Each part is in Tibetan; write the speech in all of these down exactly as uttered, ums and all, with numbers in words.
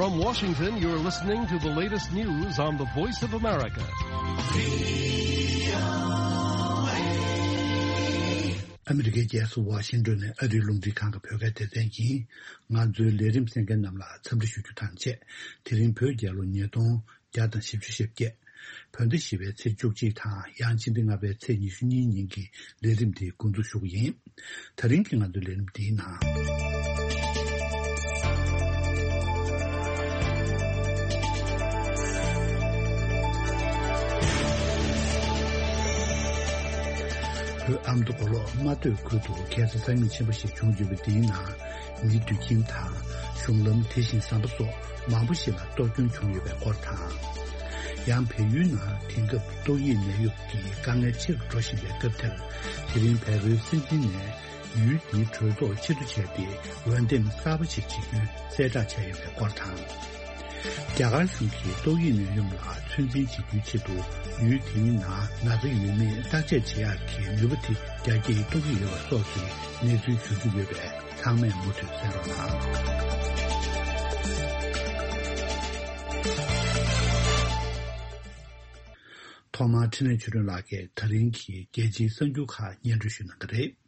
From Washington, you're listening to the latest news on the Voice of America. ཨ་མི་རི་ཀའི་རྒྱལ་ས་ཝ་ཤིང་ཏོན་ནས་ཨ་རིའི་རླུང་འཕྲིན་ཁང་གི་བོད་སྐད་སྡེ་ཚན་ཡིན། ང་ཚོའི་ལས་རིམ་གསན་མཁན་རྣམས་ལ་འཚམས་འདྲི་ཞུ་རྒྱུ་དང་བཅས། དེ་རིང་བོད་རྒྱལ་ལོ་ཉིས་སྟོང་བརྒྱ་དང་བཞི་བཅུ་ཞེ་བརྒྱད། བོད་ཟླ་བཞི་པའི་ཚེས་བཅུ་གཅིག་དང་ཡང་ཕྱི་ཟླ་ལྔ་པའི་ཚེས་ཉི་ཤུ་གཉིས་ཉིན་གྱི་ལས་རིམ་འདི་འགོ་འཛུགས་ཞུ་གི་ཡིན། ད་རིང་གི་ང་ཚོའི་ལས་རིམ་འདིའི་ནང་། བོད་ཨ་མདོ་མགོ་ལོག་རྨ་སྟོད་ཁུལ་དུ་ཁ་སང་སང་ཉིན་ཆེན་པོ་ཞིག་བྱུང་ཡོད་པ་འདིའི་ནང་། མིའི་དུད་ཁྱིམ་དང་གཞུང་ལམ། དེ་བཞིན་ཟམ་པ་སོགས་མང་པོ་ཞིག་ལ་གཏོར་སྐྱོན་བྱུང་ཡོད་པའི་སྐོར་དང་། ཡང་བལ་ཡུལ་ནང་དེང་སྐབས་ཏོག་དབྱིབས་ནད་གཡོག་གི་དཀའ་ངལ་ཆེ་རུ་འགྲོ་བཞིན་པའི་སྐབས་དེར། དེ་རིང་བལ་པོའི་སྲིད་འཛིན་ནས་ཡུལ་དེའི་གྲོས་ཚོགས་ཕྱིར་བསྡུ་བྱས་ཏེ། འོས་འདེམས་གསར་པ་ཞིག་བྱེད་རྒྱུའི་གསལ་བསྒྲགས་བྱས་ཡོད་པའི་སྐོར་དང་། རྒྱ་གར་གཞུང་གིས་ཏོག་དབྱིབས་ནད་ཡམས་ལ་ཚོད་འཛིན་བྱེད་རྒྱུའི་ཆེད་དུ། ཡུལ་དེའི་ནང་ན་ཚ་ཡོད་མེད་བརྟག་དཔྱད་བྱེད་ཡག་གི་ནུས་པ་དེ་རྒྱ་སྐྱེད་གཏོང་གི་ཡོད་པ་སོགས་ཀྱི་གནས་ཚུལ་བྱུང་གི་ཡོད་པས། ཚང་མས་མུ་མཐུད་གསན་རོགས་གནང་། ཐོག་མར་འཕྲིན་ལས་ཆོས་སྒྲོན་ལགས་ཀྱིས་ད་རིང་གི་རྒྱལ་སྤྱིའི་གསར་འགྱུར་ཁག་སྙན་སྒྲོན་ཞུ་གནང་གི་རེད།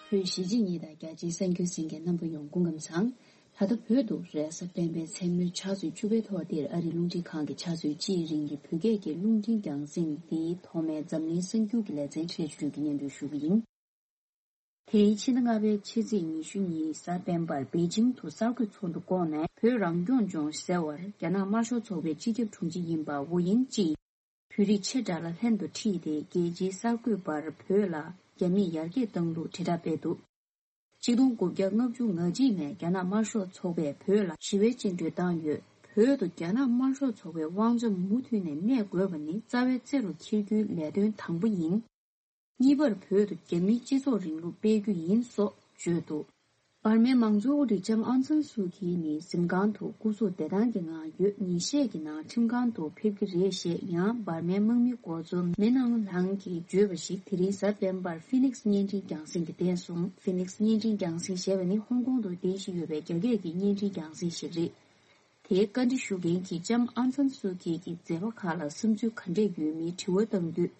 བོད་གཞིས་བྱེས་གཉིས་དང་རྒྱ་ཆེའི་གསར་འགྱུར་གསན་མཁན་རྣམ་པ་ཡོངས་སྐུ་ཁམས་བཟང་། ད་ལྟ་བོད་དུ་རེས་གཟའ་སྤེན་པའི་མཚན་མོའི་ཕྱག་ཚོད་བཅུ་པའི་ཐོག་འདིར་ཨ་རིའི་རླུང་འཕྲིན་ཁང་གི་ཕྱག་ཚོད་གཅིག་རིང་གི་བོད་སྐད་ཀྱི་རླུང་འཕྲིན་རྒྱང་སྲིང་འདིའི་ཐོག་མའི་འཛམ་གླིང་གསར་འགྱུར་གྱི་ལེ་ཚན་འཕྲིན་ལས་ཆོས་སྒྲོན་གྱིས་སྙན་སྒྲོན་ཞུ་གི་ཡིན། དེའི་ཕྱི་ཟླ་ལྔ་པའི་ཕྱི་ཚེས་ཉི་ཤུ་གཉིས་གཟའ་སྤེན་པར་པེ་ཅིང་དུ་གསར་འགོད་ཚོགས་འདུ་བསྐོངས་ནས། བོད་རང་སྐྱོང་ལྗོངས་ཟེར་བར་རྒྱ་ནག་དམར་ཤོག་ཚོགས་པའི་སྤྱི་ཁྱབ་དྲུང་ཆེ་ཡིན་པ་ཝུ་ཡིན་ཅིས། བོད་རིགས་ཆེ་དྲགས་ལ་ལྷན་དུ་ཁྲིད་དེ། རྒྱལ་སྤྱིའི་གསར་འགོད་པར་བོད་ལ་རྒྱ་མིས་ཡར་རྒྱས་བཏང་ལུགས་དྲིལ་བསྒྲགས་སྤེལ་འདུག་ཆིག་སྟོང་དགུ་བརྒྱ་ལྔ་བཅུ་ང་གཅིག་ནས་རྒྱ་ནག་དམར་ཤོག་ཚོགས་པས་བོད་ལ་ཞི་བའི་བཅིངས་འགྲོལ་བཏང་ཡོད། བོད་དུ་རྒྱ་ནག་དམར་ཤོག་ཚོགས་པའི་དབང་ཆ་མུ་མཐུད་ནས་གནས་དགོས་པ་ནི་རྩ་བའི་རྩེ་རུ་འཁྱེར་རྒྱུའི་ལས་དོན་དང་པོ་ཡིན། གཉིས་པར་བོད་དུ་རྒྱ་མིའི་སྤྱི་ཚོགས་རིང་ལུགས་སྤེལ་རྒྱུ་ཡིན་སོགས་བརྗོད་འདུག་འབར་མའི་མང་གཙོའི་དབུ་ཁྲིད་ལྕམ་ཨང་སན་སུའུ་ཁི་ནི་གཟིམ་ཁང་དུ་སྐུ་གཟུགས་བདེ་ཐང་གི་ངང་ཡོད། ཉིན་ཤས་ཀྱི་ནང་ཁྲིམས་ཁང་དུ་ཕེབས་ཀྱི་རེད་ཞེས་ཡང་འབར་མའི་དམག་མི་འགོ་གཙོ་མི་ནང་ལང་གིས་བརྗོད་པ་ཞིག་དེ་རིང་གཟའ་སྤེན་པར་ཕི་ནིགས་བརྙན་འཕྲིན་རྒྱང་སྲིང་གིས་བསྟན་སོང་། ཕི་ནིགས་བརྙན་འཕྲིན་རྒྱང་སྲིང་ཞེས་པ་ནི་ཧོང་ཀོང་དུ་རྟེན་གཞི་ཡོད་པའི་རྒྱ་སྐད་ཀྱི་བརྙན་འཕྲིན་རྒྱང་སྲིང་ཞིག་རེད། དེའི་བཀའ་འདྲི་ཞུ་མཁན་གྱིས་ལྕམ་ཨང་སན་སུའུ་ཁི་གི་མཛད་པ་ཁག་ལ་བསམ་ཚུལ་ག་འདྲས་ཡོད་མེད་དྲི་བ་བཏང་དུས།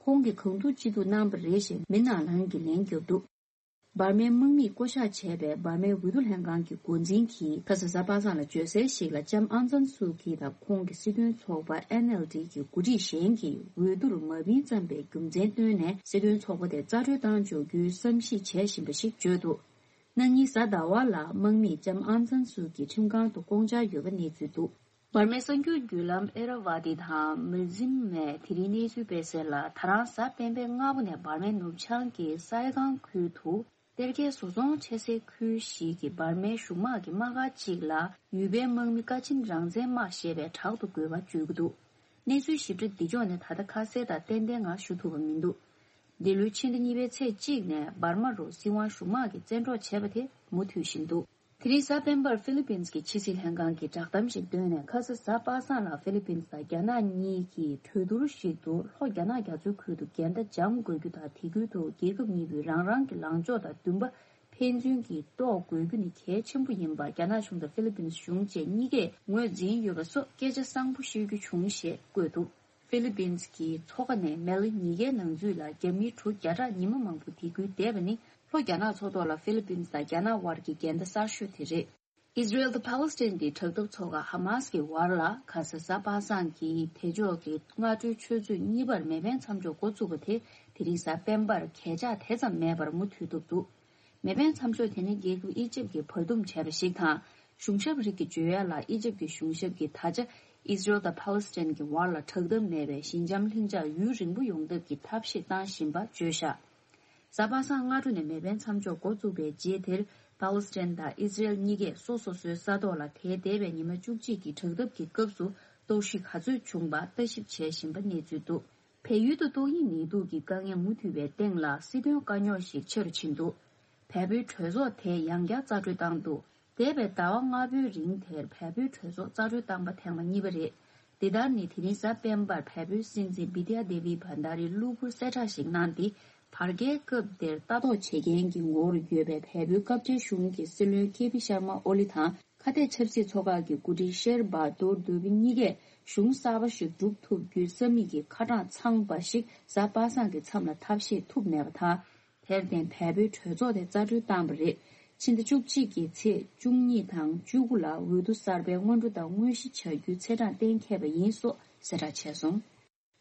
ཁོང་གིས་གང་ཐུབ་ཅི་ཐུབ་གནང་པ་རེད་ཞེས་མི་ནང་ལང་གིས་ལན་བརྒྱབ་འདུག་འབར་མའི་དམག་མིས་བསྐོ་གཞག་བྱས་པའི་འབར་མའི་འོས་བསྡུ་ལྷན་ཁང་གི་འགོ་འཛིན་གྱིས་ཁ་སང་གཟའ་པ་སངས་ལ་བརྗོད་གསལ་ཞིག་ལ། ལྕམ་ཨང་སན་སུའུ་ཁི་དང་ཁོང་གི་སྲིད་དོན་ཚོགས་པ་ཨེན་ཨེལ་ཌི་གི་འགོ་ཁྲིད་གཞན་གྱིས་འོས་བསྡུར་མ་ཕིན་ཙམ་པའི་རྒྱུ་མཚན་བཏོན་ནས། སྲིད་དོན་ཚོགས་པ་དེ་རྩ་གྲོན་བཏང་འཇོག་རྒྱུའི་བསམ་གཞིག་བྱེད་བཞིན་པ་ཞིག་བརྗོད་འདུག་གནངས་ཉིན་གཟའ་ཟླ་བ་ལ་དམག་མིས་ལྕམ་ཨང་སན་སུའུ་ཁི་ཁྲིམས་ཁང་དུ་བསྐོང་འཆར་ཡོད་པ་གནས་ཚུལ་འདུག་འབར་མའི་གསར་འགྱུར་བརྒྱུད་ལམ་ཨེ་ར་ཝ་ཏི་དང་མི་ཛིམ་མས་དེ་རིང་གནས་ཚུལ་སྤེལ་གསལ་ལ། ད་རང་གཟའ་སྤེན་པའི་སྔ་པོ་ནས་འབར་མའི་ནུབ་བྱང་གི་སའེ་ཀང་ཁུལ་དུ་གཏེར་ཁའི་བཟོ་ཚོང་བྱེད་སའི་ཁུལ་ཞིག་གི་འབར་མའི་གཞུང་དམག་གི་དམག་སྒར་གཅིག་ལ་ཡུལ་པའི་དམག་མི་ཀ་ཆིན་རང་བཙན་དམག་ཞེས་པའི་བྲག་ཏུ་རྒོལ་བ་བརྗོད་ཀྱི་འདུག་གནས་ཚུལ་ཞིབ་ཕྲ་འདི་ཕྱོགས་ནས་ད་ལྟ་ཁ་གསལ་དང་ཏན་ཏན་ངང་ཞུ་ཐུབ་པ་མི་འདུག་འདི་ལོའི་ཕྱི་ཟླ་གཉིས་པའི་ཚེས་གཅིག་ནས་འབར་མ་རུ་སྲིད་དབང་གཞུང་དམག་གིས་བཙན་འཕྲོག་བྱས་པ་དེ་མུ་མཐུད་བཞིན་འདུག་དེ་རིང་གཟའ་སྤེན་པར་ཧྥི་ལི་པིན་གྱི་ཕྱི་སྲིད་ལྷན་ཁང་གིས་བསྒྲགས་གཏམ་ཞིག་བཏོན་ནས། ཁ་སང་གཟའ་པ་སངས་ལ་ཧྥི་ལི་པིན་དང་རྒྱ་ནག་གཉིས་ཀྱིས་གྲོས་བསྡུར་ཞིག་ཏུ་ལྷོ་རྒྱ་ནག་རྒྱ་མཚོའི་ཁུལ་དུ་འགལ་ཟླ་འཇམ་དགོས་རྒྱུ་དང་། དེ་ཁུལ་དུ་རྒྱལ་ཁབ་གཉིས་པོས་རང་རང་གི་ལངས་ཕྱོགས་དང་འདུན་པ་ཕན་ཚུན་གྱིས་རྟོགས་དགོས་རྒྱུ་ནི་གལ་ཆེན་པོ་ཡིན་པ། རྒྱ་ནག་གཞུང་དང་ཧྥི་ལི་པིན་གཞུང་བཅས་གཉིས་ཀས་ངོས་འཛིན་ཡོད་པ་སོགས་སྐད་ཆ་བཟང་པོ་བཤད་རྒྱུ་བྱུང་ཞེས་བཀོད་འདུག་ཧྥི་ལི་པིན་གྱི་མཚོ་ཁ་ནས་མེ་ལེ་ཉིས་ཀའི་ནང་ཚུད་ལ་རྒྱ་མིའི་གྲུ་བརྒྱ་ཕྲག་ཉི་མ་མང་པོ་དེ་ཁུལ་བསྡད་པ་ནི་ལྷོ་རྒྱ་ནག་མཚོ་ཐོག་ལ་ཧྥི་ལི་པིན་དང་རྒྱ་ནག་དབར་གྱི་འགལ་ཟླ་གསར་ཤོས་དེ་རེད། ཨིས་ར་ཨེལ་དང་ཕཱ་ལེ་སི་ཐན་གྱི་དྲག་འཐབ་ཚོགས་ཁག་ཧ་མཱ་སི་ཀྱི་བར་ལ་ཁ་སང་གཟའ་པ་སངས་ཀྱི་དེ་ཕྱོགས་ཀྱི་སྔ་དྲོའི་ཆུ་ཚོད་གཉིས་པར་མེ་འཕེན་མཚམས་འཇོག་འགོ་བཙུགས་པ་དེ་དེ་རིང་གཟའ་སྤེན་པར་གས་ཆག་དེ་ཙམ་མེད་པར་མུ་མཐུད་ཐུབ་འདུག་མེ་འཕེན་མཚམས་འཇོག་དེ་ནི་རྒྱལ་ཁབ་ཨི་ཇིབ་ཀྱིས་བར་འདུམ་བྱས་པ་ཞིག་དང་། གཞུང་ཞབས་རིགས་ཀྱི་བརྗོད་ཡ་ལ། ཨི་ཇིབ་ཀྱི་གཞུང་ཞབས་ཀྱིས་ད་ཆ་ཨིས་ར་ཨེལ་དང་ཕཱ་ལེ་སི་ཐན་གྱི་བར་ལ་དྲག་འཐབ་མེད་པའི་ཞི་འཇམ་ལྷིང་འཇགས་ཡུན་རིང་པོ་ཡོང་ཐབས་ཀྱི་ཐབས་ཤེས་བཏང་བཞིན་པ་བརྗོད་བཞག་གཟའ་པ་སངས་སྔ་དྲོ་ནས་མེ་འཕེན་མཚམས་འཇོག་འགོ་བཙུགས་པའི་རྗེས་དེར། ཕཱ་ལེ་སི་ཐན་དང་ཨིས་ར་ཨེལ་གཉིས་ཀས་སོ་སོ་སོའི་ས་ཐོག་ལ་དེའི་འདས་པའི་ཉི་མ་བཅུ་གཅིག་གི་དྲག་འཐབ་ཀྱི་སྐབས་སུ་གཏོར་བཤིག་ག་ཚོད་བྱུང་པ་ལྟ་ཞིབ་བྱེད་བཞིན་པ་གནས་ཚུལ་འདུག་བལ་ཡུལ་དུ་ཏོག་དབྱིབས་ནད་དུག་གི་དཀའ་ངལ་མུ་མཐུད་པའི་སྟེང་ལ་སྲིད་དོན་དཀའ་རྙོག་ཞིག་ཆེ་རུ་ཕྱིན་འདུག་བལ་པོའི་གྲོས་ཚོགས་དེས་ཡང་བསྐྱར་རྩ་གྲོན་བཏང་འདུག་འདས་པའི་ཟླ་བ་ལྔ་པོའི་རིང་དེར་བལ་པོའི་གྲོས་ཚོགས་རྩ་གྲོན་བཏང་པ་ཐེངས་མ་གཉིས་པ་རེད། འདི་ལྟར་ནི་དེ་རིང་གཟའ་སྤེན་པར་བལ་པོའི་སྲིད་འཛིན་བི་དྷྱ་དེ་བི་བྷན་དྷ་རིས་གློ་བུར་གསལ་བསྒྲགས་ཤིག་གནང་སྟེ། དར་རྒྱས་སྐབས་དེར་ལྟ་རྟོག་བྱེད་མཁན་གྱི་ངོ་བོར་ཡོད་པའི་བལ་པོའི་སྐབས་འཆར་གཞུང་གི་སྲིད་བློན་ཁེ་པི་ཤར་མ་ཨོ་ལི་དང་ཁ་གཏད་ཆབ་སྲིད་ཚོགས་ཁག་གི་འགོ་ཁྲིད་ཤེར་བྷ་དུར་དུ་བི་གཉིས་ཀས་གཞུང་གསར་པ་ཞིག་སྒྲུབ་ཐུབ་རྒྱུའི་ས་མིག་གི་ཁ་གྲངས་ཚང་བ་ཞིག་གཟའ་པ་སངས་ཀྱི་མཚམས་ལ་ཐབས་ཤེས་ཐུབ་མེད་པ་དང་། དེར་བརྟེན་བལ་པོའི་གྲོས་ཚོགས་དེ་རྩ་གྲོན་བཏང་བ་རེད། ཕྱི་ཟླ་བཅུ་གཅིག་གི་ཚེས་བཅུ་གཉིས་དང་བཅུ་དགུ་ལ་འོས་བསྡུ་གསར་པའི་སྔོན་འགྲོ་དང་དངོས་གཞི་བྱ་རྒྱུའི་ཚེས་གྲངས་གཏན་འཁེལ་བ་ཡིན་སོགས་གསལ་བསྒྲགས་བྱས་སོང་།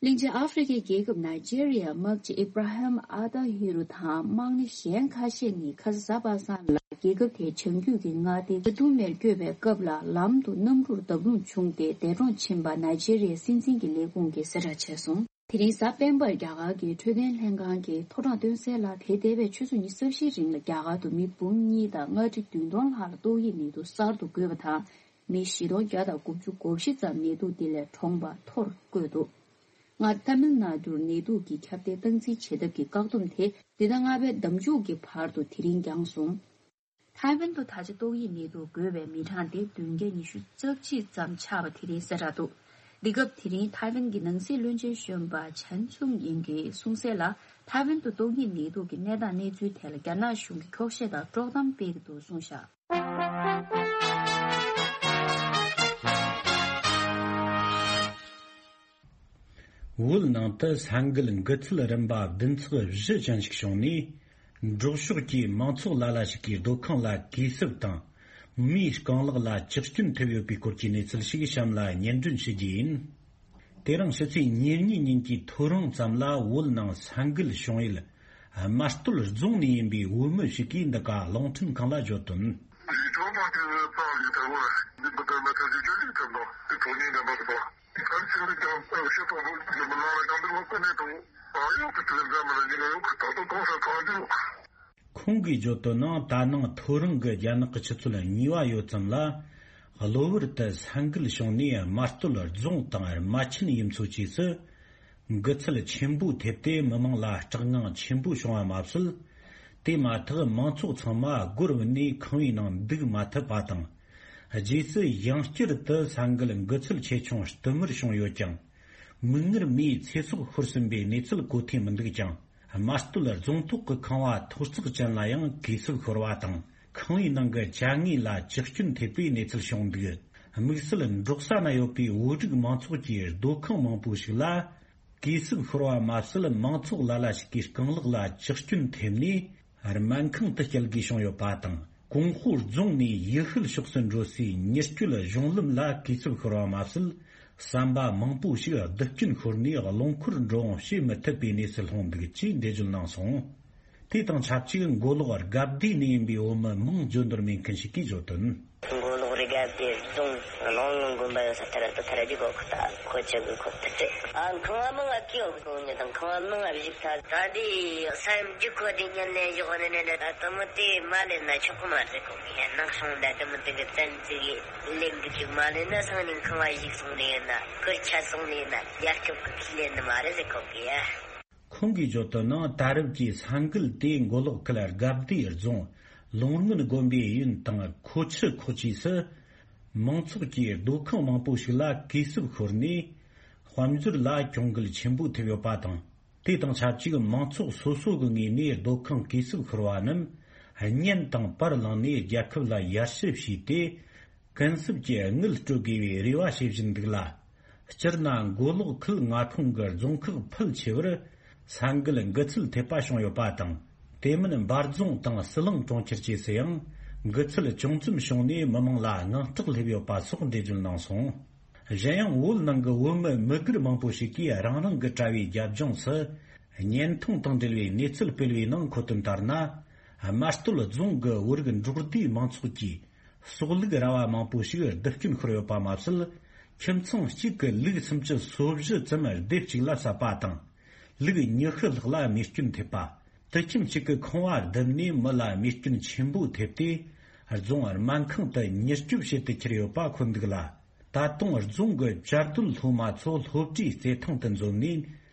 གླིང་ཆེན་ཨ་ཧྥེ་རི་ཁའི་རྒྱལ་ཁབ་ནཱི་ཇེ་རི་ཡའི་དམག་སྤྱི་ཨི་བྷ་ར་ཧམ་ཨ་ཏཱ་ཧི་རུ་དང་དམག་མི་གཞན་ཁ་ཤས་ནི་ཁ་ས་གཟའ་པ་སངས་ལ་རྒྱལ་ཁབ་དེའི་བྱང་རྒྱུད་ཀྱི་མངའ་སྡེ་ཇ་དུ་མེར་བསྐྱོད་པའི་སྐབས་ལ་ལམ་དུ་གནམ་གྲུར་བརྡབ་ལྷུང་བྱུང་སྟེ་འདས་གྲོངས་ཕྱིན་པ་ནཱི་ཇེ་རི་ཡའི་སྲིད་འཛིན་གྱི་ལས་ཁུངས་ཀྱིས་གསལ་བསྒྲགས་བྱས་སོང་། དེ་རིང་གཟའ་སྤེན་པར་རྒྱ་གར་གྱི་འཕྲོད་བསྟེན་ལྷན་ཁང་གིས་ཐོ་གྲངས་བཏོན་གསལ་ལ། དེ་འདས་པའི་ཆུ་ཚོད་ཉི་ཤུ་རྩ་བཞིའི་རིང་ལ་རྒྱ་གར་དུ་མི་འབུམ་གཉིས་དང་ལྔ་ཁྲི་བདུན་སྟོང་ལྷག་ལ་ཏོག་དབྱིབས་ནད་དུག་གསར་དུ་འགོས་པ་དང་། མི་བཞི་སྟོང་བརྒྱ་དང་དགུ་བཅུ་གོ་བཞི་ཙམ་ནད་དུག་འདི་ལས་གྲོངས་པ་ཐོར་བཀོད་འདུག། སྔར་ཐ་མིལ་ནཱ་ཌུར་ནད་དུག་གི་ཁྱབ་གདལ་སྟངས་འཛིན་བྱེད་ཐབས་ཀྱི་བཀག་སྡོམ་དེ་འདི་ཟླ་ལྔ་པའི་ཟླ་མཇུག་གི་བར་དུ་དེ་རིང་འགྱངས་སོང་། ཐའེ་ཝན་དུ་ད་ཆ་ཏོག་དབྱིབས་ནད་དུག་འགོས་པའི་མི་གྲངས་དེ་བདུན་བརྒྱ་ཉི་ཤུ་རྩ་གཅིག་ཙམ་ཆགས་པ་དེ་རིང་གསལ་བསྒྲགས་འདུག། འདི་སྐབས་དེ་རིང་ཐའེ་ཝན་གྱི་ནང་སྲིད་བློན་ཆེན་གཞོན་པ་ཆན་ཚུང་ཡིན་གྱིས་གསུངས་གསལ་ལ། ཐའེ་ཝན་དུ་ཏོག་དབྱིབས་ནད་དུག་གི་གནས་སྟངས་གནས་ཚུལ་ཐད་ལ་རྒྱ་ནག་གཞུང་གིས་འཁྱོག་བཤད་དང་དཀྲོག་གཏམ་སྤེལ་གྱི་འདུག་གསུངས་བཞག། བོད་ནང་དུ་ས་འགུལ་འགུལ་ཚུལ་རིམ་པ་བདུན་ཚེག་བཞི་ཅན་ཞིག་བྱུང་ནས། འབྲོག་ཕྱོགས་ཀྱི་མང་ཚོགས་ལ་ལ་ཞིག་གིས་སྡོད་ཁང་ལ་གུས་སྲབ་དང་། མིའི་རྐང་ལག་ལ་ཇག་སྐྱོན་ཐེབས་ཡོད་པའི་སྐོར་གྱི་གནས་ཚུལ་ཞིག་གཤམ་ལ་སྙན་སྒྲོན་ཞུ་རྒྱུ་ཡིན། དེ་རིང་ཕྱི་ཚེས་ཉེར་གཉིས་ཉིན་གྱི་ཐོ་རངས་ཙམ་ལ་བོད་ནང་ས་འགུལ་བྱུང་ཡུལ་རྨ་སྟོད་རྫོང་ནས་ཡིན་པའི་བོད་མི་ཞིག་གིས་འདི་ག་རླུང་འཕྲིན་ཁང་ལ་བརྗོད་དོན། ཁོང་གིས་བརྗོད་དོན་ནང་། ད་ནངས་ཐོ་རངས་ཀྱི་རྒྱ་ནག་གི་ཆུ་ཚོད་གཉིས་པ་ཡོལ་ཙམ་ལ། གློ་བུར་དུ་ས་འགུལ་བྱུང་ནས་རྨ་སྟོད་རྫོང་དང་རྨ་ཆེན་ཡུལ་ཚོ་བཅས་སུ་འགུལ་ཚད་ཆེན་པོ་ཐེབས་ཏེ། མི་མང་ལ་སྐྲག་སྣང་ཆེན་པོ་བྱུང་བ་མ་ཟད། དེ་མ་ཐག་མང་ཚོགས་ཚང་མ་སྒོར་བུད་ནས་ཁང་པའི་ནང་འདུག་མ་ཐུབ་པ་དང་། རྗེས་སུ་ཡང་བསྐྱར་དུ་ས་འགུལ་འགུལ་ཚད་ཆེ་ཆུང་བསྟུད་མར་བྱུང་ཡོད་ཀྱང་། མིག་སྔར་མིའི་ཚེ་སྲོག་ཤོར་ཟིན་པའི་གནས་ཚུལ་གོ་ཐོས་མི་འདུག་ཀྱང་། རྨ་སྟོད་རྫོང་ཐོག་གི་ཁང་པ་ཐོག་བརྩེགས་ཅན་ལ་ཡང་གས་སྲུབས་ཤོར་བ་དང་། ཁང་པའི་ནང་གི་ཅ་དངོས་ལ་ཇག་སྐྱོན་ཐེབས་པའི་གནས་ཚུལ་བྱུང་འདུག། དམིགས་བསལ་འབྲོག་ས་ན་ཡོད་པའི་བོད་རིགས་མང་ཚོགས་ཀྱི་སྡོད་ཁང་མང་པོ་ཞིག་ལ། གས་སྲུབས་ཤོར་བ་མ་ཟད། མང་ཚོགས་ལ་ལ་ཞིག་གིས་རྐང་ལག་ལ་ཇག་སྐྱོན་ཐེབས་ནས། སྨན་ཁང་དུ་བསྐྱལ་དགོས་བྱུང་ཡོད་པ་དང་། ཀོང་ཧོ་རྫོང་ནས་ཡུལ་ཤུལ་ཕྱོགས་སུ་འགྲོ་སའི་མྱུར་སྐྱོད་གཞུང་ལམ་ལ་གས་སྲུབས་ཤོར་བ་མ་ཟད། ཟམ་པ་མང་པོ་ཞིག་རྡུལ་སྐྱོན་ཤོར་ནས་རླངས་འཁོར་འགྲོ་འོང་བྱེད་མི་ཐུབ་པའི་གནས་སུ་ལྷུང་འདུག་ཅེས་འགྲེལ་བརྗོད་གནང་སོང་། དེ་དང་ཆབས་ཅིག་མགོ་ལོག་དགའ་བདེ་ནས་ཡིན་པའི་བོད་མི་མིང་བརྗོད་འདོད་མེད་མཁན་ཞིག་གིས་བརྗོད་དོན། མགོ་ལོག་རི་དགའ་བདེ་རྫོང་གླང་ལུང་དགོན་པ་ཡོད་ས་དེར་དུ་ཐར་རྒྱུ་གོ་ཁུ་ཐག་ཁོ་ཆ་གི་ཁོ་ཐག་ཚེ། ཨ་ཁང་བ་མང་ང་ཀི་ཡོད་གོ་ནི་དང་ཁང་བ་མང་ང་བཞུགས་ཐག་ད་དེ་ས་ཡོམ་རྒྱུ་ཁོ་དེ་ཉན་ལེན་བཞག་ནི་ནི་ད་དུ་མི་དེ་མ་ལེན་ན་ཆོག་གི་མ་རེད་གོ་གི་ནང་སོང་ད་དུ་མི་དེ་གི་བཙན་ཚིག་གི་ལེན་གི་ཅིག་མ་ལེན་ན་སང་ཉིན་ཁང་བ་བཞུགས་སོང་ནི་ཡིན་ན་ཁུར་ཆ་སོང་ནི་ཡིན་ན་རྒྱལ་སྐྱོབ་གི་ཁས་ལེན་ནི་མ་རེད་ཟེར་གོ་གི་ཡ། ཁོང་གིས་བརྗོད་དོན་ནང་། ད་རེབ་ཀྱི་ས་འགུལ་དེ་མགོ་ལོག་ཁུལ་དགའ་བདེ་རྫོང་ལུང་སྔོན་དགོན་པའི་ཡུན་དང་ཁོ་ཆུ་ཁོག་བཅས་སུ། མང་ཚོགས་ཀྱི་སྡོད་ཁང་མང་པོ་ཞིག་ལ་གས་སྲུབས་ཤོར་ནས། དཔལ་འབྱོར་ལ་གྱོང་གུད་ཆེན་པོ་ཐེབས་ཡོད་པ་དང་། དེ་དང་ཆབས་ཅིག་མང་ཚོགས་སོ་སོ་གི་ངོས་ནས་སྡོད་ཁང་གས་སྲུབས་ཤོར་བ་རྣམས། གཉེན་དང་པར་བླངས་ནས་རྒྱལ་ཁབ་ལ་ཡར་ཞུ་བྱས་ཏེ། ཀུན་གསབ་ཀྱི་དངུལ་སྤྲོད་དགོས་པའི་རེ་བ་བྱེད་བཞིན་འདུག་ལ། སྤྱིར་ན་མགོ་ལོག་ཁུལ་མངའ་ཁོངས་ཀྱི་རྫོང་ཁག་ཕལ་ཆེ་བར་ས་འགུལ་འགུལ་ཚད་ཐེབས་པ་བྱུང་ཡོད་པ་དང་། དེ་མིན་འབའ་རྫོང་དང་ཟི་ལིང་གྲོང་ཁྱེར་བཅས་སུ་ཡང་འགུལ་ཚད་ཅུང་ཙམ་བྱུང་ནས་མི་མང་ལ་དངངས་སྐྲག་སླེབས་ཡོད་པ་སོགས་འགྲེལ་བརྗོད་གནང་སོང་། གཞན་ཡང་བོད་ནང་གི་བོད་མི་མི་སྒེར་མང་པོ་ཞིག་གིས་རང་རང་གི་དྲ་བའི་རྒྱབ་ལྗོངས་སུ་བརྙན་ཐུང་དང་འབྲེལ་བའི་གནས་ཚུལ་སྤེལ་བའི་ནང་འཁོད་དོན་ལྟར་ན། རྨ་སྟོད་རྫོང་གི་བོད་རིགས་འབྲོག་སྡེའི་མང་ཚོགས་ཀྱིས། སྲོག་ལུག་ར་བ་མང་པོ་ཞིག་རྡུལ་སྐྱོན་ཤོར་ཡོད་པ་མ་ཟད། ཁྱིམ་ཚང་གཅིག་གི་ལུག་སུམ་ཅུ་སོ་བཞི་ཙམ་སྡེབ་གཅིག་ལ་བསད་པ་དང་། ལུག་ཉི་ཤུ་ལྷག་ལ་རྨས་སྐྱོན་ཐེབས་པ། དུད་ཁྱིམ་གཅིག་གི་ཁང་བ་བརྡིབས་ནས་མི་ལ་རྨས་སྐྱོན་ཆེན་པོ་ཐེབས་ཏེ། རྫོང་སྨན་ཁང་དུ་མྱུར་སྐྱོབ་བྱེད་དུ་ཁྱེར་ཡོད་པ་འཁོད་འདུག་ལ། ད་དུང་རྫོང་གི་བཅའ་སྡོད་སློབ་མ་ཚོ་སློབ་གྲྭའི་རྩེད་ཐང་དུ་འཛོམས་ནས་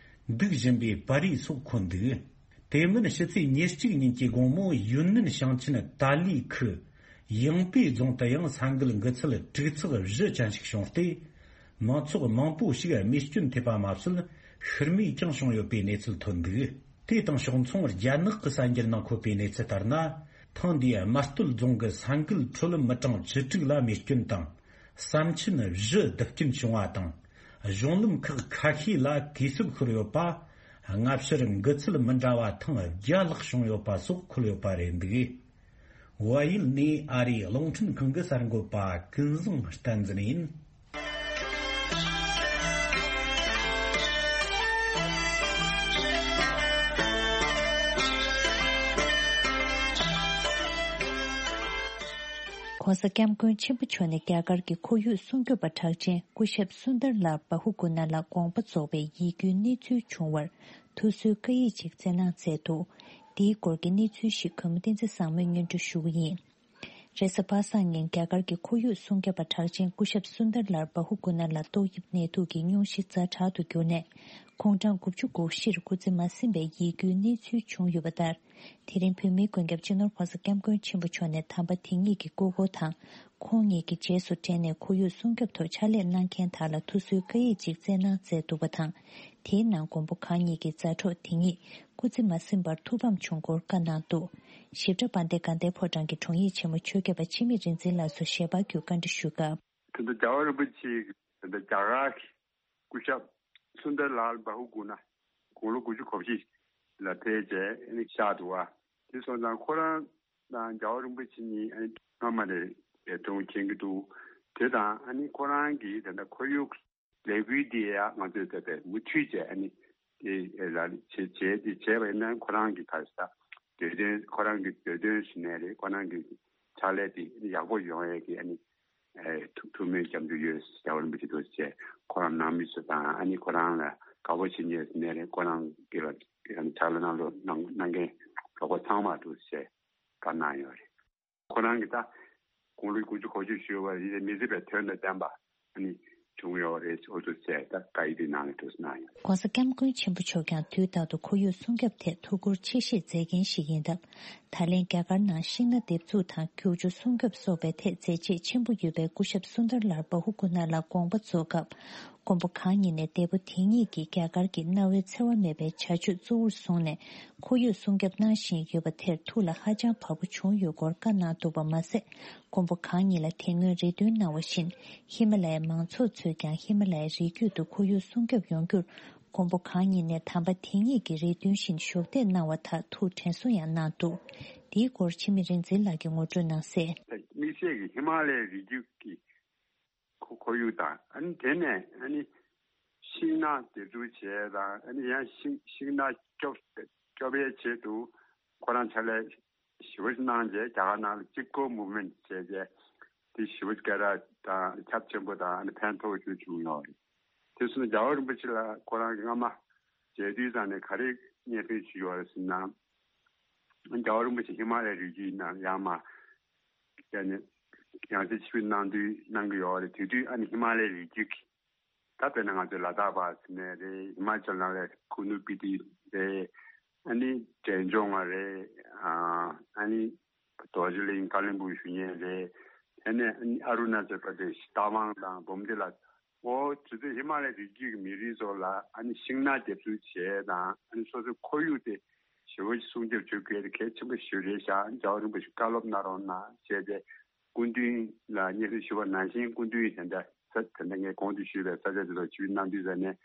འདུག་བཞིན་པའི་པར་རིས་སོགས་འཁོད་འདུག། དེ་མིན་ཕྱི་ཚེས་ཉེར་གཅིག་ཉིན་གྱི་དགོང་མོ་ཡུན་ནན་ཞིང་ཆེན་ཏཱ་ལི་ཁུལ་ཡང་པེ་རྫོང་དུ་ཡང་ས་འགུལ་འགུལ་ཚད་དྲུག་ཚེག་བཞི་ཅན་ཞིག་བྱུང་སྟེ། མང་ཚོགས་མང་པོ་ཞིག་རྨས་སྐྱོན་ཐེབས་པ་མ་ཟད། ཤི་རྨས་ཀྱང་བྱུང་ཡོད་པའི་གནས་ཚུལ་ཐོན་འདུག། དེ་དང་ཕྱོགས་མཚུངས། རྒྱ་ནག་གི་གསར་འགྱུར་ནང་འཁོད་པའི་གནས་ཚུལ་ལྟར་ན། ཐེངས་འདིའི་རྨ་སྟོད་རྫོང་གི་ས་འགུལ་ཁྲོད་མི་གྲངས་བཅུ་དྲུག་ལ་རྨས་སྐྱོན་དང་། ས་མཆིན་བཞི་རྡུལ་སྐྱོན་བྱུང་བ་དང་། གཞུང་ལམ་ཁག་ཁ་ཤས་ལ་གས་སྲུབས་ཤོར་ཡོད་པ། སྔ་ཕྱིར་འགུལ་ཚད་མི་འདྲ་བ་ཐེངས་བརྒྱ་ལྷག་བྱུང་ཡོད་པ་སོགས་འཁོད་ཡོད་པ་རེད་འདུག། བལ་ཡུལ་ནས་ཨ་རིའི་རླུང་འཕྲིན་ཁང་གི་གསར་འགོད་པ་ཀུན་བཟང་བསྟན་འཛིན་ཡིན། ྋགོང་ས་ྋསྐྱབས་མགོན་ཆེན་པོ་མཆོག་ནས་རྒྱ་གར་གྱི་ཁོར་ཡུག་སྲུང་སྐྱོབ་པ་གྲགས་ཅན་སྐུ་ཞབས་སུན་དར་ལལ་བྷ་ཧུ་གུ་ན་ལ་དགོངས་པ་རྫོགས་པའི་ཡིད་སྐྱོའི་གནས་ཚུལ་བྱུང་བར་ཐུགས་གསོའི་བཀའ་ཡིག་ཅིག་བསྩལ་གནང་མཛད་འདུག། འདིའི་སྐོར་གྱི་གནས་ཚུལ་ཞིག་གུས་མོ་བསྟན་འཛིན་བཟང་མོས་སྙན་སྒྲོན་ཞུ་གི་ཡིན། རེས་གཟའ་པ་སངས་ཉིན་རྒྱ་གར་གྱི་ཁོར་ཡུག་སྲུང་སྐྱོབ་པ་གྲགས་ཅན་སྐུ་ཞབས་སུན་དར་ལལ་བྷ་ཧུ་གུ་ན་ལ་ཏོག་དབྱིབས་ནད་དུག་གི་སྙུང་གཞི་ཛ་དྲག་ཏུ་གྱུར་ནས། ཁོང་གྲངས་དགུ་བཅུ་གོ་བཞིར་སྐུ་ཚེ་མ་ཟིན་པའི་ཡིད་སྐྱོའི་གནས་ཚུལ་བྱུང་ཡོད་པ་ལྟར། དེ་རིང་བོད་མིའི་མགོན་སྐྱབས་སྤྱི་ནོར་༧གོང་ས་༧སྐྱབས་མགོན་ཆེན་པོ་མཆོག་ནས་དམ་པ་དེ་ཉིད་ཀྱི་སྐུ་འཁོར་དང་། ཁོང་ཉིད་ཀྱི་རྗེས་སུ་འབྲངས་ནས་ཁོར་ཡུག་སྲུང་སྐྱོབ་ཐོག་ཕྱག་ལས་གནང་མཁན་དག་ལ་ཐུགས་གསོའི་བཀའ་ཡིག་ཅིག་བསྩལ་གནང་མཛད་འདུག་པ་དང་། དེའི་ནང་མགོན་པོ་གང་ཉིད་ཀྱི་མཛའ་གྲོགས་དེ་ཉིད་སྐུ་ཚེ་མ་ཟིན་པར་ཐུགས་ཕམ་བྱུང་སྐོར་བཀའ་གནང་འདུག། ཞིབ་ཕྲ་དཔལ་ལྡན་དགའ་ལྡན་ཕོ་བྲང་གི་དྲུང་ཡིག་ཆེན་མོ་ཆོས་རྒྱལ་པ་འཆི་མེད་རིག་འཛིན་ལགས་སུ་ཞལ་པར་བརྒྱུད་བཀའ་འདྲི་ཞུས་སྐབས། དེ་ཚོ་རྒྱལ་བ་རིན་པོ་ཆེ་དེ་ཚོ་རྒྱ་གར་གྱི་སྐུ་ཞབས་སུན་དར་ལལ་བྷ་ཧུ་གུ་ན་དགུང་ལོ་དགུ་བཅུ་གོ་བཞི་ལ་ཕེབས་བྱས་ཨ་ནི་གཤེགས་འདུག་བ། དེ་སོང་ཙང་ཁོ་རང་དང་རྒྱལ་བ་རིན་པོ་ཆེ་གཉིས་ཨ་ནི་སྔ་མ་ནས་འབྲེལ་མཐུད་མཁྱེན་གྱི་འདུག། དེ་དང་ཨ་ནི་ཁོ་རང་གིས་ད་ལྟ་ཁོར་ཡུག་ལས་འགུལ་འདི་ཡང་ང་ཚོས་ད་ལྟ་མུ་མཐུད་བྱས་ཨ་ནི་དེ་ལ་བྱེད་བྱེད་དེ་བྱས་པ་ཡིན་ན་ཁོ་རང་གི་ག་རེ་ཟ་འདོད་དོན་ཁོ་རང་གི་འདོད་དོན་ཞུ་ནས་རེད། ཁོ་རང་གི་ཕྱག་ལས་དེ་ཡག་པོ་ཡོང་ཡས་ཀྱི་ཨ་ནི་ཐུགས་ཐུགས་སྨོན་སྐྱབས་འཇུག་ཡོད། རྒྱལ་བ་རིན་པོ་ཆེ་ཐུགས་རྗེ་ཆེ། ཁོ་རང་ནང་མི་ཚོ་དང་ཨ་ནི་ཁོ་རང་ལ་དགའ་པོ་བྱེད་མཁན་ནས་རེད། ཁོ་རང་གི་ལ་ཕྱག་ལས་གནང་ལོ་གནང་གནང་མཁན་གྲོགས་པོ་ཚང་མ་ཐུགས་རྗེ་ཆེ་བཀའ་གནང་ཡོད་རེད། ཁོ་རང་གིས་ད་དགུང་ལོ་དགུ་བཅུ་གོ་བཅུ་བཞུགས་པ་ཡིན་ན་མི་སྲིད་པའི་དོན་དང་ལྡན་པ་ཨ་ནི་བྱུང་ཡོད་རེད། འོ་ཐུགས་རྗེ་ཆེ། ད་བཀའ་ཡིག་འདི་ནང་ལ་ཐུགས་གནང་ཡོད། ྋགོང་ས་ྋསྐྱབས་མགོན་ཆེན་པོ་མཆོག་ཀྱང་དུས་རྟག་ཏུ་ཁོར་ཡུག་སྲུང་སྐྱོབ་ཐད་ཐུགས་ཁུར་ཆེ་བཞེས་མཛད་མཁན་ཞིག་ཡིན་སྟབས། ད་ལན་རྒྱ་གར་ནང་ཤིང་སྣ་འདེབས་འཛུགས་དང་རྒྱུག་ཆུ་སྲུང་སྐྱོབ་སོགས་པའི་ཐད་མཛད་རྗེས་ཆེན་པོ་ཡོད་པའི་སྐུ་ཞབས་སུན་དར་ལལ་བྷ་ཧུ་གུ་ན་ལ་དགོངས་པ་རྫོགས་སྐབས། མགོན་པོ་གང་ཉིད་ནས་འདས་པོ་དེ་ཉིད་ཀྱིས་རྒྱ་གར་གྱི་གནའ་བོའི་འཚེ་བ་མེད་པའི་བྱ་སྤྱོད་གཙོ་བོར་བཟུང་ནས་ཁོར་ཡུག་སྲུང་སྐྱོབ་གནང་བཞིན་ཡོད་པ་དེར་ཐུགས་ལ་ཧ་ཅང་བབ་པོ་བྱུང་ཡོད་སྐོར་བཀའ་གནང་འདུག་པ་མ་ཟད། མགོན་པོ་གང་ཉིད་ལ་དེ་སྔོན་རེ་འདུན་གནང་བ་བཞིན་ཧི་མ་ལ་ཡའི་མང་ཚོགས་ཚོས་ཀྱང་ཧི་མ་ལ་ཡའི་རི་རྒྱུད་དུ་ཁོར་ཡུག་སྲུང་སྐྱོབ་ཡོང་རྒྱུར། མགོན་པོ་གང་ཉིད་ནས་དམ་པ་དེ་ཉིད་ཀྱི་རེ་འདུན་བཞིན་གཞོགས་འདེགས་གནང་བ་དག་ཐུགས་དྲན་གསོ་ཡང་གནང་འདུག། འདིའི་སྐོར་འཆི་མེད་རིག་འཛིན་ལགས་ཀྱིས་ངོ་སྤྲོད་གནང་གསལ། དམིགས་བསལ་གྱི་ཧི་མ་ལ་ཡའི་རི་རྒྱུད་ཀྱི་ཁོ་ཁོར་ཡུག་དང་ཨ་ནི་དེ་ནས་ཨ་ནི་ཤིང་ནགས་འདེབས་འཛུགས་བྱས་དང་ཨ་ནི་ཡང་ཤིང་ཤིང་ནགས་སྐྱོབ་སྐྱོབ་པའི་ཆེད་དུ་ཁོ་རང་ཕྱག་ལས་ཞེ་པོ་ཅིག་གནང་རྗེས་རྒྱ་གར་ནང་ལ་གཅིག་པོ་མུ་ཝ་མེན་ཊི་བྱས་རྗེས་དེ་ཞེ་པོ་སྐད་གྲགས་དང་ཁྱབ་ཆེན་པོ་དང་ཨ་ནི་ཕན་ཐོགས་ཤུགས་བྱུང་ཡོད་རེད། དེ་སོང་ཙང་རྒྱལ་བ་རིན་པོ་ཆེ་ལ་ཁོ་རང་གི་སྔ་མ་མཇལ་དུས་ཙང་ནས་ག་རེ་སྙན་སེང་ཞུས་ཡོད་རེད་ཟེར་ན། རྒྱལ་བ་རིན་པོ་ཆེ་ཧི་མ་ལ་ཡའི་རི་རྒྱུད་ནང་ཡང་མ་ཡང་ནས་ཡང་སེ་ཆིབས་བསྒྱུར་གནང་དུས་གནང་གི་ཡོད་རེད། དེ་དུས་ཨ་ནི་ཧི་མ་ལ་ཡའི་རི་རྒྱུད་ཀྱི་ད་དཔེར་ན་ང་ཚོའི་ལ་དྭགས་པ་ཟེར་ནའི་རེད། ཧི་མ་ཅལ་ནང་ལ་ཁུ་ནུ་སྤི་ཏི་རེད། ཨ་ནི་འབྲས་ལྗོངས་ང་རེད། ཨ་ནི་རྡོ་རྗེ་གླིང་ཀ་ལིམ་པོང་ཞུ་མཁན་རེད། དེ་ནས་ཨ་ནི་ཨ་རུ་ན་ཅལ་པར་དེ་ཤི་རྟ་དབང་དང་འབུམ་སྡེ་ལ། འོ་དེ་ཚོ་ཧི་མ་ལ་ཡའི་རི་རྒྱུད་ཀྱི་མི་རིགས་ཚོ་ལ་ཨ་ནི་ཤིང་ནགས་འདེབས་འཛུགས་བྱས་དང་ཨ་ནི་སོ་སོའི་ཁོར་ཡུག་དེ་ཞེ་པོ་ཅིག་སྲུང་སྐྱོབ་བྱེད་དགོས་དེ་གལ་ཆེན་པོ་ཞིག་རེད་ཤག་རྒྱལ་བ་རིན་པོ་ཆེ་བཀའ་སློབ་གནང་རོགས་གནང་བྱས་ཏེ་སྐུ་མདུན་ལ་སྙན་སེང་ཞུས་པ་ནང་བཞིན་སྐུ་མདུན་ཡིས་དེ་འདྲ་ས་དེ་འདྲ་ངས་གོང་དུ་ཞུས་པའི་ས་ཆ་དེ་ཚོ་ཆིབས་བསྒྱུར་གནང་དུས་ཙ་ནས་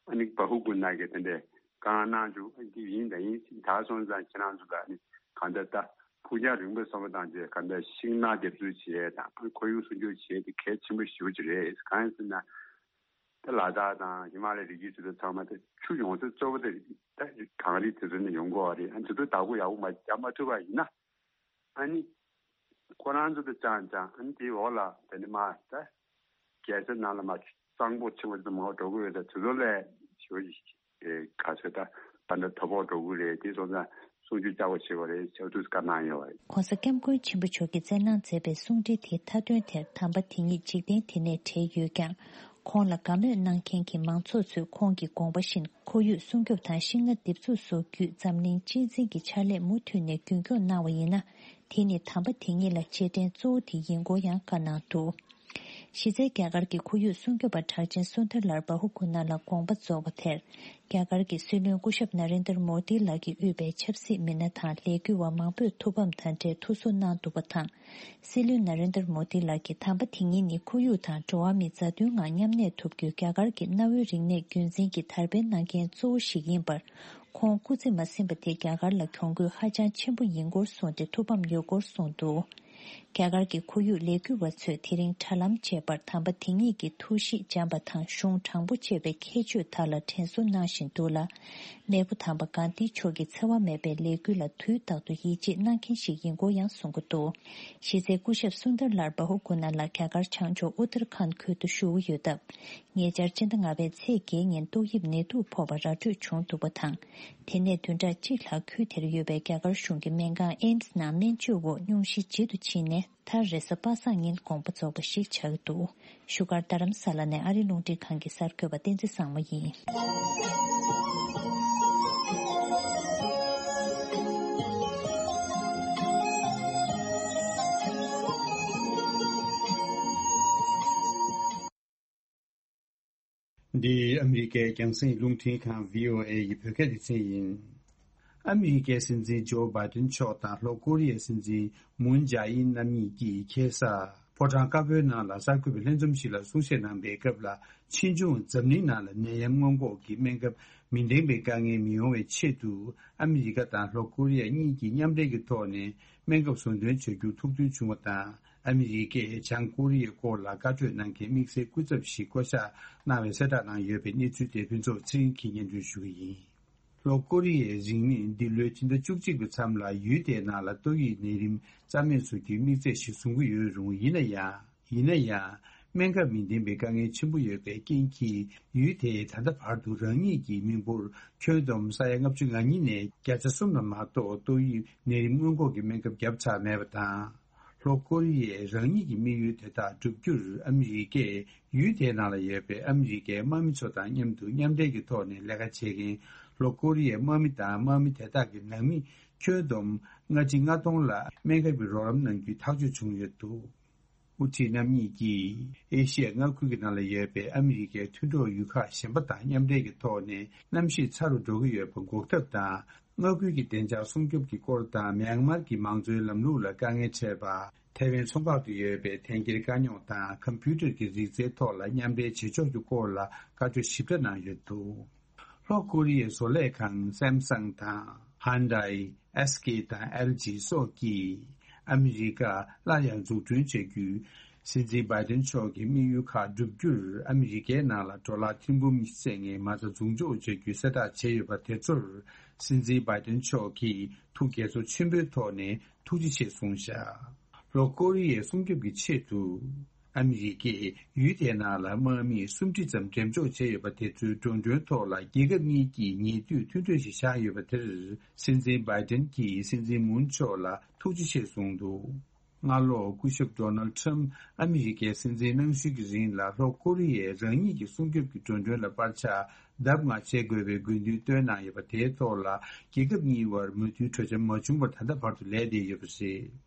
ཨ་ནི་བྷ་ཧུ་གུ་ན་གིས་དེ་འདྲའི་བཀའ་གནང་བྱུང་། ཨ་འདི་ཡིན་ད་ཡིན་ད་སོང་ཙང་ཁྱེད་རང་ཚོ་ལ་ཨ་ནི་གང་ལྟར་ད་ཕུགས་རྒྱང་རིང་པོ་བསམ་བློ་བཏང་རྗེས་གང་ལྟར་ཤིང་ནགས་འདེབས་འཛུགས་བྱས་དང་ཁོར་ཡུག་སྲུང་སྐྱོབ་བྱས་དེ་གལ་ཆེན་པོ་ཞེ་པོ་ཅིག་རེད། གང་ཡིན་ཟེར་ན། ད་ལ་དྭགས་དང་ཧི་མ་ལ་ཡའི་རི་རྒྱུད་དེ་ཚོ་ཚང་མ་ད་ཆུ་ཡོང་ས་གཙོ་བོ་དེ་ད་གངས་རི་དེ་ཚོ་ནས་ཡོང་གི་ཡོད་རེད། ཨ་དེ་ཚོ་བདག་པོ་ཡག་པོ་མ་རྒྱག་མ་ཐུབ་པ་ཡིན་ན་ཨ་ནི་ཁོ་རང་ཚོ་ད་ཅང་ཅང་ཨ་ནི་དེའི་འོག་ལ་ད་ནི་མ་ད་རྒྱལ་ས་ནང་ལ་མ་གཙང་པོ་ཆེན་པོ་དེ་ཚོ་མང་པོ་འགྲོ་གི་ཡོད། ད་དེ་ཚོ་ལས་ཞེ་པོ་ཅིག་ག་ཚོད་ད་ད་འདྲ་དོ་ཕོག་འགྲོ་གི་རེད། དེ་སོང་ཙང་། གསུང་ཆོས་བསྐྱར་དུ་བྱེད་པ་རེད་ཟེར་དུས་བཀའ་གནང་ཡོད་པ་རེད། ྋགོང་ས་ྋསྐྱབས་མགོན་ཆེན་པོ་མཆོག་གིས་སྩལ་གནང་མཛད་པའི་གསུང་འཕྲིན་དེའི་མཐའ་དོན་དེར་དམ་པ་དེ་ཉིད་འཇིག་རྟེན་འདི་ནས་བྲལ་ཡོད་ཀྱང་། ཁོང་ལ་དགའ་མོས་གནང་མཁན་གྱི་མང་ཚོགས་ཚོས་ཁོང་གི་དགོངས་པ་བཞིན་ཁོར་ཡུག་སྲུང་སྐྱོབ་དང་ཤིང་སྣ་འདེབས་འཛུགས་སོགས་བརྒྱུད་འཛམ་གླིང་གཅེས་འཛིན་གྱི་ཕྱག་ལས་མུ་མཐུད་ནས་རྒྱུན་འཁྱོངས་གནང་བ་ཡིན་ན། དེ་ནི་དམ་པ་དེ་ཉིད་ལ་རྗེས་དྲན་གཙོ་བོ་དེ་ཡིན་སྐོར་ཡང་བཀའ་གནང་འདུག། གཞི་རྩའི་རྒྱ་གར་གྱི་ཁོར་ཡུག་སྲུང་སྐྱོབ་པ་གྲགས་ཅན་སུན་དར་ལལ་བྷ་ཧུ་ཀུ་ན་ལ་དགོངས་པ་རྫོགས་པ་དེར། རྒྱ་གར་གྱི་སྲིད་བློན་སྐུ་ཞབས་ན་རེན་དར་མོ་དི་ལགས་ཀྱིས་དབུས་པའི་ཆབ་སྲིད་མི་སྣ་དང་ལས་འགུལ་བ་མང་པོས་ཐུགས་ཕམ་དང་འབྲེལ་ཐུགས་གསོ་གནང་འདུག་པ་དང་། སྲིད་བློན་ན་རེན་དར་མོ་དི་ལགས་ཀྱིས་དམ་པ་དེ་ཉིད་ནི་ཁོར་ཡུག་དང་འགྲོ་བ་མིའི་མཛའ་མཐུན་ངང་མཉམ་གནས་ཐུབ་རྒྱུའི་རྒྱ་གར་གྱི་གནའ་བོའི་རིག་གནས་རྒྱུན་འཛིན་གྱི་དར་སྤེལ་གནང་མཁན་གཙོ་བོ་ཞིག་ཡིན་པར། ཁོང་སྐུ་ཚེ་མ་ཟིན་པ་དེ་རྒྱ་གར་ལ་གྱོང་གུད་ཧ་ཅང་ཆེན་པོ་ཡིན་སྐོར་གསུངས་ཏེ་ཐུགས་ཕམ་ཡོད་སྐོར་གསུངས་འདུག་རྒྱ་གར་གྱི་ཁོར་ཡུག་ལས་འགུལ་བ་ཚོས་དེ་རིང་དྲ་ལམ་བཅས་པར་དམ་པ་དེ་ཉིད་ཀྱི་ཐུགས་གཤིས་འཇམ་པ་དང་གཞུང་དྲང་པོ་ཅེས་པའི་ཁྱད་ཆོས་དག་ལ་དྲན་གསོ་གནང་བཞིན་འདུག་ལ། མེས་པོ་དམ་པ་གྷན་དྷི་མཆོག་གི་འཚེ་བ་མེད་པའི་ལས་འགུལ་ལ་དུས་རྟག་ཏུ་ཡིད་ཆེས་གནང་མཁན་ཞིག་ཡིན་སྐོར་ཡང་གསུང་གི་འདུག་གཞི་རྩའི་སྐུ་ཞབས་སུན་དར་ལལ་བྷ་ཧུ་ཀུ་ན་ལགས་རྒྱ་གར་བྱང་ཕྱོགས་ཨུ་ཏར་ཁཱན་ཁུལ་དུ་བཞུགས་ཡོད་སྟབས། ཉེ་ཆར་སྤྱི་ཟླ་ལྔ་པའི་ཚེས་བརྒྱད་ཉིན་ཏོག་དབྱིབས་ནད་དུག་ཕོག་པ་ར་སྤྲོད་བྱུང་འདུག་པ་དང་། དེ་ནས་བདུན་ཕྲག་གཅིག་ལྷག་ཁུལ་དེར་ཡོད་པའི་རྒྱ་གར་གཞུང་གི་སྨན་ཁང་ཨེམ་སི་ནང་སྨན་བཅོས་འོག་སྙུང་གཞི་བརྗེད་དུ་ཕྱིན་ནས། མཐར་རེས་གཟའ་པ་སངས་ཉིན་དགོངས་པ་རྫོགས་པ་ཞིག་ཆགས་ཀྱི་འདུག་བཞུགས་སྒར་རྡ་རམ་ས་ལ་ནས་ཨ་རི་རླུང་འཕྲིན་ཁང་གི་གསར་འགོད་པ་བསྟན་འཛིན་བཟང་མོ་ཡིན། འདི་ཨ་མི་རི་ཀའི་རྒྱང་སྲིང་རླུང་འཕྲིན་ཁང་བྷི་ཨོ་ཨེ་ཡི་བོད་སྐད་སྡེ་ཚན་ཡིན། ཨ་མི་རི་ཀའི་སྲིད་འཛིན་ཇོ་བྷའི་ཏིན་མཆོག་དང་ལྷོ་ཀོ་རི་ཡའི་སྲིད་འཛིན་མུན་ཇཱ་ཨིན་རྣམ་གཉིས་ཀྱིས་ཁ་སང་ཕོ་བྲང་དཀར་པོའི་ནང་ལ་གསར་འགོད་པའི་ལྷན་འཛོམས་ཤིག་ལ་གསུང་བཤད་གནང་པའི་སྐབས་ལ། ཕྱིས་འབྱུང་འཛམ་གླིང་ནང་ལ་ནད་ཡམས་སྔོན་འགོག་གི་སྨན་ཁབ་མི་ལྡན་པའི་དཀའ་ངལ་མི་ཡོང་བའི་ཆེད་དུ། ཨ་མི་རི་ཀ་དང་ལྷོ་ཀོ་རི་ཡ་གཉིས་ཀྱིས་མཉམ་འབྲེལ་གྱི་ཐོག་ནས་སྨན་ཁབ་བཟོ་འདོན་བྱ་རྒྱུར་ཐུགས་མཐུན་བྱུང་བ་དང་། ཨ་མི་རི་ཀས་བྱང་ཀོ་རི་ཡའི་སྐོར་ལ་བཀའ་གྲོས་གནང་མཁན་དམིགས་བསལ་སྐུ་ཚབ་ཞིག་བསྐོ་གཞག་གནང་བའི་གསལ་བསྒྲགས་གནང་ཡོད་པའི་གནས་ཚུལ་དེ་ཕུན་ཚོགས་ཚེ་རིང་གིས་སྙན་སྒྲོན་ཞུ་གི་ཡིན། ལྷོ་ཀོ་རི་ཡས་རིང་མིན་འདི་ལོའི་ཕྱི་ཟླ་བཅུ་གཅིག་པའི་མཚམས་ལ་ཡུལ་དེའི་ནང་ལ་ཏོག་དབྱིབས་ནད་རིམས་རྩ་མེད་བཟོ་རྒྱུའི་དམིགས་ཚད་ཞིག་བཟུང་གི་ཡོད་རུང་། ཡིན་ན་ཡང་། ཡིན་ན་ཡང་། སྨན་ཁབ་མི་ལྡན་པའི་དཀའ་ངལ་ཆེན་པོ་ཡོད་པའི་རྐྱེན་གྱིས། ཡུལ་དེས་ད་ལྟ་བར་དུ་རང་ཉིད་ཀྱི་མི་འབོར་ཁྱོན་བསྡོམས་ས་ཡ་ལྔ་བཅུ་ང་གཉིས་ནས་བརྒྱ་ཆ་གསུམ་ལ་མ་གཏོགས་ཏོག་དབྱིབས་ནད་རིམས་སྔོན་འགོག་གི་སྨན་ཁབ་བརྒྱབ་ཚར་མེད་པ་དང་། ལྷོ་ཀོ་རི་ཡས་རང་ཉིད་ཀྱི་དམིགས་ཡུལ་དེ་དག་བསྒྲུབ་རྒྱུར་ཨ་མི་རི་ཀས་ཡུལ་དེའི་ནང་ལ་ཡོད་པའི་ཨ་མི་རི་ཀའི་དམག་མི་ཚོ་དང་མཉམ་དུ་མཉམ་འབྲེལ་གྱི་ཐོག་ནས་ལས་ཀ་བྱེད་མཁན་ལྷོ་ཀོ་རི་ཡའི་དམག་མི་དང་དམག་མི་དེ་དག་གི་ནང་མི་ཁྱོན་བསྡོམས་ལྔ་གཅིག་ལྔ་སྟོང་ལ་སྨན་ཁབ་ཀྱི་རོགས་རམ་གནང་རྒྱུའི་ཐག་གཅོད་བྱུང་ཡོད་འདུག་དབུ་ཁྲིད་རྣམ་གཉིས་ཀྱིས་ཨེ་ཤི་ཡ་མངའ་ཁུལ་གྱི་ནང་ལ་ཡོད་པའི་ཨ་མི་རི་ཀའི་མཐུན་གྲོགས་ཡུལ་ཁག་གཞན་པ་དང་མཉམ་འབྲེལ་གྱི་ཐོག་ནས་གནམ་གཤིས་ཚ་རུ་འགྲོ་གི་ཡོད་པ་འགོག་ཐབས་དང་། མངའ་ཁུལ་གྱི་བདེ་འཇགས་སྲུང་སྐྱོབ་ཀྱི་སྐོར་དང་། མྱན་མར་གྱི་མང་གཙོའི་ལམ་ལུགས་ལ་དཀའ་ངལ་འཕྲད་པ། ཐའེ་ཝན་མཚོ་འགག་ཏུ་ཡོད་པའི་དེང་གི་དཀའ་རྙོག་དང་། ཀམ་པུ་ཊར་གྱི་རིག་རྩལ་ཐོག་ལ་མཉམ་འབྲེལ་བྱེད་ཕྱོགས་ཀྱི་སྐོར་ལ་བཀའ་འཁྲོལ་ཞིབ་ཕྲ་གནང་ཡོད་འདུག་ལྷོ་ཀོ་རི་ཡའི་བཟོ་ལས་ཁང་སེམ་སང་དང་། ཧན་ཌའི། ཨེས་ཀེ་དང་ཨེལ་ཇི་སོགས་ཀྱིས་ཨ་མི་རི་ཀ་སླར་ཡང་འཛུགས་སྐྲུན་བྱ་རྒྱུའི་སྲིད་འཛིན་བྷའི་ཏིན་མཆོག་གི་དམིགས་ཡུལ་ཁག་བསྒྲུབ་རྒྱུར། ཨ་མི་རི་ཀའི་ནང་ལ་ཌོ་ལར་ཐེར་འབུམ་ཉི་ཤུ་བཙལ་མཁན་མ་རྩ་འཛུགས་འཇོག་བྱ་རྒྱུའི་གསལ་བསྒྲགས་བྱས་ཡོད་པ་དེ་ཚོར། སྲིད་འཛིན་བྷའི་ཏིན་མཆོག་གིས་ཐུགས་དགྱེས་ཚོར་ཆེན་པོའི་ཐོག་ནས་ཐུགས་རྗེ་ཆེ་གསུངས་བཞག་ལྷོ་ཀོ་རི་ཡའི་སྲུང་སྐྱོབ་ཀྱི་ཆེད་དུ། ཨ་མི་རི་ཀས་ཡུལ་དེའི་ནང་ལ་དམག་མི་སུམ་ཁྲི་ཙམ་འགྲེམས་འཇོག་བྱས་ཡོད་པ་དེ་ཚོའི་འགྲོ་གྲོན་ཐོག་ལ། རྒྱལ་ཁབ་གཉིས་ཀྱིས་ཉེ་དུས་མཐུན་གྲོས་ཤིག་བཞག་ཡོད་པ་དེར། སྲིད་འཛིན་བྷའི་ཏིན་གྱིས་སྲིད་འཛིན་མུན་མཆོག་ལ་ཐུགས་རྗེ་ཆེ་གསུངས་འདུག་སྔ་ལོ་སྐུ་ཞབས་ཌོ་ནལ་ཁྲམ་ཨ་མི་རི་ཀའི་སྲིད་འཛིན་གནང་ཤུལ་གྱི་རིང་ལ། ལྷོ་ཀོ་རི་ཡས་རང་ཉིད་ཀྱི་སྲུང་སྐྱོབ་ཀྱི་འགྲོ་གྲོན་ལ་པར་ཆ་ལྡབ་ལྔ་བྱེད་དགོས་པའི་དགོས་འདུན་བཏོན་གནང་ཡོད་པ་དེའི་ཐོག་ལ། རྒྱལ་ཁབ་གཉིས་བར་མོས་མཐུན་གྲོས་འཆར་མ་བྱུང་བར་ད་ལྟ་བར་དུ་ལས་བསྡད་ཡོད་པ་རེད།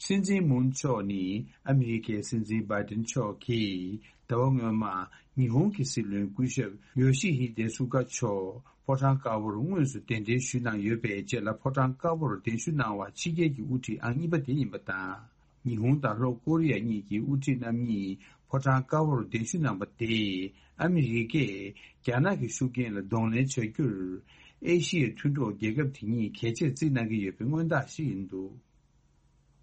སྲིད་འཛིན་མུན་མཆོག་ནི་ཨ་མི་རི་ཀའི་སྲིད་འཛིན་བྷའི་ཏིན་མཆོག་གིས་ཟླ་བ་སྔོན་མ་ཉི་ཧོང་གི་སྲིད་བློན་སྐུ་ཞབས་ཡོ་ཤི་ཧི་དེ་སུ་ག་མཆོག་ཕོ་བྲང་དཀར་པོར་དངོས་སུ་གདན་འདྲེན་ཞུས་གནང་ཡོད་པའི་རྗེས་ལ། ཕོ་བྲང་དཀར་པོར་གདན་ཞུ་གནང་བ་ཕྱི་རྒྱལ་གྱི་དབུ་ཁྲིད་ཨང་གཉིས་པ་དེ་ཡིན་པ་དང་། ཉི་ཧོང་དང་ལྷོ་ཀོ་རི་ཡ་གཉིས་ཀྱི་དབུ་ཁྲིད་རྣམ་གཉིས་ཕོ་བྲང་དཀར་པོར་གདན་ཞུ་གནང་པ་དེས། ཨ་མི་རི་ཀས་རྒྱ་ནག་གི་ཤུགས་རྐྱེན་ལ་གདོང་ལེན་བྱ་རྒྱུར། ཨེ་ཤི་ཡའི་མཐུན་གྲོགས་རྒྱལ་ཁབ་དེ་གཉིས་གལ་ཆེར་བརྩི་གནང་གི་ཡོད་པའི་མངོན་རྟགས་ཤིག་ཡིན་འདུག་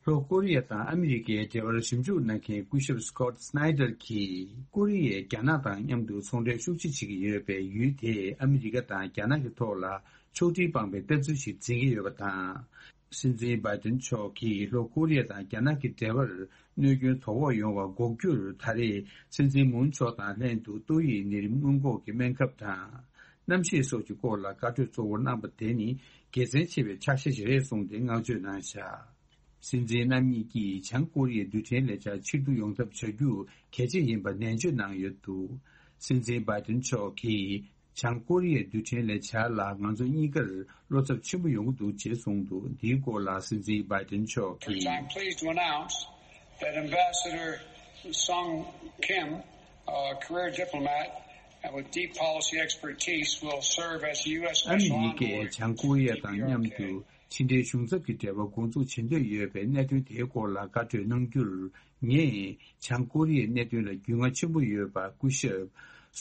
ལྷོ་ཀོ་རི་ཡ་དང་ཨ་མི་རི་ཀའི་འབྲེལ་བར་ཞིབ་འཇུག་གནང་མཁན་སྐུ་ཞབས་སི་ཀོ་ཊི་སི་ནའི་ཌར་གྱིས། ཀོ་རི་ཡས་རྒྱ་ནག་དང་མཉམ་དུ་ཚོང་འབྲེལ་ཤུགས་ཆེ་བྱེད་ཀྱི་ཡོད་པས། ཡུལ་དེས་ཨ་མི་རི་ཀ་དང་རྒྱ་ནག་གི་ཐོག་ལ་ཕྱོགས་སྒྲིག་སྤངས་པའི་ལྟ་ཚུལ་ཞིག་འཛིན་གྱི་ཡོད་པ་དང་། སྲིད་འཛིན་བྷའི་ཏིན་མཆོག་གིས་ལྷོ་ཀོ་རི་ཡ་དང་རྒྱ་ནག་གི་འབྲེལ་བར་གནོད་སྐྱོན་དོ་ཕོག་ཡོང་བ་འགོག་རྒྱུར། ད་རེས་སྲིད་འཛིན་མུན་མཆོག་དང་ལྷན་དུ་ཏོག་དབྱིབས་ནད་རིམས་སྔོན་འགོག་གི་སྨན་ཁབ་དང་། གནམ་གཤིས་སོགས་ཀྱི་སྐོར་ལ་བཀའ་གྲོས་གཙོ་བོར་གནང་པ་དེ་ནི་དགེ་མཚན་ཆེ་བའི་ཕྱག་བཞེས་ཤིག་རེད་གསུངས་ཏེ་བསྔགས་བརྗོད་གནང་བཞག་སྲིད་འཛིན་རྣམ་གཉིས་ཀྱིས་བྱང་ཀོ་རི་ཡའི་རྡུལ་ཕྲན་ལས་འཆར་ཕྱིར་བསྡུ་ཡོང་ཐབས་བྱ་རྒྱུ་གལ་ཆེ་ཡིན་པ་ནན་བརྗོད་གནང་ཡོད་འདུག་སྲིད་འཛིན་བྷའི་ཏིན་མཆོག་གིས་བྱང་ཀོ་རི་ཡའི་རྡུལ་ཕྲན་ལས་འཆར་ལ་ང་ཚོ་གཉིས་ཀར་བློ་འཚབ་ཆེན་པོ་ཡོང་གི་འདུག་ཅེས་གསུངས་འདུག་འདིའི་སྐོར་ལ་སྲིད་འཛིན་བྷའི་ཏིན་མཆོག་གིས། I'm pleased to announce that Ambassador Sung Kim, a career diplomat and with deep policy expertise, will serve as the U S Special Envoy to the P R K. ཨ་མི་རི་ཀས་བྱང་ཀོ་རི་ཡ་དང་མཉམ་དུ་ཕྱི་འབྲེལ་གཞུང་ཚབ་ཀྱི་འབྲེལ་བ་འགོ་འཛུགས་བྱེད་འདོད་ཡོད་པའི་གནད་དོན་དེའི་སྐོར་ལ་བཀའ་གྲོས་གནང་རྒྱུར། ངས་བྱང་ཀོ་རི་ཡའི་གནད་དོན་ལ་རྒྱུས་མངའ་ཆེན་པོ་ཡོད་པ་སྐུ་ཞབས་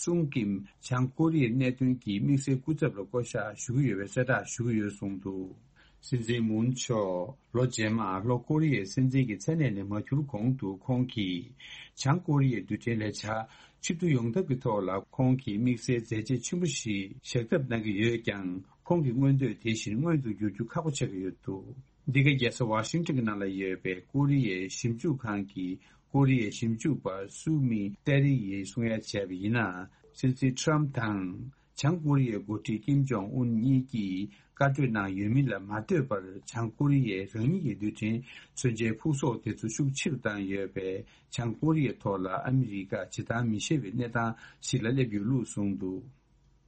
སུང་ཀིམ་བྱང་ཀོ་རི་ཡའི་གནད་དོན་གྱི་དམིགས་བསལ་སྐུ་ཚབ་ལ་བསྐོ་གཞག་ཞུ་གི་ཡོད་པའི་གསལ་བསྒྲགས་ཞུ་གི་ཡོད་གསུངས་འདུག། སྲིད་འཛིན་མུན་མཆོག་ལོ་རྗེས་མར་ལྷོ་ཀོ་རི་ཡའི་སྲིད་འཛིན་གྱི་མཚན་གནས་ནས་མ་འཁྱུར་གོང་དུ། ཁོང་གིས་བྱང་ཀོ་རི་ཡའི་རྡུལ་ཕྲན་ལས་འཆར་ཕྱིར་བསྡུ་ཡོང་ཐབས་ཀྱི་ཐོག་ལ་ཁོང་གིས་དམིགས་བསལ་མཛད་རྗེས་ཆེན་པོ་ཞིག་བཞག་ཐབས་གནང་གི་ཡོད་ཀྱང་། ཁོང་གི་མངོན་འདོད་དེ་བཞིན་མངོན་དུ་འགྱུར་རྒྱུ་ཁག་པོ་ཆགས་ཀྱི་ཡོད་འདུག། འདི་ག་རྒྱལ་ས་ཝ་ཤིང་ཊོན་གྱི་ནང་ལ་ཡོད་པའི་ཀོ་རི་ཡའི་ཞིབ་འཇུག་ཁང་གི་ཀོ་རི་ཡའི་ཞིབ་འཇུག་པ་སུ་མི་ཏེ་རི་ཡིས་གསུང་ཡ་བྱས་པ་ཡིན་ན། སྲིད་འཛིན་ཁྲམ་དང་། བྱང་ཀོ་རི་ཡའི་འགོ་ཁྲིད་ཀིམ་ཇོང་ཨུན་གཉིས་ཀྱིས་བཀའ་གྲོས་གནང་ཡོད་མིན་ལ་མ་ལྟོས་པར། བྱང་ཀོ་རི་ཡས་རང་ཉིད་ཀྱི་རྡུལ་ཕྲན་མཚོན་ཆའི་ཕུག་ཟོག་དེ་ཚོ་ཤུགས་ཆེ་རུ་བཏང་ཡོད་པས། བྱང་ཀོ་རི་ཡའི་ཐོག་ལ་ཨ་མི་རི་ཀ་བྱེ་ཐང་མི་བཞེས་པའི་གནས་སྟངས་ཤིག་ལ་སླེབས་ཡོད་ལུགས་གསུངས་འདུག།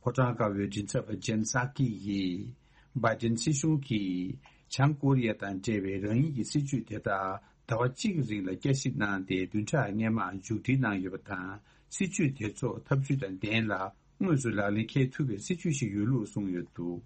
ཕོ་བྲང་དཀར་པོའི་མགྲིན་ཚབ་པ་ཇེན་སཱ་ཀི་ཡིས། བྷའི་ཏིན་སྲིད་གཞུང་གིས་བྱང་ཀོ་རི་ཡ་དང་འབྲེལ་བའི་རང་ཉིད་ཀྱི་སྲིད་ཇུས་དེ་དག་ཟླ་བ་གཅིག་གི་རིང་ལ་བསྐྱར་ཞིབ་གནང་སྟེ། བདུན་ཕྲག་སྔོན་མ་མཇུག་སྒྲིལ་གནང་ཡོད་པ་དང་། སྲིད་ཇུས་དེ་ཚོ་ཐབས་ཇུས་དང་ལྡན་ལ་དངོས་སུ་ལག་ལེན་འཁེལ་ཐུབ་པའི་སྲིད་ཇུས་ཤིག་ཡོད་ལུགས་གསུངས་ཡོད་འདུག།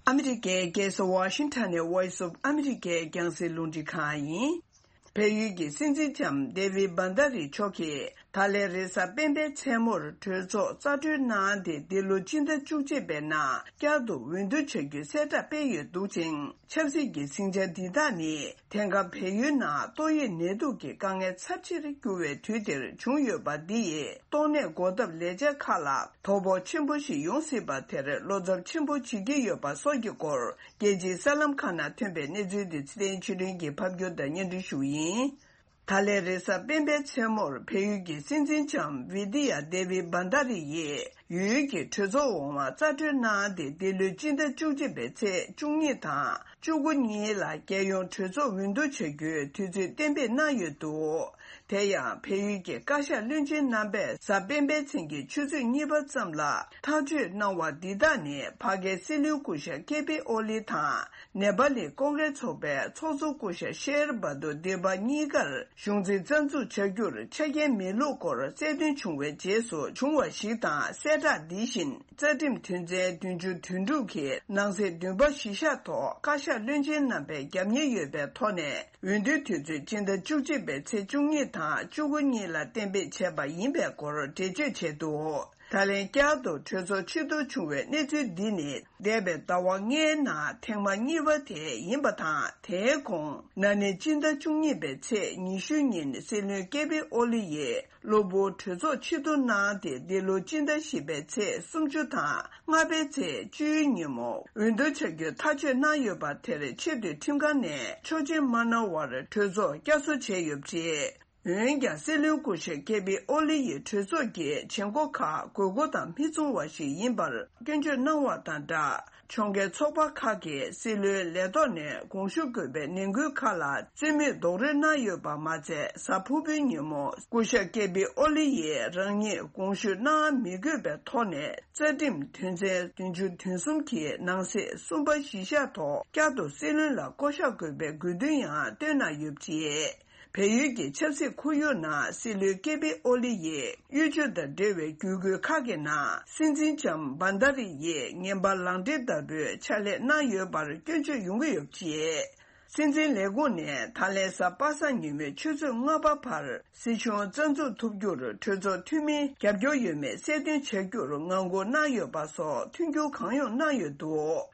ཨ་མི་རི་ཀའི་རྒྱལ་ས་ཝ་ཤིང་ཊོན་ནས་Voice of America་རྒྱང་སྲིང་རླུང་འཕྲིན་ཁང་ཡིན། བལ་ཡུལ་གྱི་སྲིད་འཛིན་ལྕམ་ཌེ་བིད་བྷན་དྷ་རི་མཆོག་གིས་ད་ལན་རེས་གཟའ་སྤེན་པའི་མཚན་མོར་གྲོས་ཚོགས་རྩ་གྲོལ་གནང་སྟེ། འདི་ལོ་སྤྱི་ཟླ་བཅུ་གཅིག་པའི་ནང་བསྐྱར་དུ་འོས་བསྡུ་བྱ་རྒྱུའི་གསལ་བསྒྲགས་སྤེལ་ཡོད་འདུག་ཅིང་། ཆབ་སྲིད་ཀྱི་ཟིང་ཆ་འདི་དག་ནི་དེང་སྐབས་བལ་ཡུལ་ནང་ཏོག་དབྱིབས་ནད་དུག་གི་དཀའ་ངལ་ཚབས་ཆེར་གྱུར་བའི་དུས་འདིར་བྱུང་ཡོད་པ་འདི་ཡིས་ཏོག་ནད་འགོག་ཐབས་ལས་འཆར་ཁག་ལ་དོ་ཕོག་ཆེན་པོ་ཞིག་ཡོང་སྲིད་པ་དེར་བློ་འཚབ་ཆེན་པོ་བྱེད་ཀྱི་ཡོད་པ་སོགས་ཀྱི་སྐོར། རྒྱལ་སྤྱིའི་གསར་ལམ་ཁག་ནང་ཐོན་པའི་གནས་ཚུལ་འདི་ཚེ་བརྟན་ཆོས་སྒྲོན་གྱིས་ཕབ་སྒྱུར་དང་སྙན་སྒྲོན་ཞུ་གི་ཡིན། ད་ལན་རེས་གཟའ་སྤེན་པའི་མཚན་མོར་བལ་ཡུལ་གྱི་སྲིད་འཛིན་ལྕམ་བི་ཏི་ཡ་ཌེ་བིད་བྷན་དྷ་རི་ཡིས་ཡུལ་གྱི་གྲོས་ཚོགས་འོག་མ་རྩ་གྲོལ་གནང་སྟེ། འདི་ལོའི་སྤྱི་ཟླ་བཅུ་གཅིག་པའི་ཚེས་བཅུ་གཉིས་དང་བཅུ་དགུ་གཉིས་ལ་རྒྱལ་ཡོངས་གྲོས་ཚོགས་འོས་བསྡུ་བྱ་རྒྱུའི་དུས་ཚོད་གཏན་འབེབས་གནང་ཡོད་འདུག། དེ་ཡང་བལ་ཡུལ་གྱི་བཀའ་ཤག་བློན་ཆེན་རྣམ་པས་གཟའ་སྤེན་པའི་མཚན་གྱི་ཆུ་ཚོད་གཉིས་པ་ཙམ་ལ་ཐག་གཅོད་གནང་བ་འདི་དག་ནི་ཕ་གིའི་སྲིད་བློན་སྐུ་ཞབས་ཀེ་པི་ཨོ་ལི་དང་། ནེ་པ་ལི་ཀོང་གྲས་ཚོགས་པའི་ཚོགས་གཙོ་སྐུ་ཞབས་ཤེར་བྷ་དུར་དེ་པ་གཉིས་ཀར་གཞུང་འཛིན་རྩ་འཛུགས་བྱ་རྒྱུར་ཆ་རྐྱེན་མེད་ལུགས་སྐོར་རྩལ་འདོན་བྱུང་བའི་རྗེས་སུ་བྱུང་བ་ཞིག་དང་། གསལ་བསྒྲགས་འདི་བཞིན་རྩ་ཁྲིམས་དོན་ཚན་བདུན་ཅུ་དོན་དྲུག་གི་ནང་གསེས་བདུན་པ་གཞི་བཞག་ཐོག་བཀའ་ཤག་བློན་ཆེན་རྣམ་པས་རྒྱབ་གཉེར་ཡོད་པའི་ཐོག་ནས། འོས་བསྡུའི་དུས་ཚོད་སྤྱི་ཟླ་བཅུ་གཅིག་པའི་ཚེས་བཅུ་གཉིས་དང་བཅུ་དགུ་གཉིས་ལ་གཏན་འབེབས་བྱས་པ་ཡིན་པའི་སྐོར་འགྲེལ་བརྗོད་བྱས་འདུག། ད་ལན་བསྐྱར་དུ་གྲོས་ཚོགས་ཕྱིར་བསྡུ་བྱུང་བའི་གནས་ཚུལ་འདི་ནི་འདས་པའི་ཟླ་བ་ལྔའི་ནང་ཐེངས་མ་གཉིས་པ་དེ་ཡིན་པ་དང་། དེའི་གོང་ན་ནིང་སྤྱི་ཟླ་བཅུ་གཉིས་པའི་ཚེས་ཉི་ཤུ་ཉིན་སྲིད་བློན་ཀེ་པི་ཨོ་ལི་ཡིས་གློ་བུར་གྲོས་ཚོགས་ཕྱིར་བསྡུ་གནང་སྟེ། འདི་ལོ་སྤྱི་ཟླ་བཞི་པའི་ཚེས་སུམ་ཅུ་དང་ལྔ་པའི་ཚེས་བཅུའི་ཉིན་མོ་འོས་བསྡུ་བྱ་རྒྱུའི་ཐག་གཅོད་གནང་ཡོད་པ་དེར་ཆེས་མཐོའི་ཁྲིམས་ཁང་ནས་ཆོག་མཆན་མ་གནང་བར་གྲོས་ཚོགས་བསྐྱར་གསོ་བྱས་ཡོད་པ་རེད། འོན་ཀྱང་སྲིད་བློན་སྐུ་ཞབས་ཀེ་པི་ཨོ་ལི་ཡིས་གྲོས་ཚོགས་ཀྱི་བྱེད་སྒོ་ཁག་དགོས་མཁོ་དང་མི་མཚུངས་པ་ཞིག་ཡིན་པར་སྐྱོན་བརྗོད་གནང་བ་དང་སྦྲགས། ཕྱོགས་འགལ་ཚོགས་པ་ཁག་གིས་སྲིད་བློན་ལས་ཐོག་ནས་དགོངས་ཞུ་དགོས་པའི་ནན་སྐུལ་ཁག་ལ་རྩོད་མེད་རྡོག་རོལ་གནང་ཡོད་པ་མ་ཚད། གཟའ་ཕུར་བུའི་ཉིན་མོ་སྐུ་ཞབས་ཀེ་པི་ཨོ་ལི་ཡིས་རང་ཉིད་དགོངས་ཞུ་གནང་མི་དགོས་པའི་ཐོག་ནས། རྩ་ཁྲིམས་དོན་ཚན་བདུན་ཅུ་དོན་གསུམ་གྱི་ནང་གསེས་གསུམ་པ་གཞི་བཞག་ཐོག་བསྐྱར་དུ་སྲིད་བློན་ལ་བསྐོ་གཞག་དགོས་པའི་དགོས་འདུན་ཡང་བཏོན་གནང་ཡོད་པ་རེད། བལ་ཡུལ་གྱི་ཆབ་སྲིད་ཁོར་ཡུག་ནང་སྲིད་བློན་ཀེ་པི་ཨོ་ལི་ཡིས་གཡོ་ཇུས་དང་འབྲེལ་བའི་བརྒྱུད་སྐུལ་ཁག་གི་ནང་སྲིད་འཛིན་ལྕམ་བྷན་དྷ་རི་ཡིས་ངན་པ་ལག་འབྲེལ་ལྟ་བུའི་ཕྱག་ལས་གནང་ཡོད་པར་སྐྱོན་བརྗོད་ཡོང་གི་ཡོད་པ་རེད། སྲིད་འཛིན་ལས་ཁུངས་ནས་ད་ལན་གཟའ་པ་སངས་ཉིན་མོའི་ཆུ་ཚོད་ལྔ་པ་བར་སྲིད་གཞུང་རྩ་འཛུགས་ཐུབ་རྒྱུར་གྲོས་ཚོགས་འཐུས་མིའི་རྒྱབ་སྐྱོར་ཡོད་མེད་གསལ་སྟོན་བྱ་རྒྱུར་ངང་སྒུག་གནང་ཡོད་པ་སོགས་མཐུན་འགྱུར་གང་ཡོང་གནང་ཡོད་འདུག།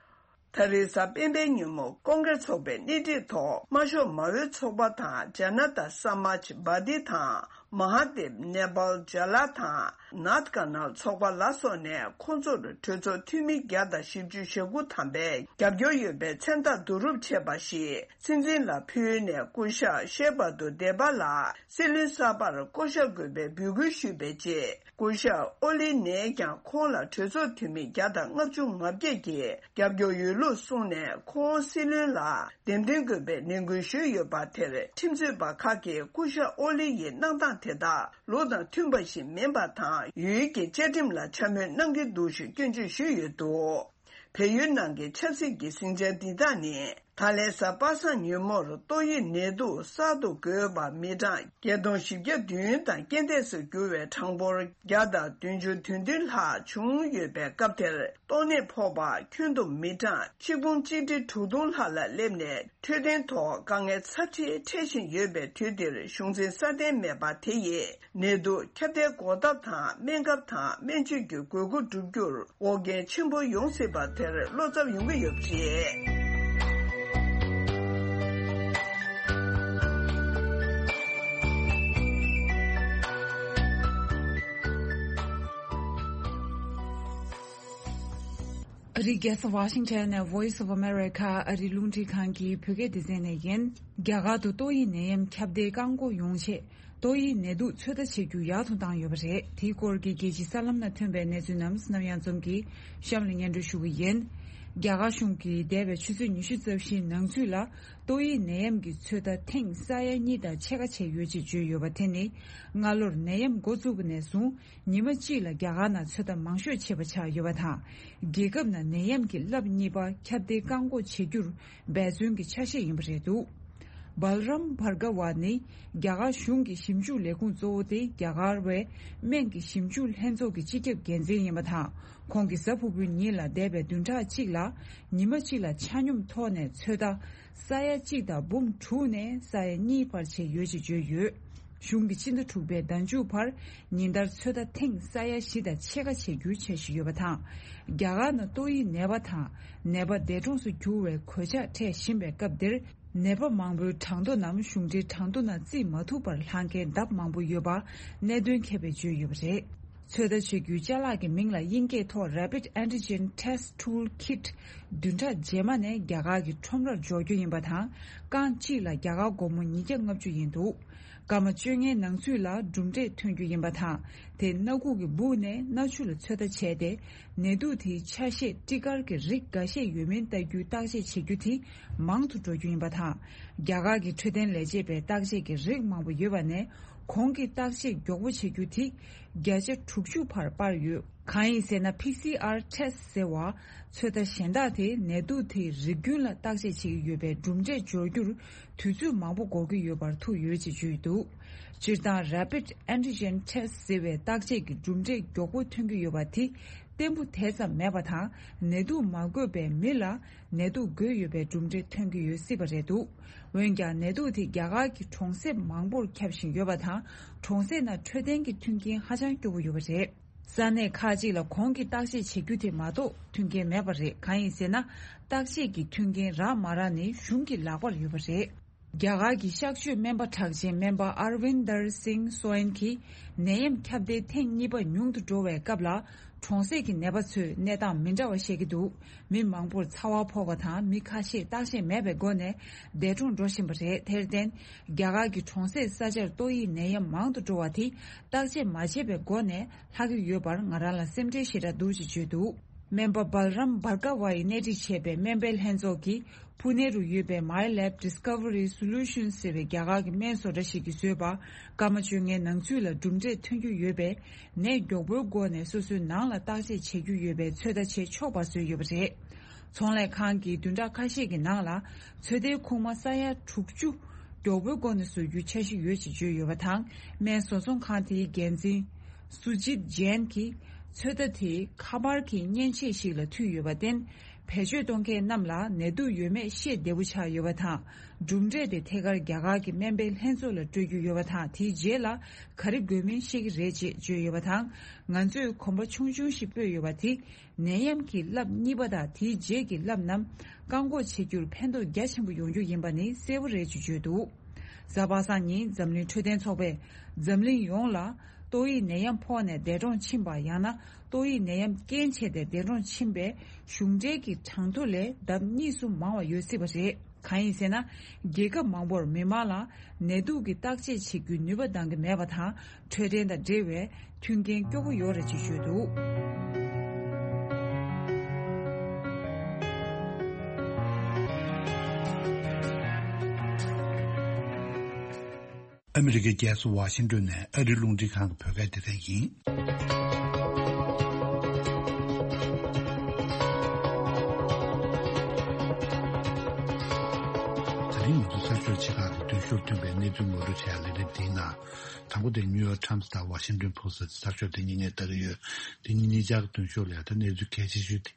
ད་རེས་གཟའ་སྤེན་པའི་ཉིན་མོ་ཀོང་ཀྲེས་ཚོགས་པའི་སྣེ་ཁྲིད་ཐོག་དམར་ཤོག་མ་འོས་ཚོགས་པ་དང་ཇ་ན་ཏ་ས་མཱཇ་བ་ཏི་དང་མ་ཧ་དེབ་ནེ་པཱལ་ཇ་ལ་དང་ནཱཐ་ཀ་ནལ་ཚོགས་པ་ལ་སོགས་ནས་ཁོང་ཚོར་གྲོས་ཚོགས་འཐུས་མི་བརྒྱ་དང་བཞི་བཅུ་ཞེ་དགུ་ཐམ་པས་རྒྱབ་སྐྱོར་ཡོད་པའི་མཚན་རྟགས་བསྡུ་རུབ་བྱས་པ་ཞིག་སྲིད་འཛིན་ལ་ཕུལ་ནས། སྐུ་ཞབས་ཤེ་བ་དུ་དེ་པ་ལ་སྲིད་བློན་གསར་པར་བསྐོ་གཞག་དགོས་པའི་འབོད་སྐུལ་ཞུས་པའི་རྗེས། སྐུ་ཞབས་ཨོ་ལི་ནས་ཀྱང་ཁོང་ལ་གྲོས་ཚོགས་འཐུས་མི་བརྒྱ་དང་ལྔ་བཅུ་ང་བརྒྱད་ཀྱིས་རྒྱབ་སྐྱོར་ཡོད་ལུགས་གསུངས་ནས། ཁོང་སྲིད་བློན་ལ་འདེམས་ཐོན་དགོས་པའི་ནན་སྐུལ་ཞུས་ཡོད་པ་དེར། ཁྲིམས་རྩོད་པ་ཁག་གིས་སྐུ་ཞབས་ཨོ་ལི་ཡི་གནང་སྟངས་ དེ་དག་ལུགས་དང་མཐུན་པ་ཞིག་མིན་པ་དང་། ཡུལ་གྱི་བཅའ་ཁྲིམས་ལ་འཕྱ་སྨོད་གནང་གི་འདུག་ཞེས་སྐྱོན་བརྗོད་ཞུས་ཡོད་འདུག་བལ་ཡུལ་ནང་གི་ཆབ་སྲིད་ཀྱི་ཟིང་ཆ་འདི་དག་ནི། ད་ལན་གཟའ་པ་སངས་ཉིན་མོར་ཏོག་དབྱིབས་ནད་དུག་གསར་དུ་འགོས་པ་མི་གྲངས་བརྒྱད་སྟོང་བཞི་བརྒྱ་བདུན་དང་རྐྱེན་འདས་སུ་གྱུར་བའི་གྲངས་འབོར་བརྒྱ་དང་བདུན་ཅུ་དོན་བདུན་ལྷག་བྱུང་ཡོད་པའི་སྐབས་དེར། ཏོག་ནད་ཕོག་པ་ཁྱོན་བསྡོམས་མི་གྲངས་ཆིག་འབུམ་གཅིག་ཁྲི་དྲུག་སྟོང་ལྷག་ལ་སླེབས་ནས། འཕྲོད་བསྟེན་ཐོག་དཀའ་ངལ་ཚབས་ཆེ་འཕྲད་བཞིན་ཡོད་པའི་དུས་འདིར། གཞུང་འཛིན་སྲ་བརྟན་མེད་པ་དེ་ཡིས། ནད་དུག་ཁྱབ་གདལ་འགོག་ཐབས་དང་། སྨན་ཁབ་དང་སྨན་བཅོས་ཀྱི་དགོས་མཁོ་བསྒྲུབ་རྒྱུར་འགོག་རྐྱེན་ཆེན་པོ་ཡོང་སྲིད་པ་དེར་བློ་འཚབ་ཡོང་གི་ཡོད་པ་རེད། ཨ་རིའི་རྒྱལ་ས་ཝ་ཤིང་ཊོན་ནས་Voice of America ཨ་རིའི་རླུང་འཕྲིན་ཁང་གི་བོད་སྐད་སྡེ་ཚན་ནས་ཡིན། རྒྱ་གར་དུ་ཏོག་དབྱིབས་ནད་ཡམས་ཁྱབ་གདལ་བཀག་འགོག་ཡོང་ཆེད། ཏོག་དབྱིབས་ནད་དུག་ཚོད་ལྟ་བྱེད་རྒྱུ་ཡག་ཏུ་བཏང་ཡོད་པ་རེད། དེའི་སྐོར་གྱི་རྒྱལ་སྤྱིའི་གསར་ལམ་ནང་ཐོན་པའི་གནས་ཚུལ་རྣམས་ནམ་ཡང་འཛོམས་ཀྱིས་གཤམ་ལ་སྙན་སྒྲོན་ཞུ་གི་ཡིན། རྒྱ་གར་གཞུང་གིས་འདས་པའི་ཆུ་ཚོད་ཉི་ཤུ་རྩ་བཞིའི་ནང་ཚུད་ལ། ཏོག་དབྱིབས་ནད་ཡམས་ཀྱི་ཚོད་ལྟ་ཐེངས་ས་ཡ་གཉིས་དང་ཕྱེད་ཀ་བྱས་ཡོད་ཅེས་བརྗོད་ཡོད་པ་དེ་ནི། སྔ་ལོར་ནད་ཡམས་འགོ་བཙུགས་པ་ནས་བཟུང་། ཉི་མ་གཅིག་ལ་རྒྱ་གར་ནང་ཚོད་ལྟ་མང་ཤོས་བྱས་པ་ཆགས་ཡོད་པ་དང་། རྒྱལ་ཁབ་ནང་ནད་ཡམས་ཀྱི་རླབས་གཉིས་པ་ཁྱབ་གདལ་བཀག་འགོག་བྱེད་རྒྱུར་འབད་བརྩོན་གྱི་ཆ་ཤས་ཡིན་པ་རེད་འདུག་བལ་རམ་བྷར་ག་ཝ་ནི་རྒྱ་གར་གཞུང་གི་ཞིབ་འཇུག་ལས་ཁུངས་གཙོ་བོ་དེ་རྒྱ་གར་བའི་སྨན་གྱི་ཞིབ་འཇུག་ལྷན་ཚོགས་ཀྱི་སྤྱི་ཁྱབ་འགན་འཛིན་ཡིན་པ་དང་། ཁོང་གིས་གཟའ་ཕུར་བུའི་ཉིན་ལ་འདས་པའི་བདུན་ཕྲག་གཅིག་ལ་ཉི་མ་གཅིག་ལ་ཆ་སྙོམས་ཐོག་ནས་ཚོད་ལྟ་ས་ཡ་གཅིག་དང་འབུམ་དྲུག་ནས་ས་ཡ་གཉིས་བར་བྱས་ཡོད་ཅེས་བརྗོད་ཡོད། གཞུང་གིས་སྤྱི་ཟླ་དྲུག་པའི་ཟླ་མཇུག་བར་ཉིན་ལྟར་ཚོད་ལྟ་ཐེངས་ས་ཡ་བཞི་དང་ཕྱེད་ཀ་བྱེད་རྒྱུའི་འཆར་གཞི་ཡོད་པ་དང་། རྒྱ་གར་ནང་ཏོག་དབྱིབས་ནད་པ་དང་ནད་པ་འདས་གྲོངས་སུ་གྱུར་བའི་གོད་ཆག་འཕྲད་བཞིན་པའི་སྐབས་འདིར། ནད་པ་མང་པོའི་གྲངས་ཐོ་རྣམས་གཞུང་འབྲེལ་གྲངས་ཐོ་ནང་བརྩིས་མ་ཐུབ་པར་ལྷག་མཁན་ལྡབ་མང་པོ་ཡོད་པ་གནད་དོན་མཁས་པས་བརྗོད་ཡོད་པ་རེད། ཚོད་ལྟ་བྱེད་རྒྱུའི་ཅ་ལག་གི་མིང་ལ་དབྱིན་སྐད་ཐོག་Rapid Antigen Test Tool Kit བདུན་ཕྲག་རྗེས་མ་ནས་རྒྱ་གར་གྱི་ཁྲོམ་རར་འབྱོར་རྒྱུ་ཡིན་པ་དང་། རྐང་གཅིག་ལ་རྒྱ་གར་སྒོར་མོ་ཉིས་བརྒྱ་ལྔ་བཅུ་ཡིན་འདུག་སྐར་མ་བཅོ་ལྔའི་ནང་ཚུད་ལ་གྲུབ་འབྲས་ཐོན་རྒྱུ་ཡིན་པ་དང་། དེ་སྣ་ཁུག་གི་སྦུག་ནས་སྣ་ཆུ་ལ་ཚོད་ལྟ་བྱས་ཏེ། ནད་དུག་དེའི་ཆ་ཤས་སྤྲི་དཀར་གྱི་རིགས་འགའ་ཤས་ཡོད་མིན་ལྟ་རྒྱུའི་བརྟག་དཔྱད་བྱེད་རྒྱུ་དེ་མང་དུ་འགྲོ་རྒྱུ་ཡིན་པ་དང་། རྒྱ་གར་གྱི་འཕྲོད་བསྟེན་ལས་བྱེད་པས་བརྟག་དཔྱད་ཀྱི་རིགས་མང་པོ་ཡོད་པ་ནས། གོང་གི་བརྟག་དཔྱད་མགྱོགས་པོ་བྱེད་རྒྱུ་དེ་བརྒྱ་ཆ་དྲུག་ཅུ་བར་སྤར་ཡོད། གང་ཡིན་ཟེར་ན། P C R test ཟེར་བ། ཚོད་ལྟ་གཞན་དག་དེས་ནད་དུག་དེའི་རིགས་རྒྱུན་ལ་བརྟག་དཔྱད་བྱེད་ཀྱི་ཡོད་པས། གྲུབ་འབྲས་འབྱོར་རྒྱུར་དུས་ཚོད་མང་པོ་འགོར་གྱི་ཡོད་པར་ཐུག་ཡོད་ཅེས་བརྗོད་འདུག་སྤྱིར་བཏང་། Rapid Antigen Test ཟེར་བའི་བརྟག་དཔྱད་ཀྱི་གྲུབ་འབྲས་མགྱོགས་པོ་ཐོན་གྱི་ཡོད་པ་དེ་བརྟན་པོ་དེ་ཙམ་མེད་པ་དང་། ནད་དུག་མ་འགོས་པའི་མི་ལ་ནད་དུག་འགོས་ཡོད་པའི་གྲུབ་འབྲས་ཐོན་གྱི་ཡོད་སྲིད་པ་རེད་འདུག་འོན་ཀྱང་། ནད་དུག་དེ་རྒྱ་གར་གྱི་གྲོང་གསེབ་མང་པོར་ཁྱབ་བཞིན་ཡོད་པ་དང་། གྲོང་གསེབ་ནང་འཕྲོད་བསྟེན་གྱི་མཐུན་རྐྱེན་ཧ་ཅང་སྐྱོ་པོ་ཡོད་པ་རེད། ས་གནས་ཁག་ཅིག་ལ་གོང་གི་བརྟག་དཔྱད་བྱེད་རྒྱུ་དེ་མ་གཏོགས་མཐུན་རྐྱེན་མེད་པ་རེད། གང་ཡིན་ཟེར་ན། བརྟག་དཔྱད་ཀྱི་མཐུན་རྐྱེན་རག་མ་རག་ནི་གཞུང་གི་ལག་པར་ཡོད་པ་རེད། རྒྱ་གར་གྱི་གཤག་བཅོས་སྨན་པ་གྲགས་ཅན་སྨན་པ་Arvinder Singh Soin གྱིས། ནད་ཡམས་ཁྱབ་གདལ་ཐེངས་གཉིས་པ་ཉུང་དུ་འགྲོ་བའི་སྐབས་ལ། གྲོང་གསེབ་ཀྱི་ནད་པ་ཚོས་གནས་སྟངས་མི་འདྲ་བ་བཤད་ཀྱི་འདུག་མི་མང་པོར་ཚ་བ་ཕོག་པ་དང་། མི་ཁ་ཤས་བརྟག་དཔྱད་མེད་པའི་སྒོ་ནས་འདས་གྲོངས་འགྲོ་བཞིན་པ་རེད། དེར་བརྟེན། རྒྱ་གར་གྱི་གྲོང་གསེབ་ས་ཆར་ཏོག་དབྱིབས་ནད་ཡམས་མང་དུ་འགྲོ་བ་དེ་བརྟག་དཔྱད་མ་བྱས་པའི་སྒོ་ནས་ལྷག་གི་ཡོད་པར་ང་རང་ལ་སེམས་ཁྲལ་ཞེ་དྲག་འདུག་ཅེས་བརྗོད་འདུག་སྨན་པ་Balram Bhargava ཡིས་སྣེ་ཁྲིད་བྱས་པའི་སྨན་པའི་ལྷན་ཚོགས་ཀྱིས་ཕུ་ནེ་རུ་ཡོད་པའི་My Lab Discovery Solutions ཟེར་བའི་རྒྱ་གར་གྱི་སྨན་བཟོ་གྲྭ་ཞིག་གིས་བཟོས་པ། སྐར་མ་བཅོ་ལྔའི་ནང་ཚུད་ལ་གྲུབ་འབྲས་ཐོན་རྒྱུ་ཡོད་པས། ནད་མགྱོགས་པོའི་སྒོ་ནས་སོ་སོའི་ནང་ལ་བརྟག་དཔྱད་བྱེད་རྒྱུ་ཡོད་པའི་ཚོད་ལྟ་བྱེད་ཆོག་པ་བཟོས་ཡོད་པ་རེད། ཚོང་ལས་ཁང་གིས་བདུན་ཕྲག་ཁ་ཤས་ཀྱི་ནང་ལ་ཚོད་ལྟའི་ཁུག་མ་ས་ཡ་དྲུག་ཅུ་མགྱོགས་པོའི་སྒོ་ནས་བཟོ་རྒྱུའི་འཆར་གཞི་ཡོད་ཅེས་བརྗོད་ཡོད་པ་དང་། སྨན་བཟོ་ཚོང་ཁང་དེའི་འགན་འཛིན་སུ་ཇིད་ཇེན་གྱིས། ཚོད་ལྟ་དེ་ཁ་པར་གྱི་མཉེན་ཆས་ཤིག་ལ་མཐུད་ཡོད་པར་བརྟེན། བེད་སྤྱོད་གཏོང་མཁན་རྣམས་ལ་ནད་དུག་ཡོད་མེད་ཤེས་བདེ་པོ་ཆགས་ཡོད་པ་དང་། གྲུབ་འབྲས་དེ་ཐད་ཀར་རྒྱ་གར་གྱི་སྨན་པའི་ལྷན་ཚོགས་ལ་སྤྲོད་རྒྱུ་ཡོད་པ་དང་། དེའི་རྗེས་ལ་ག་རེ་དགོས་མིན་ཤེས་ཀྱི་རེད་ཅེས་བརྗོད་ཡོད་པ་དང་། ང་ཚོས་གོམ་པ་ཆུང་ཆུང་ཞིག་སྤོས་ཡོད་པ་དེ། ནད་ཡམས་ཀྱི་རླབས་གཉིས་པ་དང་དེའི་རྗེས་ཀྱི་རླབས་རྣམས་བཀག་འགོག་བྱེད་རྒྱུར་ཕན་ཐོགས་རྒྱ་ཆེན་པོ་ཡོང་རྒྱུ་ཡིན་པ་ནི་གསལ་པོ་རེད་ཅེས་བརྗོད་འདུག་གཟའ་པ་སངས་ཉིན་འཛམ་གླིང་འཕྲོད་བསྟེན་ཚོགས་པས་འཛམ་གླིང་ཡོངས་ལ་ཏོག་དབྱིབས་ནད་ཡམས་ཕོག་ནས་འདས་གྲོངས་ཕྱིན་པ། ཡང་ན་ཏོག་དབྱིབས་ནད་ཡམས་རྐྱེན་བྱས་ཏེ་འདས་གྲོངས་ཕྱིན་པའི་གཞུང་འབྲེལ་གྱི་གྲངས་ཐོ་ལས་ལྡབ་གཉིས་སུ་མང་བ་ཡོད་སྲིད་པ་རེད། གང་ཡིན་ཟེར་ན། རྒྱལ་ཁབ་མང་པོར་མི་མང་ལ་ནད་དུག་གི་བརྟག་དཔྱད་བྱེད་རྒྱུའི་ནུས་པ་འདང་གི་མེད་པ་དང་། འཕྲོད་བསྟེན་དང་འབྲེལ་བའི་མཐུན་རྐྱེན་སྐྱོ་པོ་ཡོད་རེད་ཅེས་བརྗོད་འདུག་ཨ་མི་རི་ཀའི་རྒྱལ་ས་ཝ་ཤིང་ཏོན་ནས་ཨ་རིའི་རླུང་འཕྲིན་ཁང་གི་བོད་སྐད་སྡེ་ཚན་ཡིན། ད་རིང་ང་ཚོ་གསར་ཤོག་ཆེ་ཁག་གི་མདུན་ཤོག་ཐོན་པའི་གནས་ཚུལ་ངོ་སྤྲོད་བྱ་ཡ་ལས་རིམ་འདིའི་ནང་། དང་པོ་དེ་ནིའུ་ཡོག་ཊའིམ་སི་དང་ཝ་ཤིང་ཏོན་པོ་སི་ཊི་གསར་ཤོག་དེ་གཉིས་ངས་ལྟ་གི་ཡོད། དེ་གཉིས་གཉིས་ཆར་གྱི་མདུན་ཤོག་ལ་ཡ་ད་གནས་ཚུལ་གལ་ཆེ་ཤོས་དེ་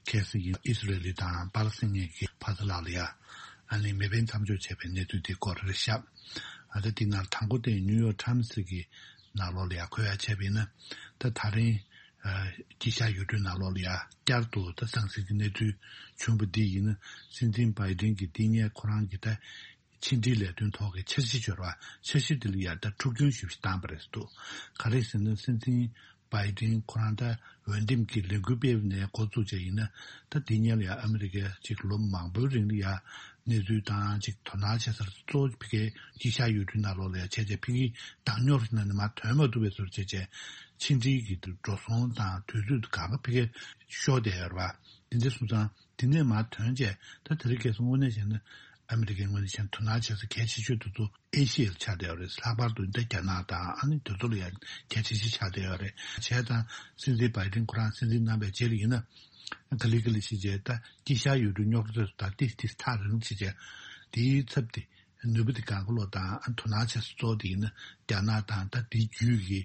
གལ་སྲིད་ཡིན་ཨི་སི་རེལ་ལི་དང་པ་ལི་སི་ཐན་གྱི་ཕ་ས་ལ་ལ་ཡ་ཨ་ནི་མེ་འཕེན་མཚམས་འཇོག་བྱས་པའི་གནས་ཚུལ་དེ་སྐོར་རེད་ཤག་ཨ་ད་དེ་ནང་དང་པོ་དེ་ནིའུ་ཡོག་ཊའིམ་སི་གི་ནང་ལོགས་ལ་ཡ་འཁོད་ཡ་བྱས་པ་ཡིན་ན། ད་ད་རིང་དཀྱིལ་ཤར་ཡུལ་གྲུའི་ནང་ལོགས་ལ་ཡ་བསྐྱར་དུ་ད་ཟང་ཟིང་གི་གནས་ཚུལ་བྱུང་བ་འདི་ཡིན་ན། སྲིད་འཛིན་བྷའི་ཏིན་གྱིས་འདི་ངས་ཁོ་རང་གི་ད་ཕྱི་འབྲེལ་ལས་དོན་ཐོག་གི་འཆར་གཞི་འབྱོར་བ། འཆར་གཞི་དེ་ལ་ཡ་ད་འཁྲུག་སྐྱོན་ཞེ་པོ་ཞིག་བཏང་པ་རེད་འདུག་ག་རེ་ཟེར་ན། སྲིད་འཛིན་བྷའི་ཏིན་ཁོ་རང་ད་འོས་འདེམས་ཀྱི་ལས་འགུལ་སྤེལ་བ་ནས་འགོ་བཙུགས་བྱས་ཡིན་ན། ད་འདི་སྔོན་ལ་ཡ་ཨ་མི་རི་ཀས་ཅིག་ལོ་མང་པོའི་རིང་ལ་ཡ་གནས་ཚུལ་དང་ཅིག་དོ་སྣང་བྱེད་སར་གཙོ་བོ་ཕ་གིའི་དཀྱིལ་ཤར་ཡུལ་གྲུའི་ནང་ལོགས་ལ་ཡ་བྱས་བྱས་ཕ་གིའི་བདག་ཉོར་ནང་ནས་མར་ཐོན་མ་ཐུབ་པའི་བཟོ་འདྲ་བྱས་བྱས། ཕྱི་འབྲེལ་གྱི་འགྲོ་སོང་དང་དུས་ཚོད་གང་ག་ཕ་གིར་ཤོར་བསྡད་ཡོད་རེད་པ། འདི་འདྲ་སོང་ཙང་། དེ་ནས་མར་ཐོན་བྱས། ད་དེ་རིང་ཁ་སང་དངོས་གནས་བྱས་ན་ཨ་མི་རི་ཀའི་ངོས་ནས་བྱས་ན་དོ་སྣང་བྱེད་ས་གལ་ཆེ་ཤོས་དེ་ཚོ་ཨེ་ཤི་ཡ་ལ་ཆགས་བསྡད་ཡོད་རེད། ལྷག་པར་དུ་འདི་རྒྱ་ནག་དང་ཨ་ནི་དེ་ཚོ་ལ་ཡང་གལ་ཆེ་ཤོས་ཆགས་བསྡད་ཡོད་རེད། བྱས་ཙང་སྲིད་འཛིན་བྷའི་ཏིན་ཁོ་རང་སྲིད་འཛིན་གནང་བའི་རྗེས་ལ་ཡིན་ན། ག་ལེ་ག་ལེ་བྱས་བྱས་ད་དཀྱིལ་ཤར་ཡུལ་གྲུའི་རྙོག་དྲ་དང་ཏིས་ཏིས་ཐག་རིང་བྱས་བྱས། དེའི་ཚབ་དེ་ནུས་པ་དེ་གང་ག་ལོག་དང་ཨ་དོ་སྣང་བྱེད་ས་གཙོ་བོ་དེ་ཡིན་ན། རྒྱ་ནག་དང་ད་དེའི་རྒྱུད་ཀྱི་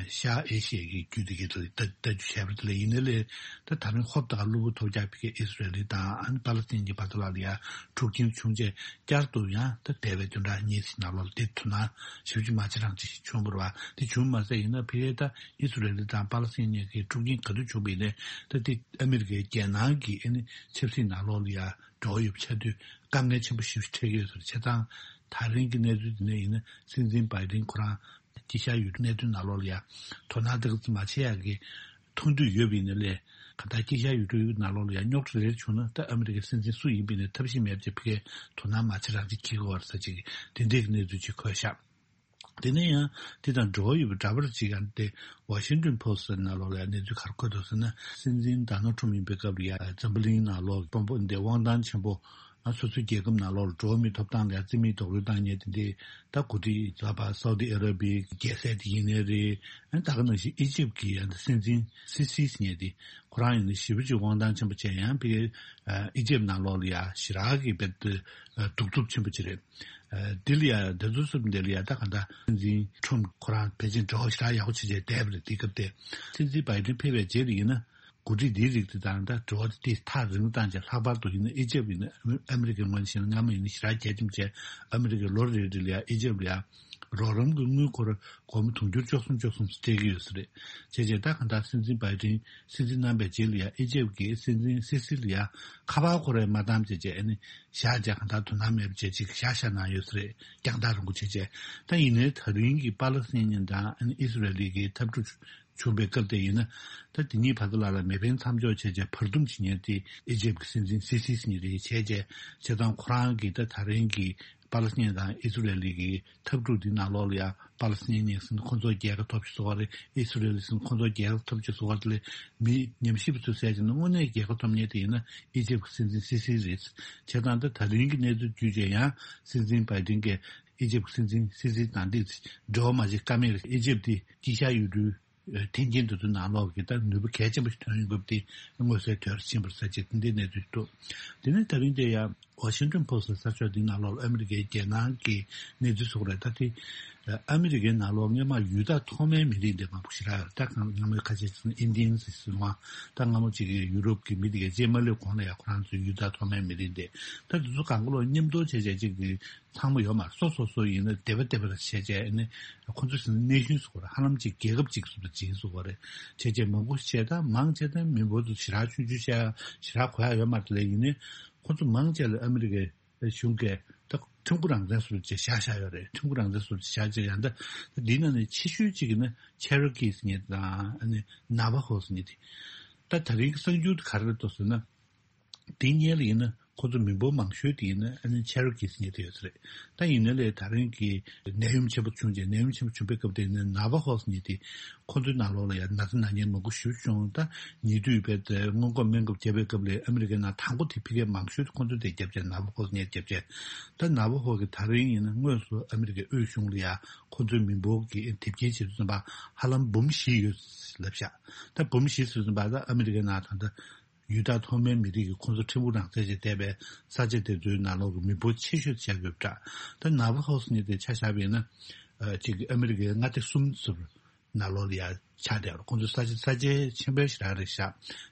ཤར་ཨེ་ཤི་ཡའི་རྒྱུད་དེ་གའི་ལ་ལྟ་ལྟ་རྒྱུ་བྱས་པ་དེ་ལ་ཡིན་ནའི་ལས། ད་ད་རིང་ཧོབ་ཏེ་གློ་བུར་ཐོལ་རྒྱག་ཕ་གིའི་ཨི་སི་རེལ་དང་ཨ་ནི་པ་ལི་སི་ཐན་གྱི་བར་དུ་ལ་ལ་ཡ་འཁྲུག་རྐྱེན་བྱུང་རྗེས་བསྐྱར་དུ་ཡང་ད་འདས་པའི་བདུན་ཕྲག་གཉིས་ནང་ལོགས་ལ་དེ་དོ་སྣང་ཞེ་པོ་ཅིག་མ་བྱེད་རང་བྱེད་ཞིག་བྱུང་བ་རེད་པ། དེ་བྱུང་མ་ཟད་ཡིན་ན་ཕ་གིའི་ད་ཨི་སི་རེལ་དང་པ་ལི་སི་ཐན་གཉིས་ཀྱི་འཁྲུག་རྐྱེན་ག་དུས་བྱུང་བ་ཡིན་ནའི། ད་དེ་ཨ་མི་རི་ཀའི་རྒྱལ་ནང་གི་ཨ་ནི་ཆབ་སྲིད་ནང་ལོགས་ལ་ཡ་འགྲོ་བ་ཡོད་པ་ཆགས་དུས་དཀའ་ངལ་ཆེན་པོ་ཞེ་པོ་ཞིག་འཕྲད་ཀྱི་ཡོད་ཟེར། བྱས་ཙང་ད་རིང་གི་གནས་ཚུལ་འདི་ནས་ཡིན་ན། སྲིད་འཛིན་བྷའི་ཏིན་ཁོ་རང་དཀྱིལ་ཤར་ཡུལ་གྲུའི་གནད་དོན་ནང་ལོགས་ལ་ཡ་དོ་སྣང་ཏོག་ཙམ་མ་བྱེད་ཡག་གི་མཐོང་འདོད་ཡོད་པ་ཡིན་ན་ལས། གང་ལྟར་དཀྱིལ་ཤར་ཡུལ་གྲུའི་ནང་ལོགས་ལ་ཡ་རྙོག་དྲ་རེ་རེ་བྱུང་ན། ད་ཨ་མི་རི་ཀའི་སྲིད་འཛིན་སུ་ཡིན་པ་ཡིན་ནའི་ཐབས་ཤེས་མེད་པ་བྱས་ཕ་གིར་དོ་སྣང་མ་བྱེད་རང་བྱེད་བྱེད་ཀྱི་ཡོད་རེད་ཟེར་ཅིག་དེ་འདྲའི་གནས་ཚུལ་ཅིག་འཁོད་ཤག་དེ་ནས་ཡང་དེ་དང་འབྲེལ་བ་ཡོད་པའི་འདྲ་པར་ཅིག་ཡང་དེ་ཝ་ཤིང་ཏོན་པོ་སི་ཊི་ནང་ལོགས་ལ་ཡང་གནས་ཚུལ་ག་རེ་འཁོད་འདུག་ཟེར་ན། སྲིད་འཛིན་ཌོ་ནལ་ཊམ་ཡིན་པའི་སྐབས་ལ་ཡང་འཛམ་བུ་གླིང་ནང་ལོགས་དཔོན་པོ་འདི་དབང་ཐང་ཆེན་པོ། ཨ་སོ་སོའི་རྒྱལ་ཁབ་ནང་ལོགས་ལ་འགྲོ་བ་མིའི་ཐོབ་ཐང་ལ་ཡང་རྩིས་མེད་རྡོག་རོལ་བཏང་མཁན་དེ་འདྲའི་ད་འགོ་ཁྲིད་ད་ཕར་སའུ་ཏི་ཨ་ར་བི་ཡའི་རྒྱལ་སྲས་དེ་ཡིན་ནའི་རེད། ཨ་ད་ག་ནང་བཞིན་ཨི་ཇིབ་ཀྱི་ཡང་སྲིད་འཛིན་སི་སི་ཟེར་མཁན་དེ་ཁོ་རང་ཡིན་ན་ཞེ་པོ་ཅིག་དབང་ཐང་ཆེན་པོ་བྱས། ཡང་ཕ་གིའི་ཨི་ཇིབ་ནང་ལོགས་ལ་ཡང་ཞེ་དྲག་གི་རྦད་དེ་གདུག་རྩུབ་ཆེན་པོ་ཅིག་རེད། འདི་ལ་ཡང་འདི་ཚོ་གསུམ་འདི་ལ་ཡང་ད་ག་འདྲ་སྲིད་འཛིན་ཊམ་ཁོ་རང་ཕལ་ཆེར་འབྲེལ་བ་ཞེ་དྲག་ཡག་པོ་བྱས་བྱས་བསྡད་པ་རེད། དེ་སྐབས་དེ་སྲིད་འཛིན་བྷའི་ཏིན་ཕེབས་པའི་རྗེས་ལ་ཡིན་ན། འགོ་ཁྲིད་འདིའི་རིགས་དེ་དང་ད་འབྲེལ་བ་དེ་ཐག་རིང་བཏང་བྱས། ལྷག་པར་དུ་ཡིན་ན་ཨི་ཇིབ་ཡིན་ན་ཨ་མི་རི་ཀའི་ངོས་ནས་བཤད་ན་སྔ་མོ་ཡིན་ན་ཞེ་དྲག་རྒྱ་ཁྱོན་ཆེ། ཨ་མི་རི་ཀས་ལོ་རེ་རེ་ལ་ཡང་ཨི་ཇིབ་ལ་ཡང་རོགས་རམ་གྱི་དངུལ་སྒོར་སྒོར་མོ་དུང་ཕྱུར་བཅུ་གསུམ་བཅུ་གསུམ་སྤྲད་ཀྱི་ཡོད་ས་རེད། བྱས་བྱས་ད་ག་འདྲ་སྲིད་འཛིན་བྷའི་ཏིན་སྲིད་འཛིན་གནང་བའི་རྗེས་ལ་ཡང་ཨི་ཇིབ་ཀྱི་སྲིད་འཛིན་སི་སི་ལ་ཡང་ཁ་པར་སྐོར་རེ་མ་བཏང་བྱས་བྱས། ཨ་ནི་བཞག་བྱས་ག་འདྲ་དོ་སྣང་མེད་པ་བྱས་ཅིག་བཞག་བཞག་གནང་ཡོད་ས་རེད། རྒྱང་ཐག་རིང་པོ་བྱས་བྱས། ད་ཡིན་ནའི་ད་རིང་གི་པ་ལི་སི་ཐན་དང་ཨ་ནི་ཨི་སི་རེལ་གྱི་འཐབ་འཁྲུག་བྱུང་བའི་སྐབས་དེ་ཡིན་ན། ད་དེ་གཉིས་བར་དུ་ལ་ལ་མེ་འཕེན་མཚམས་འཇོག་བྱས་བྱས་བར་འདུམ་བྱེད་མཁན་དེ་ཨི་ཇིབ་ཀྱི་སྲིད་འཛིན་སི་སི་ཟེར་མཁན་རེད། བྱས་བྱས་བྱས་ཙང་ཁོ་རང་གིས་ད་ད་རིང་གི་པ་ལི་སི་ཐན་དང་ཨི་སི་རེལ་གྱི་འཐབ་འཁྲུག་འདི་ནང་ལོགས་ལ་ཡང་པ་ལི་སི་ཐན་ཡིན་ཟེར་ན་ཁོང་ཚོ་རྒྱལ་ཁ་ཐོབ་ཅིག་བཟོ་བ་རེད། ཨི་སི་རེལ་ཟེར་ན་ཁོང་ཚོ་རྒྱལ་ཁ་ཐོབ་ཅིག་བཟོ་བ་རེད། དེ་ལས་མི་ཉམས་ཞིབ་པ་ཚོས་བཤད་བྱས་ན་དངོས་གནས་རྒྱལ་ཁ་ཐོབ་མཁན་དེ་ཡིན་ན་ཨི་ཇིབ་ཀྱི་སྲིད་འཛིན་སི་སི་རེད། བྱས་ཙང་ད་ད་རིང་གི་གནས་ཚུལ་བརྒྱུད་བྱས་ཡང་སྲིད་འཛིན་བྷའི་ཏིན་གྱིས་ཨི་ཇིབ་ཀྱི་སྲིད་འཛིན་སི་སི་དང་འདི་འབྲེལ་བ་མ་བྱེད་ཀ་མེད་རེད། ཨི་ཇིབ་དེ་དཀྱིལ་ཤར་ཡུལ་གྲུའི་འཐེན་འཁྱེར་དེ་ཚོའི་ནང་ལོགས་ཀྱི་ད་ནུས་པ་གལ་ཆེན་པོ་ཞིག་ཐོན་ཡོང་སྐབས་དེ་མངོན་གསལ་དོད་ཕྱིན་པ་རེད་ཟེར་བྱས་དེ་འདྲའི་གནས་ཚུལ་ཞིག་འདུག་དེ་ནས་ད་རིང་དེ་ཡང་ཝ་ཤིང་ཏོན་པོ་སི་ཊི་གསར་ཤོག་འདིའི་ནང་ལོགས་ལ་ཨ་མི་རི་ཀའི་རྒྱལ་ནང་གི་གནས་ཚུལ་སོགས་རེད། ད་དེ་ཨ་མི་རི་ཀའི་ནང་ལོགས་སྔོན་མ་ཡུལ་བདག་ཐོག་མའི་མི་རིགས་འདི་མང་པོ་ཞེ་དྲག་ཡོད་རེད། ད་གང་སྔ་མོའི་ཁ་ཆེ་ཚིག་ཨིན་ཌི་ཡན་ཟེར་སྲིད་དབང་། ད་སྔ་མོ་ཅིག་གི་ཡུ་རོབ་ཀྱི་མི་དེ་གའི་རྗེས་མ་སླེབས་གོང་ལ་ཡང་ཁོ་རང་ཚོའི་ཡུལ་བདག་ཐོག་མའི་མི་རིགས་འདི། ད་དེ་ཚོ་གང་ག་ལོག་མཉམ་དུ་བྱས་བྱས་ཅིག་གི་ཚང་མ་ཡོད་མ་རེད། སོ་སོ་སོ་ཡིན་ན་སྡེ་པ་སྡེ་པ་རེ་བྱས་བྱས་ནས་ཁོ་ཚོ་ཟེར་ན་ནེ་ཤོན་ཟེར་དགོས་རེད། ཧ་ལམ་ཅིག་རྒྱལ་ཁབ་ཅིག་བཟོ་འདྲ་ཅིག་ཡིན་ཟེར་དགོས་རེད། བྱས་བྱས་མང་པོ་བྱས་ད་མང་ཆེ་ད་མི་འབོར་དུ་ཞེ་དྲག་ཆུང་ཆུང་བྱས་ཞེ་དྲག་གོ་ཡ་ཡོད་མ་རེད། དེ་ལས་ཡིན་ནའི་ཁོ་ཚོ་མང་ཆེ་ལ་ཨ་མི་རི་ཀའི་གཞུང་གིས་ད་ཁྲིམས་སྒོ་རང་བཙན་བཟོ་འདྲ་ཅིག་བཞག་བཞག་ཡོད་རེད། ཁྲིམས་སྒོ་རང་བཙན་བཟོ་འདྲ་ཅིག་བཞག་བྱས་ཡང་ད་འདིའི་ནང་ནས་ཆེ་ཤོས་ཅིག་ཡིན་ན་ཆེ་རོ་ཀི་ཟེར་མཁན་དང་ཨ་ནི་ན་ཝ་ཧོ་ཟེར་མཁན་དེ། ད་ད་རིང་གི་གསར་འགྱུར་དེ་ག་རེ་རེད་འདུག་ཟེར་ན། དེའི་སྔོན་ལ་ཡིན་ན་ཁོ་ཚོ་མི་འབོར་མང་ཤོས་དེ་ཡིན་ན་ཨ་ནི་ཆེ་རོ་ཀིས་ཉེ་དེ་ཡོད་ས་རེད། ད་ཡིན་ན་ལས་ད་རིང་གི་ནད་ཡམས་ཆེན་པོ་བྱུང་རྗེས་ནད་ཡམས་ཆེན་པོ་བྱུང་པའི་སྐབས་དེ་ཡིན་ན་ནཱ་ཝ་ཧོས་ཉེ་དེ་ཁོ་ཚོའི་ནང་ལོགས་ལ་ཡང་ན་ཚ་ན་མཁན་མང་པོ་ཞེ་པོ་བྱུང་། ད་ཉེ་དུས་བས་ཏེ་སྔོན་འགོག་སྨན་ཁབ་བརྒྱབ་པའི་སྐབས་ལས་ཨ་མི་རི་ཀའི་ནང་དང་པོ་དེ་ཕ་གིར་མང་ཤོས་དེ་ཁོ་ཚོ་དེ་བརྒྱབ་རྗེས་ནཱ་ཝ་ཧོས་ཉེ་བརྒྱབ་རྗེས། ད་ནཱ་ཝ་ཧོ་གི་ད་རིང་ཡིན་ན་དངོས་སུ་ཨ་མི་རི་ཀའི་དབུས་གཞུང་ལ་ཡང་ཁོ་ཚོའི་མི་འབོར་གྱི་དེབ་སྐྱེལ་བྱེད་དུས་ཙམ་པ་ཧ་ལམ་འབུམ་བཞི་ཡོད་ལབ་ཤག་ད་འབུམ་བཞི་ཟེར་དུས་ཙམ་པ་ད་ཨ་མི་རི་ཀའི་ནང་ད་ལྟ་ཡུལ་བདག་ཐོག་མའི་མི་རིགས་ཀྱི་ཁོང་ཚོ་ཕྲན་བུ་རང་བཙན་ཅིག་བསྡད་པའི་ས་ཆ་དེ་ཚོའི་ནང་ལོགས་ཀྱི་མི་འབོར་ཆེ་ཤོས་ཆགས་ཡོད་པ་འདྲ། ད་ནཱ་ཝ་ཧོས་ཉེ་དེ་ཆ་བཞག་པ་ཡིན་ན་ཅིག་ཨ་མི་རི་ཀའི་མངའ་སྡེ་གསུམ་ཟུར་ནང་ལོགས་ལ་ཡང་ཆགས་བསྡད་ཡོད་རེད། ཁོང་ཚོ་ས་ཆ་ས་ཆ་ཆེན་པོ་ཞེ་དྲག་རེད་ཤག་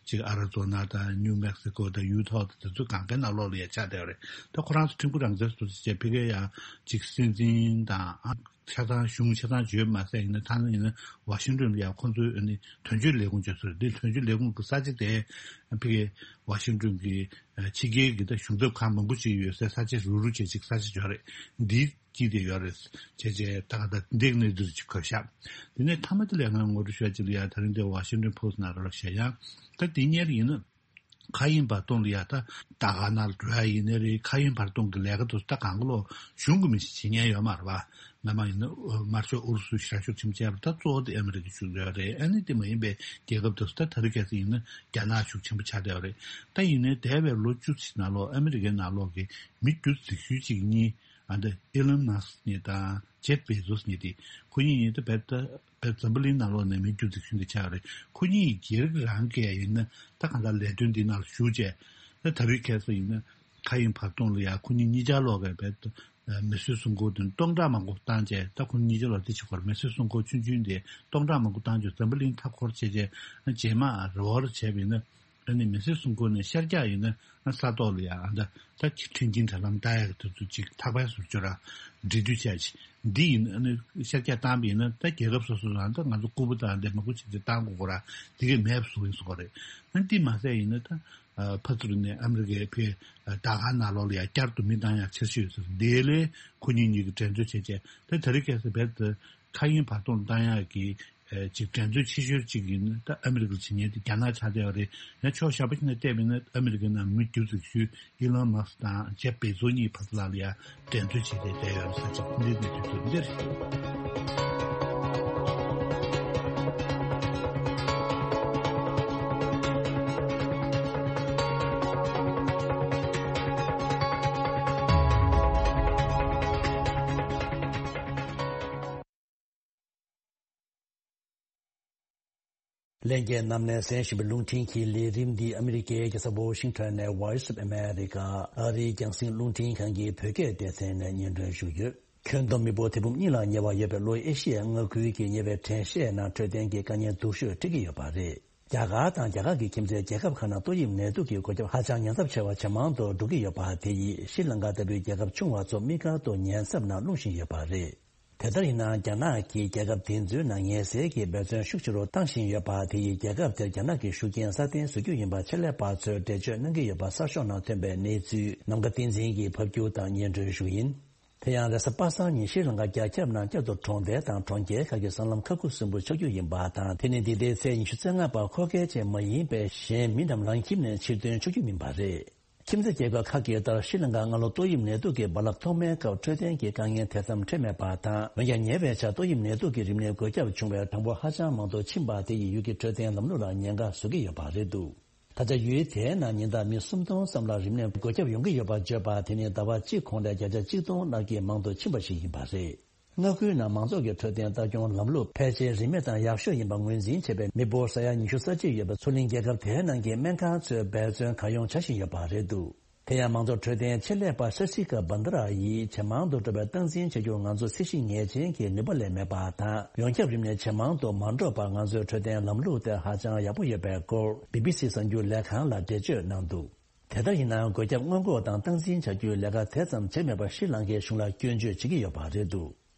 ཅིག་ཨ་ར་ཛོ་ན་དང་ནིའུ་མེག་སི་ཀོ་དང་ཡུ་ཐོག་དང་དེ་ཚོ་གང་གའི་ནང་ལོགས་ལ་ཡང་ཆགས་བསྡད་ཡོད་རེད། ད་ཁོ་རང་ཚོ་ཕྲན་བུ་རང་བཙན་ཟུར་ཅིག་བྱས་ཕ་གིར་ཡང་ཅིག་སྲིད་འཛིན་དང་ཆ་ཚང་གཞུང་ཆ་ཚང་བརྗོད་མ་ཟད་ཡིན་ན་ད་ནི་ཡིན་ན་ཝ་ཤིང་ཏོན་ལ་ཡང་ཁོང་ཚོའི་ཨ་ནི་དོན་གཅོད་ལས་ཁུངས་བརྗོད་སོང་རེད། འདི་དོན་གཅོད་ལས་ཁུངས་ཀྱི་ས་ཆ་དེ་ཕ་གིའི་ཝ་ཤིང་ཏོན་གྱི་ཕྱི་རྒྱལ་གྱི་ད་གཞུང་ཚབ་ཁང་མང་པོ་ཅིག་ཡོད་སའི་ས་ཆ་རུ་རུ་བྱས་ཅིག་ས་ཆ་ཡོད་རེད། འདིའི་དཀྱིལ་དེ་ཡོད་རེད། བྱས་རྗེས་ད་ག་ད་འདི་གནས་ཚུལ་ཅིག་གོ་ཤག་དེ་ནས་མཐའ་མ་དེ་ལས་ང་ངོ་སྤྲོད་ཞུ་ཡ་ཅིག་ལ་ཡ་ད་རིང་འདི་ཝ་ཤིང་ཏོན་ཕོ་སི་ཊི་ནང་རོགས་བྱས་ཡང་ད་དེ་སྔོན་ཡིན་ན། མཁའ་དབྱིངས་བར་སྟོང་ལ་ཡ་ད་ད་ག་ནང་ལ་འགྲོ་ཡ་ཡིན་ནའི་རེད། མཁའ་དབྱིངས་བར་སྟོང་གི་ལས་ཀ་དེ་ཚོ་ད་གང་ག་ལོ་གཞུང་གི་མི་ཞིག་བྱེད་མཁན་ཡོད་མ་རེད་པ། སྔ་མ་ཡིན་ན་དམར་ཤོག་ཨུ་རུ་སུ་ཞེ་དྲག་ཤུགས་ཆེན་པོ་བྱས་པ་ད་གཙོ་བོ་དེ་ཨ་མི་རི་ཀའི་ཤུགས་ཡོད་རེད། ཨ་ནི་དེ་མ་ཡིན་པའི་རྒྱལ་ཁབ་དེ་ཚོ་ད་ད་རེས་ཁ་སང་ཡིན་ན་རྒྱ་ནག་ཤུགས་ཆེན་པོ་ཆགས་བསྡད་པ་རེད། ད་ཡིན་ནའི་འདས་པའི་ལོ་བཅུ་ཙམ་ནང་ལོགས་ཨ་མི་རི་ཀའི་ནང་ལོགས་ཀྱི་མི་རྒྱུ་འཛིན་ཤོས་གཅིག་གཉིས་ཨ་འདི་ཨི་ལོན་མཱ་སི་ནི་དང་ཇེབ་བེ་ཛོ་སི་ནི་དེ་ཁོ་གཉིས་ཡིན་ད་བེད་ད། བོད་འཛམ་བུ་གླིང་ནང་ལོགས་ནས་མི་རྒྱུ་འཛིན་ཤོས་འདི་ཆགས་རེད། ཁོ་གཉིས་སྒེར་རང་གིས་ཡིན་ན་ད་གང་ལྟར་ལས་དོན་འདི་ནང་ལ་ཞུགས་བྱས་ད་ད་རེས་ཁ་སང་ཡིན་ན་མཁའ་དབྱིངས་བར་སྟོང་ལ་ཡ་ཁོ་གཉིས་གཉིས་ཆར་ལོག་གི་བེད་མི་གསོད་སྲུང་འཁོར་དེ་སྟོང་ཕྲག་མང་པོ་བཏང་བྱས། ད་ཁོ་གཉིས་ཆར་ལོག་དེ་བྱེད་དགོས་རེད། མི་གསོད་སྲུང་འཁོར་ཆུང་ཆུང་དེ་སྟོང་ཕྲག་མང་པོ་བཏང་བྱས་འཛམ་བུ་གླིང་མཐའ་འཁོར་བྱས་བྱས་རྗེས་མ་རེ་བར་བྱས་པ་ཡིན་ན། ཨ་ནི་མི་སེར་སྲུང་སྐོར་ནས་ཤར་རྒྱག་ཡིན་ན་ས་ཐོག་ལ་ཡང་ཨ་ད་ད་ཁྲིམས་ཀྱི་འབྲེལ་ལམ་ལྟ་ཡག་དེ་ཚོ་ཅིག་ཐག་པ་སུ་སྦྱོར་ར་འབྲེལ་མཐུད་བྱས་ཅིག་འདི་ཡིན། ཨ་ནི་ཤར་རྒྱག་བཏང་པ་ཡིན་ན་ད་རྒྱལ་ཁབ་སོ་སོ་ལ་ད་ང་ཚོ་ལྐུགས་པ་དང་འདི་མང་པོ་བྱས་ཏེ་བཏང་དགོས་དགོས་ར་དེ་གས་མེད་པ་བཟོ་ཡིན་བཟོ་དགོས་རེད། ཨ་ནི་འདི་མ་ཟད་ཡིན་ན་ད་ཕར་ཚུར་ནས་ཨ་མི་རི་ཀའི་ཕའི་ད་ག་ནང་ལོགས་ལ་ཡང་བསྐྱར་དུ་མི་བཏང་ཡག་འཆར་གཞི་ཡོད་ཟེར། དེ་ལས་ཁོ་གཉིས་གཉིས་ཀྱི་འགྲན་རྩོད་བྱས་རྗེས་ད་ད་རེས་ཁ་སང་རྦད་དེ་མཁའ་དབྱིངས་བར་སྟོང་བཏང་ཡག་གི་ཅིག་འགྲན་རྩོད་ཆེ་ཤོས་ཅིག་ཡིན་ན་ད་ཨ་མི་རི་ཀར་བྱེད་མཁན་དེ་རྒྱ་ནག་ཆགས་བསྡད་པ་རེད། ཡང་ཕྱོགས་གཞན་པ་ཞིག་ནས་བལྟས་པ་ཡིན་ན་ཨ་མི་རི་ཀའི་ནང་མི་རྒྱུ་འཛིན་ཤོས་ཨི་ལོན་མཱ་སི་དང་ཇེབ་བེ་ཛོ་གཉིས་བར་དུ་ལ་ལ་ཡ་འགྲན་རྩོད་བྱས་ཏེ་བསྡད་ཡོད་རེད་ཟེར་ཅིག་འདི་ནས་དུས་ཚོད་འདིར། ལྷན་རྒྱས་རྣམས་ནས་གསན་བཞིན་པའི་རླུང་འཕྲིན་གྱི་ལས་རིམ་འདི་ཨ་མི་རི་ཀའི་རྒྱལ་ས་ཝོ་ཤིང་ཊོན་ནས་Voice of America ཨ་རིའི་རྒྱང་སྲིང་རླུང་འཕྲིན་ཁང་གི་བོད་སྐད་སྡེ་ཚན་ནས་སྙན་སྒྲོན་ཞུས་ཡོད། ཁྱོན་བསྡོམས་མི་འབོར་ཐེར་འབུམ་གཉིས་ལ་ཉེ་བ་ཡོད་པའི་ལྷོ་ཨེ་ཤི་ཡའི་མངའ་ཁུལ་གྱི་ཉེ་བའི་དྲན་ཤེས་ནང་འཕྲོད་བསྟེན་གྱི་དཀའ་ངལ་སྡུག་ཤོས་འཕྲད་ཀྱི་ཡོད་པ་རེད། རྒྱ་གར་དང་རྒྱ་གར་གྱི་ཁྱིམ་མཚེས་རྒྱལ་ཁབ་ཁག་ནང་ཏོག་དབྱིབས་ནད་དུག་གི་འགོས་ཁྱབ་ཧ་ཅང་ཉེན་ཚབས་ཆེ་བ་ཇེ་མང་དུ་འགྲོ་གི་ཡོད་པ་དེ་ཡིས་ཤྲི་ལང་ཀ་ལྟ་བུའི་རྒྱལ་ཁབ་ཆུང་བ་ཚོ་དམིགས་བཀར་དུ་ཉེན་ཚབས་ནང་ལྷུང་བཞིན་ཡོད་པ་རེད། དེ་ལྟར་ཡིན་ན་རྒྱ་ནག་གིས་རྒྱལ་ཁབ་དེ་ཚོའི་ནང་ངལ་སེལ་གྱི་འབད་བརྩོན་ཤུགས་ཆེ་རུ་བཏང་བཞིན་ཡོད་པ་དེ་ཡིས་རྒྱལ་ཁབ་དེར་རྒྱ་ནག་གི་ཤུགས་རྐྱེན་སྲ་བརྟན་བཟོ་རྒྱུ་ཡིན་པ་ཆེད་ལས་པ་ཚོས་འགྲེལ་བརྗོད་གནང་གི་ཡོད་པ་གསར་ཤོག་ནང་ཐོན་པའི་གནས་ཚུལ་ནམ་མཁའ་བསྟན་འཛིན་གྱིས་ཕབ་སྒྱུར་དང་སྙན་སྒྲོན་ཞུ་ཡིན། དེ་ཡང་རེས་གཟའ་པ་སངས་ཉིན་ཤྲི་ལང་ཀ་རྒྱ་ཁྱབ་ནང་བསྐྱར་དུ་གྲོང་རྡལ་དང་གྲོང་ཁྱེར་ཁག་གི་སྲང་ལམ་ཁ་ཁུ་སིམ་པོ་ཆགས་རྒྱུ་ཡིན་པ་དང་། དེ་ནི་འདི་ཟླའི་ཚེས་ཉི་ཤུ་རྩ་ལྔ་བར་འཁོར་སྐལ་ཅན་མ་ཡིན་པའི་གཞན་མི་རྣམས་རང་ཁྱིམ་ནས་ཕྱིར་ཐོན་ཆོག་རྒྱུ་མིན་པ་རེད། ཁྱིམ་མཚེས་རྒྱལ་ཁབ་ཁག་གི་ལྟར་ཤྲི་ལང་ཀ་སྔ་ལོ་ཏོག་དབྱིབས་ནད་དུག་གི་རྦ་རླབས་ཐོག་མའི་སྐབས་འཕྲོད་བསྟེན་གྱི་དཀའ་ངལ་དེ་ཙམ་འཕྲད་མེད་པ་དང་། འོན་ཀྱང་ཉེ་བའི་ཆར་ཏོག་དབྱིབས་ནད་དུག་གི་རིམས་ནད་འགོས་ཁྱབ་བྱུང་བའི་གྲངས་འབོར་ཧ་ཅང་མང་དུ་ཕྱིན་པ་དེ་ཡིས་ཡུལ་གྱི་འཕྲོད་བསྟེན་ལམ་ལུགས་ལ་ཉེན་ཁ་བཟོ་གི་ཡོད་པ་རེད་འདུག་ད་ཆ་ཡུལ་དེའི་ནང་ཉིན་ལྟར་མི་སུམ་སྟོང་ཙམ་ལ་རིམས་ནད་འགོས་ཁྱབ་ཡོང་གི་ཡོད་པ་བརྗོད་པ་དེ་ནི་ཟླ་བ་གཅིག་གོང་ལས་བརྒྱ་ཆ་གཅིག་སྟོང་ལྷག་གིས་མང་དུ་ཕྱིན་པ་ཞིག་ཡིན་པ་རེད། མངའ་ཁུལ་ནང་མང་ཚོགས་ཀྱི་འཕྲོད་བསྟེན་ལྟ་སྐྱོང་ལམ་ལུགས་ཕལ་ཆེར་རིན་མེད་དང་ཡག་ཤོས་ཡིན་པ་ངོས་འཛིན་བྱས་པའི་མི་འབོར་ས་ཡ་ཉི་ཤུ་རྩ་གཅིག་ཡོད་པའི་མཚོ་གླིང་རྒྱལ་ཁབ་དེའི་ནང་གི་སྨན་ཁང་ཚོས་འབད་བརྩོན་གང་ཡོང་བྱ་བཞིན་ཡོད་པ་རེད་འདུག་དེ་ཡང་མང་གཙོ་འཕྲོད་བསྟེན་ཆེད་ལས་པ་ཤ་སི་ཀ་བྷན་དྷ་ར་ཡིས་ཇེ་མང་དུ་འགྲོ་བའི་སྟངས་འཛིན་བྱ་རྒྱུ་ང་ཚོ་སྲིད་ཞི་ངེས་ཅན་གྱི་ནུས་པ་ལས་མེད་པ་དང་། ཡོངས་ཁྱབ་རིམས་ནད་ཇེ་མང་དུ་མ་འགྲོ་བར་ང་ཚོའི་འཕྲོད་བསྟེན་ལམ་ལུགས་དེ་ཧ་ཅང་ཡག་པོ་ཡོད་པའི་སྐོར་བི་བི་སི་གསར་འགྱུར་ལས་ཁང་ལ་འགྲེལ་བརྗོད་གནང་འདུག་དེ་ལྟར་ཡིན་ན་འགོས་ཁྱབ་སྔོན་འགོག་དང་སྟངས་འཛིན་བྱ་རྒྱུའི་ལས་ཀ་དེ་ཙམ་བྱས་མེད་པར་ཤྲི་ལང་ཀའི་གཞུང་ལ་སྐྱོན་བརྗོད་བྱེད་ཀྱི་ཡོད་པ་རེད་འདུག་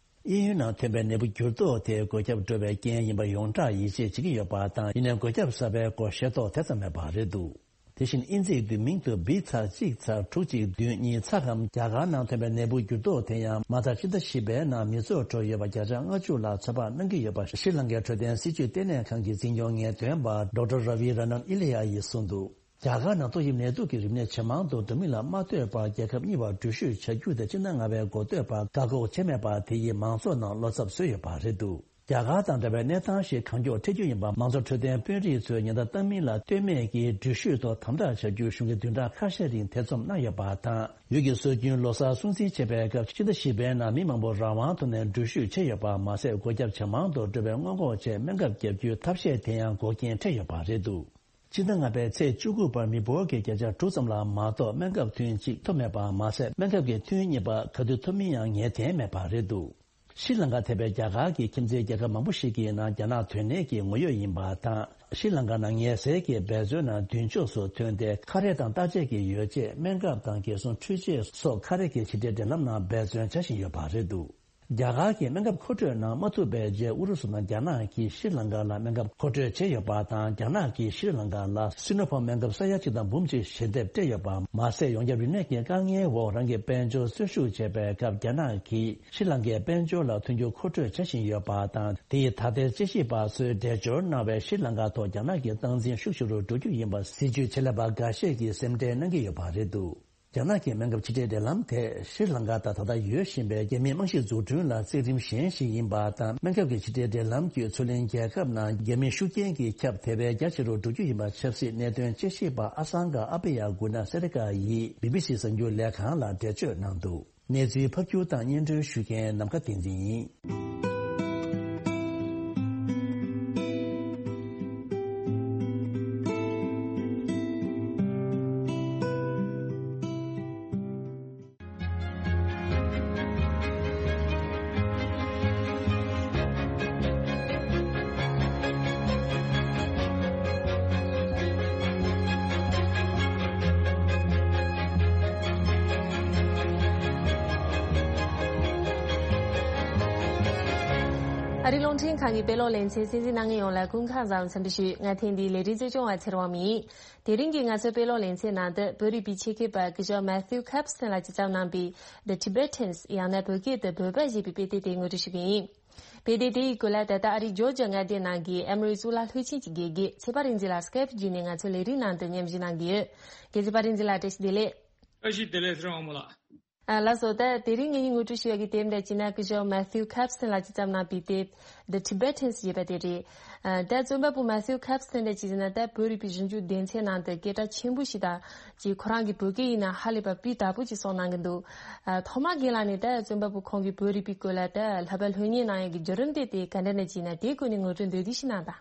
དབྱིན་ཡུལ་ནང་ཐོན་པའི་ནད་འབུ་འགྱུར་ལྡོག་དེ་འགོས་ཁྱབ་འགྲོ་བའི་རྐྱེན་ཡིན་པ་ཡོངས་གྲགས་ཡིད་ཆེས་བྱེད་ཀྱི་ཡོད་པ་དང་། ཡིན་ནའི་འགོས་ཁྱབ་གསར་པའི་སྐོར་ཤེས་རྟོགས་དེ་ཙམ་མེད་པ་རེད་འདུག་དེ་བཞིན་དབྱིན་ཚིག་བསྡུས་མིང་དུ་བི་ཚ་གཅིག་ཚ་དྲུག་གཅིག་བདུན་གཉིས་ཚ་གམ། རྒྱ་གར་ནང་ཐོན་པའི་ནད་འབུ་འགྱུར་ལྡོག་དེ་ཡང་མ་མཐའ་ཕྱི་ཟླ་བཞི་པའི་ནང་མི་ཚོར་འགྲོ་ཡོད་པ་བརྒྱ་ཆ་ལྔ་བཅུ་ལ་ཚོད་དཔག་གནང་གི་ཡོད་པ་ཤྲི་ལང་ཀའི་འཕྲོད་བསྟེན་སྲིད་བྱུས་ལྟེ་གནས་ཁང་གི་འཛིན་སྐྱོང་ངེས་སྟོན་པ་ཌོག་ཊར་ར་བི་ར་ནན་ཨི་ལི་ཡ་ཡིས་གསུངས་འདུག་རྒྱ་གར་ནང་ཏོག་དབྱིབས་ནད་དུག་གི་རིམས་ནད་ཇེ་མང་དུ་འགྲོ་མིན་ལ་མ་ལྟོས་པར། རྒྱལ་ཁབ་གཉིས་བར་འགྲུལ་བཞུད་བྱ་རྒྱུ་དེ་སྤྱི་ཟླ་ལྔ་པའི་འགོ་སྟོད་བར་བཀག་འགོག་བྱས་མེད་པར། དེ་ཡིས་མང་ཚོགས་ནང་བློ་འཚབ་བཟོས་ཡོད་པ་རེད་འདུག་རྒྱ་གར་དང་འདྲ་བའི་གནས་སྟངས་ཤིག་གང་མགྱོགས་འཕྲད་རྒྱུ་ཡིན་པ། མང་གཙོ་འཕྲོད་བསྟེན་དཔོན་རིགས་ཚོས་ཉེན་བརྡ་བཏང་མིན་ལ་ལྟོས་མེད་ཀྱིས། འགྲུལ་བཞུད་ཐོག་དམ་དྲག་བྱ་རྒྱུའི་གཞུང་གི་བདུན་ཕྲག་ཁ་ཤས་རིང་ཐེ་ཚོམ་གནང་ཡོད་པ་དང་། ཡུལ་གྱི་སྲོལ་རྒྱུན་ལོ་གསར་སྲུང་བརྩི་བྱེད་པའི་སྐབས། ཕྱི་ཟླ་བཞི་པའི་ནང་མི་མང་པོ་རང་དབང་ཐོག་ནས་འགྲུལ་བཞུད་བྱས་ཡོད་པ་མ་ཟད། སྒོ་རྒྱབ་ཇེ་མང་དུ་འགྲོ་བའི་སྔོན་འགོག་ཆེད་སྨན་ཁབ་བརྒྱབ་རྒྱུའི་ཐབས་ཤེས་དེ་ཡང་འགོག་རྐྱེན་འཕྲད་ཡོད་པ་རེད་འདུག་སྤྱི་ཟླ་ལྔ་པའི་ཚེས་བཅུ་དགུ་བར་མི་འབོར་གྱི་བརྒྱ་ཆ་དྲུག་ཙམ་ལ་མ་གཏོགས་སྨན་ཁབ་ཐུན་གཅིག་ཐོབ་མེད་པ་མ་ཟད། སྨན་ཁབ་ཀྱི་ཐུན་གཉིས་པ་ག་དུས་ཐོབ་མིན་ཡང་ངེས་གཏན་མེད་པ་རེད་འདུག་ཤྲི་ལང་ཀ་ཐེ་བའི་རྒྱ་གར་གྱི་ཁྱིམ་མཚེས་རྒྱལ་ཁབ་མང་པོ་ཞིག་གི་ནང་རྒྱ་ནག་དོན་གནད་ཀྱི་ངོ་ཡོད་ཡིན་པ་དང་། ཤྲི་ལང་ཀ་ནང་ངལ་སེལ་གྱི་འབད་བརྩོན་ནང་མདུན་ཕྱོགས་སུ་ཐོན་ཏེ། ཁ་རས་དང་བརྟག་དཔྱད་ཀྱི་ཡོ་བྱད། སྨན་ཁབ་དང་རྒན་གསོ་འཕྲུལ་ཆས་སོགས་ཁ་རས་ཀྱི་ཕྱི་འབྲེལ་འབྲེལ་ལམ་ནང་འབད་བརྩོན་བྱ་བཞིན་ཡོད་པ་རེད་འདུག་རྒྱ་གར་གྱི་སྨན་ཁབ་མཁོ་སྤྲོད་གནང་མ་ཐུབ་པའི་རྗེས། ཨུ་རུ་སུ་དང་རྒྱ་ནག་གིས་ཤྲི་ལང་ཀ་ལ་སྨན་ཁབ་མཁོ་སྤྲོད་བྱས་ཡོད་པ་དང་། རྒྱ་ནག་གིས་ཤྲི་ལང་ཀ་ལ་སི་ནོ་ཕརམ་སྨན་ཁབ་ས་ཡ་གཅིག་དང་འབུམ་གཅིག་ཞལ་འདེབས་སྤྲད་ཡོད་པ་མ་ཟད། ཡོངས་ཁྱབ་རིམས་ནད་ཀྱི་དཀའ་ངལ་འོག་རང་གི་དཔལ་འབྱོར་གསོན་ཤུགས་བྱེད་པའི་སྐབས། རྒྱ་ནག་གིས་ཤྲི་ལང་ཀའི་དཔལ་འབྱོར་ལ་མཐུན་འགྱུར་མཁོ་སྤྲོད་བྱ་བཞིན་ཡོད་པ་དང་། དེ་ཡིས་ད་ལྟའི་དཔྱད་ཞིབ་པ་ཚོས་འགྲེལ་བརྗོད་གནང་བའི་ཤྲི་ལང་ཀ་ཐོག་རྒྱ་ནག་གི་སྟངས་འཛིན་ཤུགས་ཆེ་རུ་འགྲོ་རྒྱུ་ཡིན་པ། སྲིད་ཇུས་ཆེད་ལས་པ་འགའ་ཤས་ཀྱིས་སེམས་ཁྲལ་གནང་གི་ཡོད་པ་རེད་འདུག་རྒྱ་ནག་གི་སྨན་ཁབ་ཕྱི་འབྲེལ་འབྲེལ་ལམ་དེས་ཤྲི་ལང་ཀ་དང་ད་ལྟ་ཡོད་བཞིན་པའི་རྒྱ་མིའི་རྨང་གཞིའི་འཛུགས་སྐྲུན་ལ་བརྩེགས་རིམ་གཞན་ཞིག་ཡིན་པ་དང་། སྨན་ཁབ་ཀྱི་ཕྱི་འབྲེལ་འབྲེལ་ལམ་བརྒྱུད་མཚོ་གླིང་རྒྱལ་ཁབ་ནང་རྒྱ་མིའི་ཤུགས་རྐྱེན་གྱི་ཁྱབ་དེ་བས་རྒྱ་ཆེ་རུ་འགྲོ་རྒྱུ་ཡིན་པ། ཆབ་སྲིད་གནད་དོན་དཔྱད་ཞིབ་པ་ཨ་སང་ག་ཨ་པེ་ཡ་གུ་ན་སེ་རི་ཀ་ཡིས་བི་བི་སི་གསར་འགྱུར་ལས་ཁང་ལ་འགྲེལ་བརྗོད་གནང་འདུག་གནས་ཚུལ་ཕབ་སྒྱུར་དང་སྙན་སྒྲོན་ཞུ་མཁན་ནམ་མཁའ་བསྟན་འཛིན་ཡིན། ཨ་རིའི་རླུང་འཕྲིན་ཁང་གི་དཔེ་ཀློག་ལེ་ཚན་གསན་གཟིགས་གནང་མཁན་ཡོངས་ལ་སྐུ་ཁམས་བཟང་བའི་འཚམས་འདྲི་ཞུ། ང་ཐེངས་འདིའི་ལས་རིམ་གཙོ་སྐྱོང་བ་ཚེ་རིང་དབང་མོ་ཡིན། དེ་རིང་གི་ང་ཚོའི་དཔེ་ཀློག་ལེ་ཚན་ནང་དུ་བོད་རིག་པའི་ཆེད་མཁས་པ་སྐུ་ཞབས་Matthew Kapston་ལགས་ཀྱིས་བརྩམས་གནང་པའི་The Tibetans ཡང་ན་བོད་སྐད་དུ་བོད་པ་ཞེས་པའི་དཔེ་དེབ་དེ་ངོ་སྤྲོད་ཞུ་གི་ཡིན། དཔེ་དེབ་དེའི་སྐོར་ལ་ད་ལྟ་ཨ་རིའི་ཇོར་ཇ་མངའ་སྡེ་ནང་གི་ཨེ་མོ་རི་གཙུག་ལག་སློབ་ཆེན་གྱི་དགེ་རྒན་ཚེ་དཔལ་རིག་འཛིན་ལགས་Skype་བརྒྱུད་ནས་ང་ཚོའི་ལས་རིམ་ནང་དུ་མཉམ་ཞུགས་གནང་གི་ཡོད། རྒན་ཚེ་དཔལ་རིག་འཛིན་ལགས་བཀྲ་ཤིས་བདེ་ལེགས། བཀྲ་ཤིས་བདེ་ལེགས་ཚེ་རིང་དབང་མོ་ལགས། ཨ་ལགས་སོ། ད་དེ་རིང་ངེད་གཉིས་ངོ་སྤྲོད་ཞུ་ཡག་གི་དེབ་འདྲ་བྱས་ན་སྐུ་ཞབས་Matthew Kapston་ལགས་ཀྱིས་བརྩམས་གནང་པའི་དེབ་The Tibetans་ཞེས་པ་དེ་རེད། ཨ་ད་རྩོམ་པ་པོ་Matthew Kapston་འདྲ་བྱས་ཟེར་ན་ད་བོད་རིག་པའི་གཞོན་སྐྱེས་སྡེ་ཚན་ནང་དུ་སྐད་གྲགས་ཆེན་པོ་ཞིག་དང་ཅིག་ཁོ་རང་གི་བོད་སྐད་ཡིན་ན་ཧ་ལས་པ་སྤུས་དག་པོ་ཅིག་གསུངས་གནང་གི་འདུག་ཨ་ཐོག་མར་རྒན་ལགས་ནས་ད་རྩོམ་པ་པོ་ཁོང་གིས་བོད་རིག་པའི་སྐོར་ལ་ད་ལྷག་པར་སློབ་གཉེར་གནང་ཡག་གི་བརྒྱུད་རིམ་དེ་དེ་ག་འདྲ་འདྲ་བྱས་ན་དེའི་སྐོར་ནས་ངོ་སྤྲོད་མདོར་བསྡུས་ཤིག་གནང་དང་།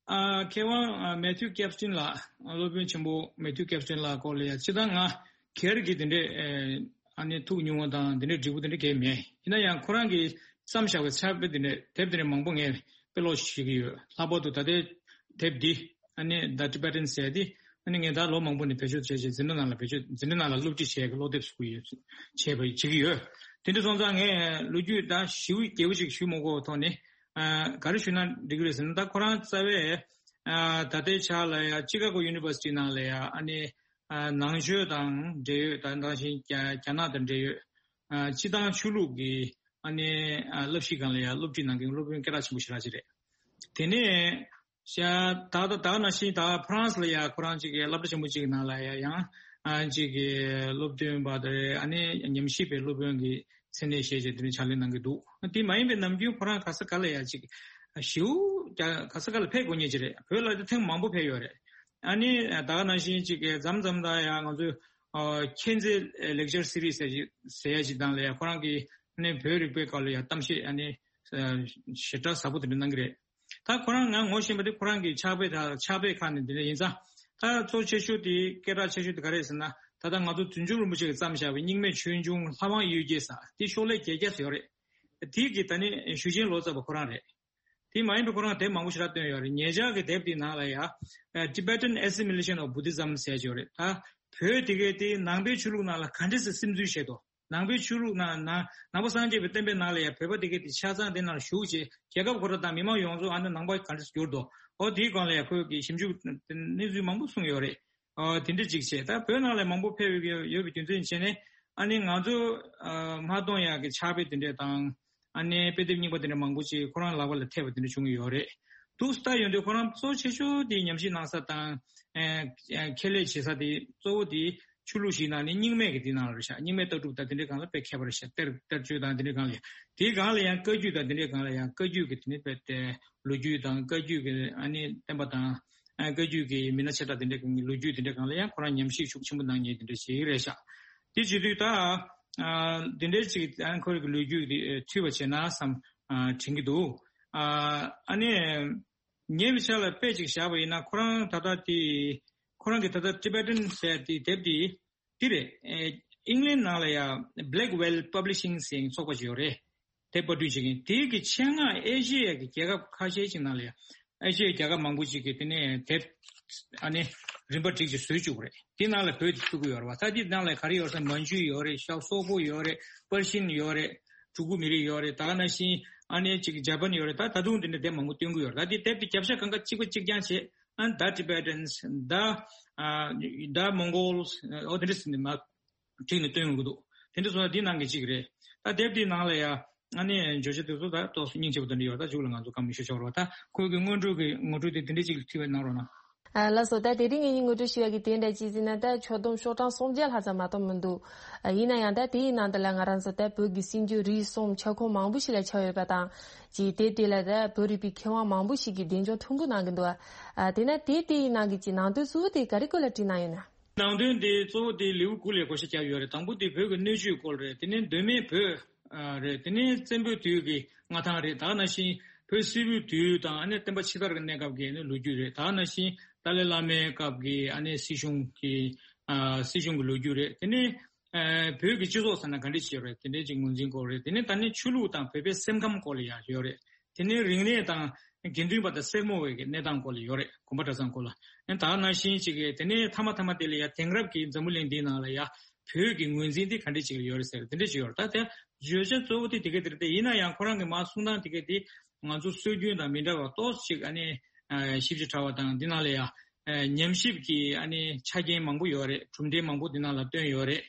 ཨ་མཁས་དབང་ཨ་Matthew Kapston་ལགས་སློབ་དཔོན་ཆེན་པོ་Matthew Kapston་ལགས་སྐོར་ལ་ཡ་སྤྱིར་བཏང་ང་སྒེར་གྱི་དེ་འདྲའི་ཨ་ནི་ཐུགས་ཉུང་བ་དང་དེ་འདྲའི་འབྲས་བུ་དེ་འདྲ་གས་མེད། ཡིན་ན་ཡང་ཁོ་རང་གིས་བརྩམས་བཞག་པའི་ཕྱག་དཔེ་དེ་འདྲ་དེབ་དེ་འདྲ་མང་པོ་ངས་དཔེ་ཀློག་བྱེད་ཀྱི་ཡོད། ལྷག་པར་དུ་ད་ལྟའི་དེབ་འདི་ཨ་ནི་The Tibetan་ཟེར་ཡ་འདི་ཨ་ནི་ངས་ད་ལོ་མང་པོ་ནས་བེད་སྤྱོད་བྱས་བྱས་འཛིན་གྲྭ་ནང་ལ་བེད་སྤྱོད་འཛིན་གྲྭ་ནང་ལ་སློབ་ཁྲིད་བྱས་ཀྱི་སློབ་དེབ་བཟོ་གི་ཡོད། བྱས་པ་བྱེད་ཀྱི་ཡོད། དེ་འདྲ་སོང་ཙང་ངས་ལོ་རྒྱུས་ད་ཞེ་པོ་རྒྱས་པོ་ཅིག་ཞུ་མ་དགོས་པའི་ཐོག་ནས། ཨ་ག་རེ་ཞུས་ན་འགྲིག་གི་རེད་ཟེར་ན། ད་ཁོ་རང་རྩ་བའི་ཨ་ད་ལྟའི་ཆ་ལ་ཡ་ཅི་ཀ་གོ་ཡུ་ནི་ཝར་སི་ཊི་ནང་ལ་ཡ་ཨ་ནི་ཨ་ནང་ཆོས་དང་འབྲེལ་ཡོད། ད་ནང་བཞིན་རྒྱ་རྒྱ་ནག་དང་འབྲེལ་ཡོད་ཨ་སྤྱི་བཏང་ཆོས་ལུགས་ཀྱི་ཨ་ནི་ཨ་བསླབ་གཞི་སྒང་ལ་ཡ་སློབ་ཁྲིད་གནང་མཁན་སློབ་དཔོན་སྐད་གྲགས་ཆེན་པོ་ཞེ་དྲག་ཅིག་རེད། དེ་ནས་ཤ་ད་ད་ད་ནང་བཞིན་ད་ཕ་རན་སི་ལ་ཡ་ཁོ་རང་ཅིག་གི་སློབ་གྲྭ་ཆེན་པོ་ཅིག་ནང་ལ་ཡ་ཡང་ཨ་ཅིག་གི་སློབ་སྟོན་པ་དེ་ཨ་ནི་ཉམས་ཞིབ་པའི་སློབ་དཔོན་གྱི་མཚན་གནས་བཞེས་བྱས་དེ་ནས་ཕྱག་ལས་གནང་གི་འདུག་དེ་མ་ཡིན་པའི་ནམ་རྒྱུན་ཁོ་རང་ག་ས་ག་ལ་ཡ་ཅིག་ཞེ་པོ་རྒྱ་ག་ས་ག་ལ་ཕེབས་དགོས་ངེས་ཅིག་རེད། བོད་ལ་དེ་ཐེངས་མང་པོ་ཕེབས་ཡོད་རེད། ཨ་ནི་ད་ག་ནང་བཞིན་ཅིག་གི་མཚམས་མཚམས་ད་ཡ་ང་ཚོས་ཨ་མཁྱེན་བརྩེ་ལེག་ཅར་སི་རིས་ཟེར་ཞིག་ཟེར་ཡ་ཅིག་དང་ལ་ཡ་ཁོ་རང་གིས་ཨ་ནི་བོད་རིག་པའི་སྐོར་ལ་ཡ་གཏམ་བཤད་ཨ་ནི་ཞེ་དྲག་ཟབ་པོ་དེ་འདྲ་གནང་གི་རེད། ད་ཁོ་རང་ང་ངོ་ཤེས་པ་དེ་ཁོ་རང་གི་ཕྱག་དཔེ་དང་ཕྱག་དཔེ་ཁག་ནས་འདི་འདྲ་ཡིན་ཙང་། ད་གཙོ་ཆེ་ཤོས་དེ་སྐད་གྲགས་ཆེ་ཤོས་དེ་ག་རེ་ཟེར་ན། ད་ལྟ་ང་ཚོ་བྱང་ཆུབ་རིན་པོ་ཆེ་གིས་བརྩམས་བཞག་པའི་རྙིང་མའི་ཆོས་འབྱུང་ལྷ་དབང་གཡུལ་རྒྱལ་ཟེར་དེ་ཤོག་ལྷེ་བརྒྱད་བརྒྱ་ཙམ་ཡོད་རེད། དེ་གི་ད་ནི་ཞུ་ཆེན་ལོ་ཙཱ་བ་ཁོ་རང་རེད། དེ་མ་ཡིན་པའི་ཁོ་རང་དེབ་མང་པོ་ཞེ་དྲག་བཏོན་ཡོད་རེད། ཉེ་ཆར་གྱི་དེབ་དེའི་ནང་ལ་ཡ་Tibetan Assimilation of Buddhism་ཟེར་ཡོད་རེད། ད་བོད་དེ་གའི་དེ་ནང་པའི་ཆོས་ལུགས་ནང་ལ་ག་འདྲས་སེ་སིམ་འཛུལ་བྱས་འདུག་ནང་པའི་ཆོས་ལུགས་ནང་ནང་ནང་པ་སངས་རྒྱས་པའི་བསྟན་པའི་ནང་ལ་ཡང་བོད་པ་དེ་གའི་དེ་ཆ་ཚང་དེ་ནང་ལ་ཞུགས་བྱས་རྒྱལ་ཁབ་ཁོ་རང་དང་མི་མང་ཡོངས་རྫོགས་ཨ་ནི་ནང་པ་ག་འདྲ་གྱུར་འདུག་འོ་དེའི་སྒང་ལ་ཡང་ཁོས་ཀྱི་ཞིབ་འཇུག་གནས་ཚུལ་མང་པོ་གསུངས་ཡོད་རེད། ཨོ་དེ་འདྲ་ཅིག་བྱས། ད་བོད་ནང་ལ་མང་པོ་ཕེབས་ཡོད་ཡོད་པའི་རྒྱུ་མཚན་བྱས་ནས་ཨ་ནི་ང་ཚོ་ཨ་མ་གཏོང་ཡག་གི་ཕྱག་དཔེ་དེ་འདྲ་དང་ཨ་ནི་དཔེ་དེབ་རྙིང་པ་དེ་འདྲ་མང་པོ་ཅིག་ཁོ་རང་ལག་པ་ལ་ཐེབས་པ་དེ་འདྲ་བྱུང་ཡོད་རེད། འདུག་ལྟ་ཡོང་དུས་ཁོ་རང་གཙོ་ཆེ་ཤོས་དེ་ཉམས་ཞིབ་གནང་ས་དང་། ཨེ་ཨེ་ཁྱད་ལས་བྱེད་ས་དེ་གཙོ་བོ་དེ་ཆོས་ལུགས་ཤིག་ནང་ནས་རྙིང་མའི་གི་དེ་ནང་ལ་རེད་ཤག་རྙིང་མའི་ལྟ་གྲུབ་དང་དེ་འདྲའི་སྒང་ལ་དཔེ་མཁས་པ་རེད་ཤག་གཏེར་གཏེར་ཆོས་དང་དེ་འདྲའི་སྒང་ལ་ཡང་། དེའི་སྒང་ལ་ཡང་བཀའ་བརྒྱུད་དང་དེ་འདྲའི་སྒང་ལ་ཡང་བཀའ་བརྒྱུད་ཀྱི་དེ་ནི་དཔེ་དེ་ལོ་རྒྱུས་དང་བཀའ་བརྒྱུད་ཀྱི་ཨ་ནི་བསྟན་པ་དང་། ཨ་བཀའ་བརྒྱུད་ཀྱི་མི་སྣ་ཆེ་ཕྲ་དེ་འདྲའི་སྒང་ལ་ཡང་ཁོ་རང་ཉམས་ཞིབ་ཤུགས་ཆེན་པོ་གནང་མཁན་དེ་འདྲ་ཞིག་རེད་ཤག་དེ་བྱེད་དུས་ད། ཨ་དེ་འདྲའི་ཅིག་ཨ་ཁོ་རང་གི་ལོ་རྒྱུས་དེ་ཨ་ཐུས་པ་བྱས་ན་བསམ་ཨ་དྲན་གྱི་འདུག་ཨ་ཨ་ནི། ངའི་ཆ་ལ་དཔེ་ཅིག་བཞག་པ་ཡིན་ན་ཁོ་རང་ད་ལྟ་དེ། ཁོ་རང་གི་ད་ལྟ་Tibetan་ཟེར་དེ་དེབ་དེ་དེ་རེད། ཨེ་England་ནང་ལ་ཡ་Blackwell Publishing་ཟེར་ཚོགས་པ་ཅིག་ཡོད་རེད། དེབ་པར་སྐྲུན་བྱེད་མཁན་དེ་གི་ཆེད་མངགས་ཨེ་ཤེ་ཡ་གི་རྒྱལ་ཁབ་ཁ་ཤས་ཅིག་ནང་ལ་ཡ། ཨེ་ཤེ་ཡ་རྒྱལ་ཁབ་མང་པོ་ཅིག་གི་དེ་ནས་དེབ་ཨ་ནི་རིན་པ་བསྒྲིགས་ཅིག་བཟོས་བཅུག་པ་རེད། དེ་ནང་ལ་བོད་དེ་ཚུད་ཀྱི་ཡོད་རེད་བ། ད་དེ་ནང་ལ་ག་རེ་ཡོད་ཟེར་ན་མན་ཇུ་ཡོད་རེད། ཤ་སོག་པོ་ཡོད་རེད། པར་ཤིན་ཡོད་རེད། གྲུ་གུ་མི་རིགས་ཡོད་རེད། ད་ག་ནང་བཞིན་ཨ་ནི་ཅིག་ཇ་པན་ཡོད་རེད། ད་ད་དུང་དེ་འདྲ་དེབ་མང་པོ་སྟོན་གྱི་ཡོད་རེད། ད་དེ་དེབ་དེ་རྒྱབ་ཤ་གང་ག་གཅིག་པ་གཅིག་རྐྱང་བྱས། ཨ་The Tibetans, the, uh, the Mongols, ཨོ་དེ་འདྲ་ཟེར་ནས་མ་བྲིས་ནས་སྟོན་ཡོང་གི་འདུག་དེ་འདྲ་སོང་ན་འདི་ནང་གི་གཅིག་རེད། ད་དེབ་དེའི་ནང་ལ་ཡ་ཨ་ནི་བརྗོད་བྱ་དེ་ཚོ་ད་ཏོག་ཙམ་སྙིང་རྗེ་པོ་དེ་འདྲ་ཡོད། ད་མཇུག་ལ་ང་ཚོ་བཀའ་མོལ་ཞུ་ཆོག་རོགས། ད་ཁོས་ཀྱི་སྔོན་འགྲོ་གི་ངོ་སྤྲོད་དེ་དེ་འདྲ་ཅིག་ཕུལ་བའི་གནང་རོགས་གནང་། ཨ་ལགས་སོ། ད་དེ་རིང་ངེད་གཉིས་ངོ་སྤྲོད་ཞུ་ཡ་གི་དེ་འདྲ་ཅིག་ཟེར་ན་ད་ཆོག་སྡོམ་ཤོག་གྲངས་སུམ་བརྒྱ་ལྷག་ཙམ་མ་གཏོགས་མི་འདུག་ཨ་ཡིན་ན་ཡང་ད་དེའི་ནང་དུ་ལ་ང་རང་ཚོ་ད་བོད་ཀྱི་སྲིད་འབྱོར་རིག་གསུམ་ཁྱབ་ཁོངས་མང་པོ་ཞིག་ལ་ཁྱབ་ཡོད་པ་དང་། ཅིག་དེབ་དེ་ལ་ད་བོད་རིག་པའི་མཁས་དབང་མང་པོ་ཞིག་གིས་གདེང་འཇོག་མཐོན་པོ་གནང་གི་འདུག་ཨ་དེས་ན་དེབ་དེའི་ནང་གི་ཅིག་ནང་དོན་གཙོ་བོ་དེ་ག་རེ་སྐོར་ལ་བྲིས་གནང་ཡོད་ན། ནང་དོན་དེ་གཙོ་བོ་དེ་ལེའུ་དགུ་ལ་བགོ་བཤའ་བརྒྱབ་ཡོད་རེད། དང་པོ་དེ་བོད་ཀྱི་སྣོད་བཅུད་སྐོར་རེད། དེ་ནས་གདོད་མའི་བོད་ཨ་རེད། དེ་ནས་བཙན་པོའི་དུས་ཀྱི་མངའ་ཐང་རེད། ད་ག་ནང་བཞིན་བོད་སིལ་བུའི་དུས་དང་ཨ་ནི་བསྟན་པ་ཕྱི་དར་གྱི་གནས་སྐབས་ཀྱི་ཨ་ནི་ལོ་རྒྱུས་རེད། ད་ག་ནང་བཞིན་ཏཱ་ལའི་བླ་མའི་སྐབས་ཀྱི་ཨ་ནི་སྲིད་གཞུང་གི་ཨ་སྲིད་གཞུང་གི་ལོ་རྒྱུས་རེད། དེ་ནས་ཨ་བོད་ཀྱི་སྤྱི་ཚོགས་ཟེར་ན་ག་འདྲ་ཞིག་ཡོད་རེད། དེ་འདྲའི་ཅིག་ངོས་འཛིན་སྐོར་རེད། དེ་ནས་ད་ནི་ཆོས་ལུགས་དང་བོད་པའི་སེམས་ཁམས་སྐོར་ལ་ཡང་ཡོད་རེད། དེ་ནས་རིག་གནས་དང་དགེ་འདུན་པ་དང་སེར་མོ་བའི་གི་གནས་སྟངས་སྐོར་ལ་ཡོད་རེད། དགོན་པ་གྲྭ་ཚང་སྐོར་ལ། ཨ་ད་ག་ནང་བཞིན་ཅིག་གི་དེ་ནས་མཐའ་མ་མཐའ་མ་དེ་ལ་ཡང་དེང་རབས་ཀྱི་འཛམ་བུ་གླིང་འདིའི་ནང་ལ་ཡང་བོད་ཀྱི་ངོས་འཛིན་དེ་ག་འདྲ་ཅིག་ལ་ཡོད་རེད་ཟེར་དེ་འདྲ་ཅིག་ཡོད་རེད། ད་དེ་བརྗོད་བྱ་གཙོ་བོ་དེ་དེ་ག་དེ་རེད། དེ་ཡིན་ན་ཡང་ཁོ་རང་གི་མ་གསུང་སྟངས་དེ་ག་དེ་ང་ཚོ་སྲོལ་རྒྱུན་དང་མི་འདྲ་བ་ཏོག་ཙམ་ཅིག་ཨ་ནི་ཞིབ་ཅིང་ཕྲ་བ་དང་། འདི་ནང་ལ་ཡང་ཉམས་ཞིབ་ཀྱི་ཨ་ནི་ཆ་རྐྱེན་མང་པོ་ཡོད་རེད། གྲུབ་འབྲས་མང་པོ་འདི་ནང་ལ་བཏོན་ཡོད་རེད།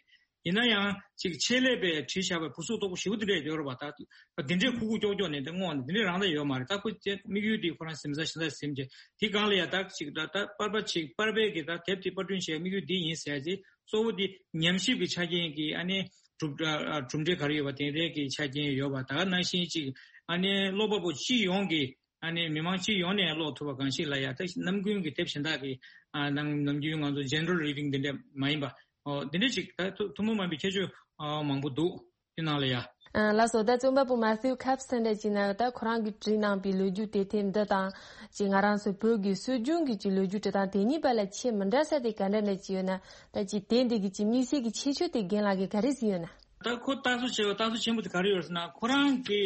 ཡིན་ན་ཡང་ཅིག་ཆེད་ལས་པས་བྲིས་བཞག་པའི་བུ་གཟུགས་སྟོབས་པོ་ཞེ་པོ་འདི་འདྲས་ཡོད་རེད་པ། ད་འདི་འདྲས་ཁུག་ཁུག་ཀྱོག་ཀྱོག་ནས་འདི་བསྔོགས་ནས་འདི་འདྲས་རང་ད་ཡོད་མ་རེད། ད་ཁོ་ཅེ་དམིགས་ཡུལ་འདི་ཁོ་རང་གཟིམ་ས་ཤི་ས་གཟིམ་བྱས་དེ་སྒང་ལ་ཡ་ད་ཅིག་ད་ད་པར་པ་ཅིག་པར་པའི་གི་ད་དེབ་དེ་པར་སྐྲུན་བྱས་དམིགས་ཡུལ་འདི་ཡིན་ཟེར་ཅིག་གཙོ་བོ་འདི་ཉམས་ཞིབ་ཀྱི་ཆ་རྐྱེན་གྱི་ཨ་ནི་གྲུབ་གྲུབ་འབྲས་ག་རེ་ཡོད་པ་དེ་འདྲས་ཀྱི་ཆ་རྐྱེན་ཡོད་པ། ད་ག་ནང་བཞིན་ཅིག་ཨ་ནི་ཀློག་པ་པོ་སྤྱི་ཡོངས་ཀྱི་ཨ་ནི་མི་མང་སྤྱི་ཡོངས་ནས་ཀློག་ཐུབ་པ་གང་ཞིག་ལ་ཡ་ད་ནམ་རྒྱུན་གྱི་དེབ་གཞན་དག་གི་ཨ་ནང་ནམ་རྒྱུན་ང་ཚོ་general reading་འདི་འདྲ་མ་ཡིན་པ། ཨོ་འདི་འདྲ་ཅིག་ད་ཐུ་ཐུན་མོང་མ་ཡིན་པའི་ཁྱད་ཆོས་ཨ་མང་པོ་འདུག་དེ་ནང་ལ་ཡ། ཨ་ལགས་སོ། ད་རྩོམ་པ་པོ་Matthew Capps་འདྲ་ཅིག་ན་ད་ཁོ་རང་གིས་བྲིས་གནང་པའི་ལོ་རྒྱུས་དེབ་ཐེར་འདི་དང་ཅིག་ང་རང་ཚོ་བོད་ཀྱི་སྲོལ་རྒྱུན་གྱི་ཅིག་ལོ་རྒྱུས་འབྲི་སྟངས་དེ་གཉིས་བར་ལ་ཁྱད་མི་འདྲ་ས་དེ་ག་འདྲ་འདྲ་ཅིག་ཡོད་ན། ད་ཅིག་དེབ་འདི་གི་ཅིག་དམིགས་བསལ་གྱི་ཁྱད་ཆོས་དེ་རྒན་ལགས་ཀྱིས་ག་རེ་གཟིགས་ཡོད་ན། ད་ཁོ་ལྟ་ཚུལ་ཆེ་བ་ལྟ་ཚུལ་ཆེན་པོ་དེ་ག་རེ་ཡོད་ཟེར་ན། ཁོ་རང་གི་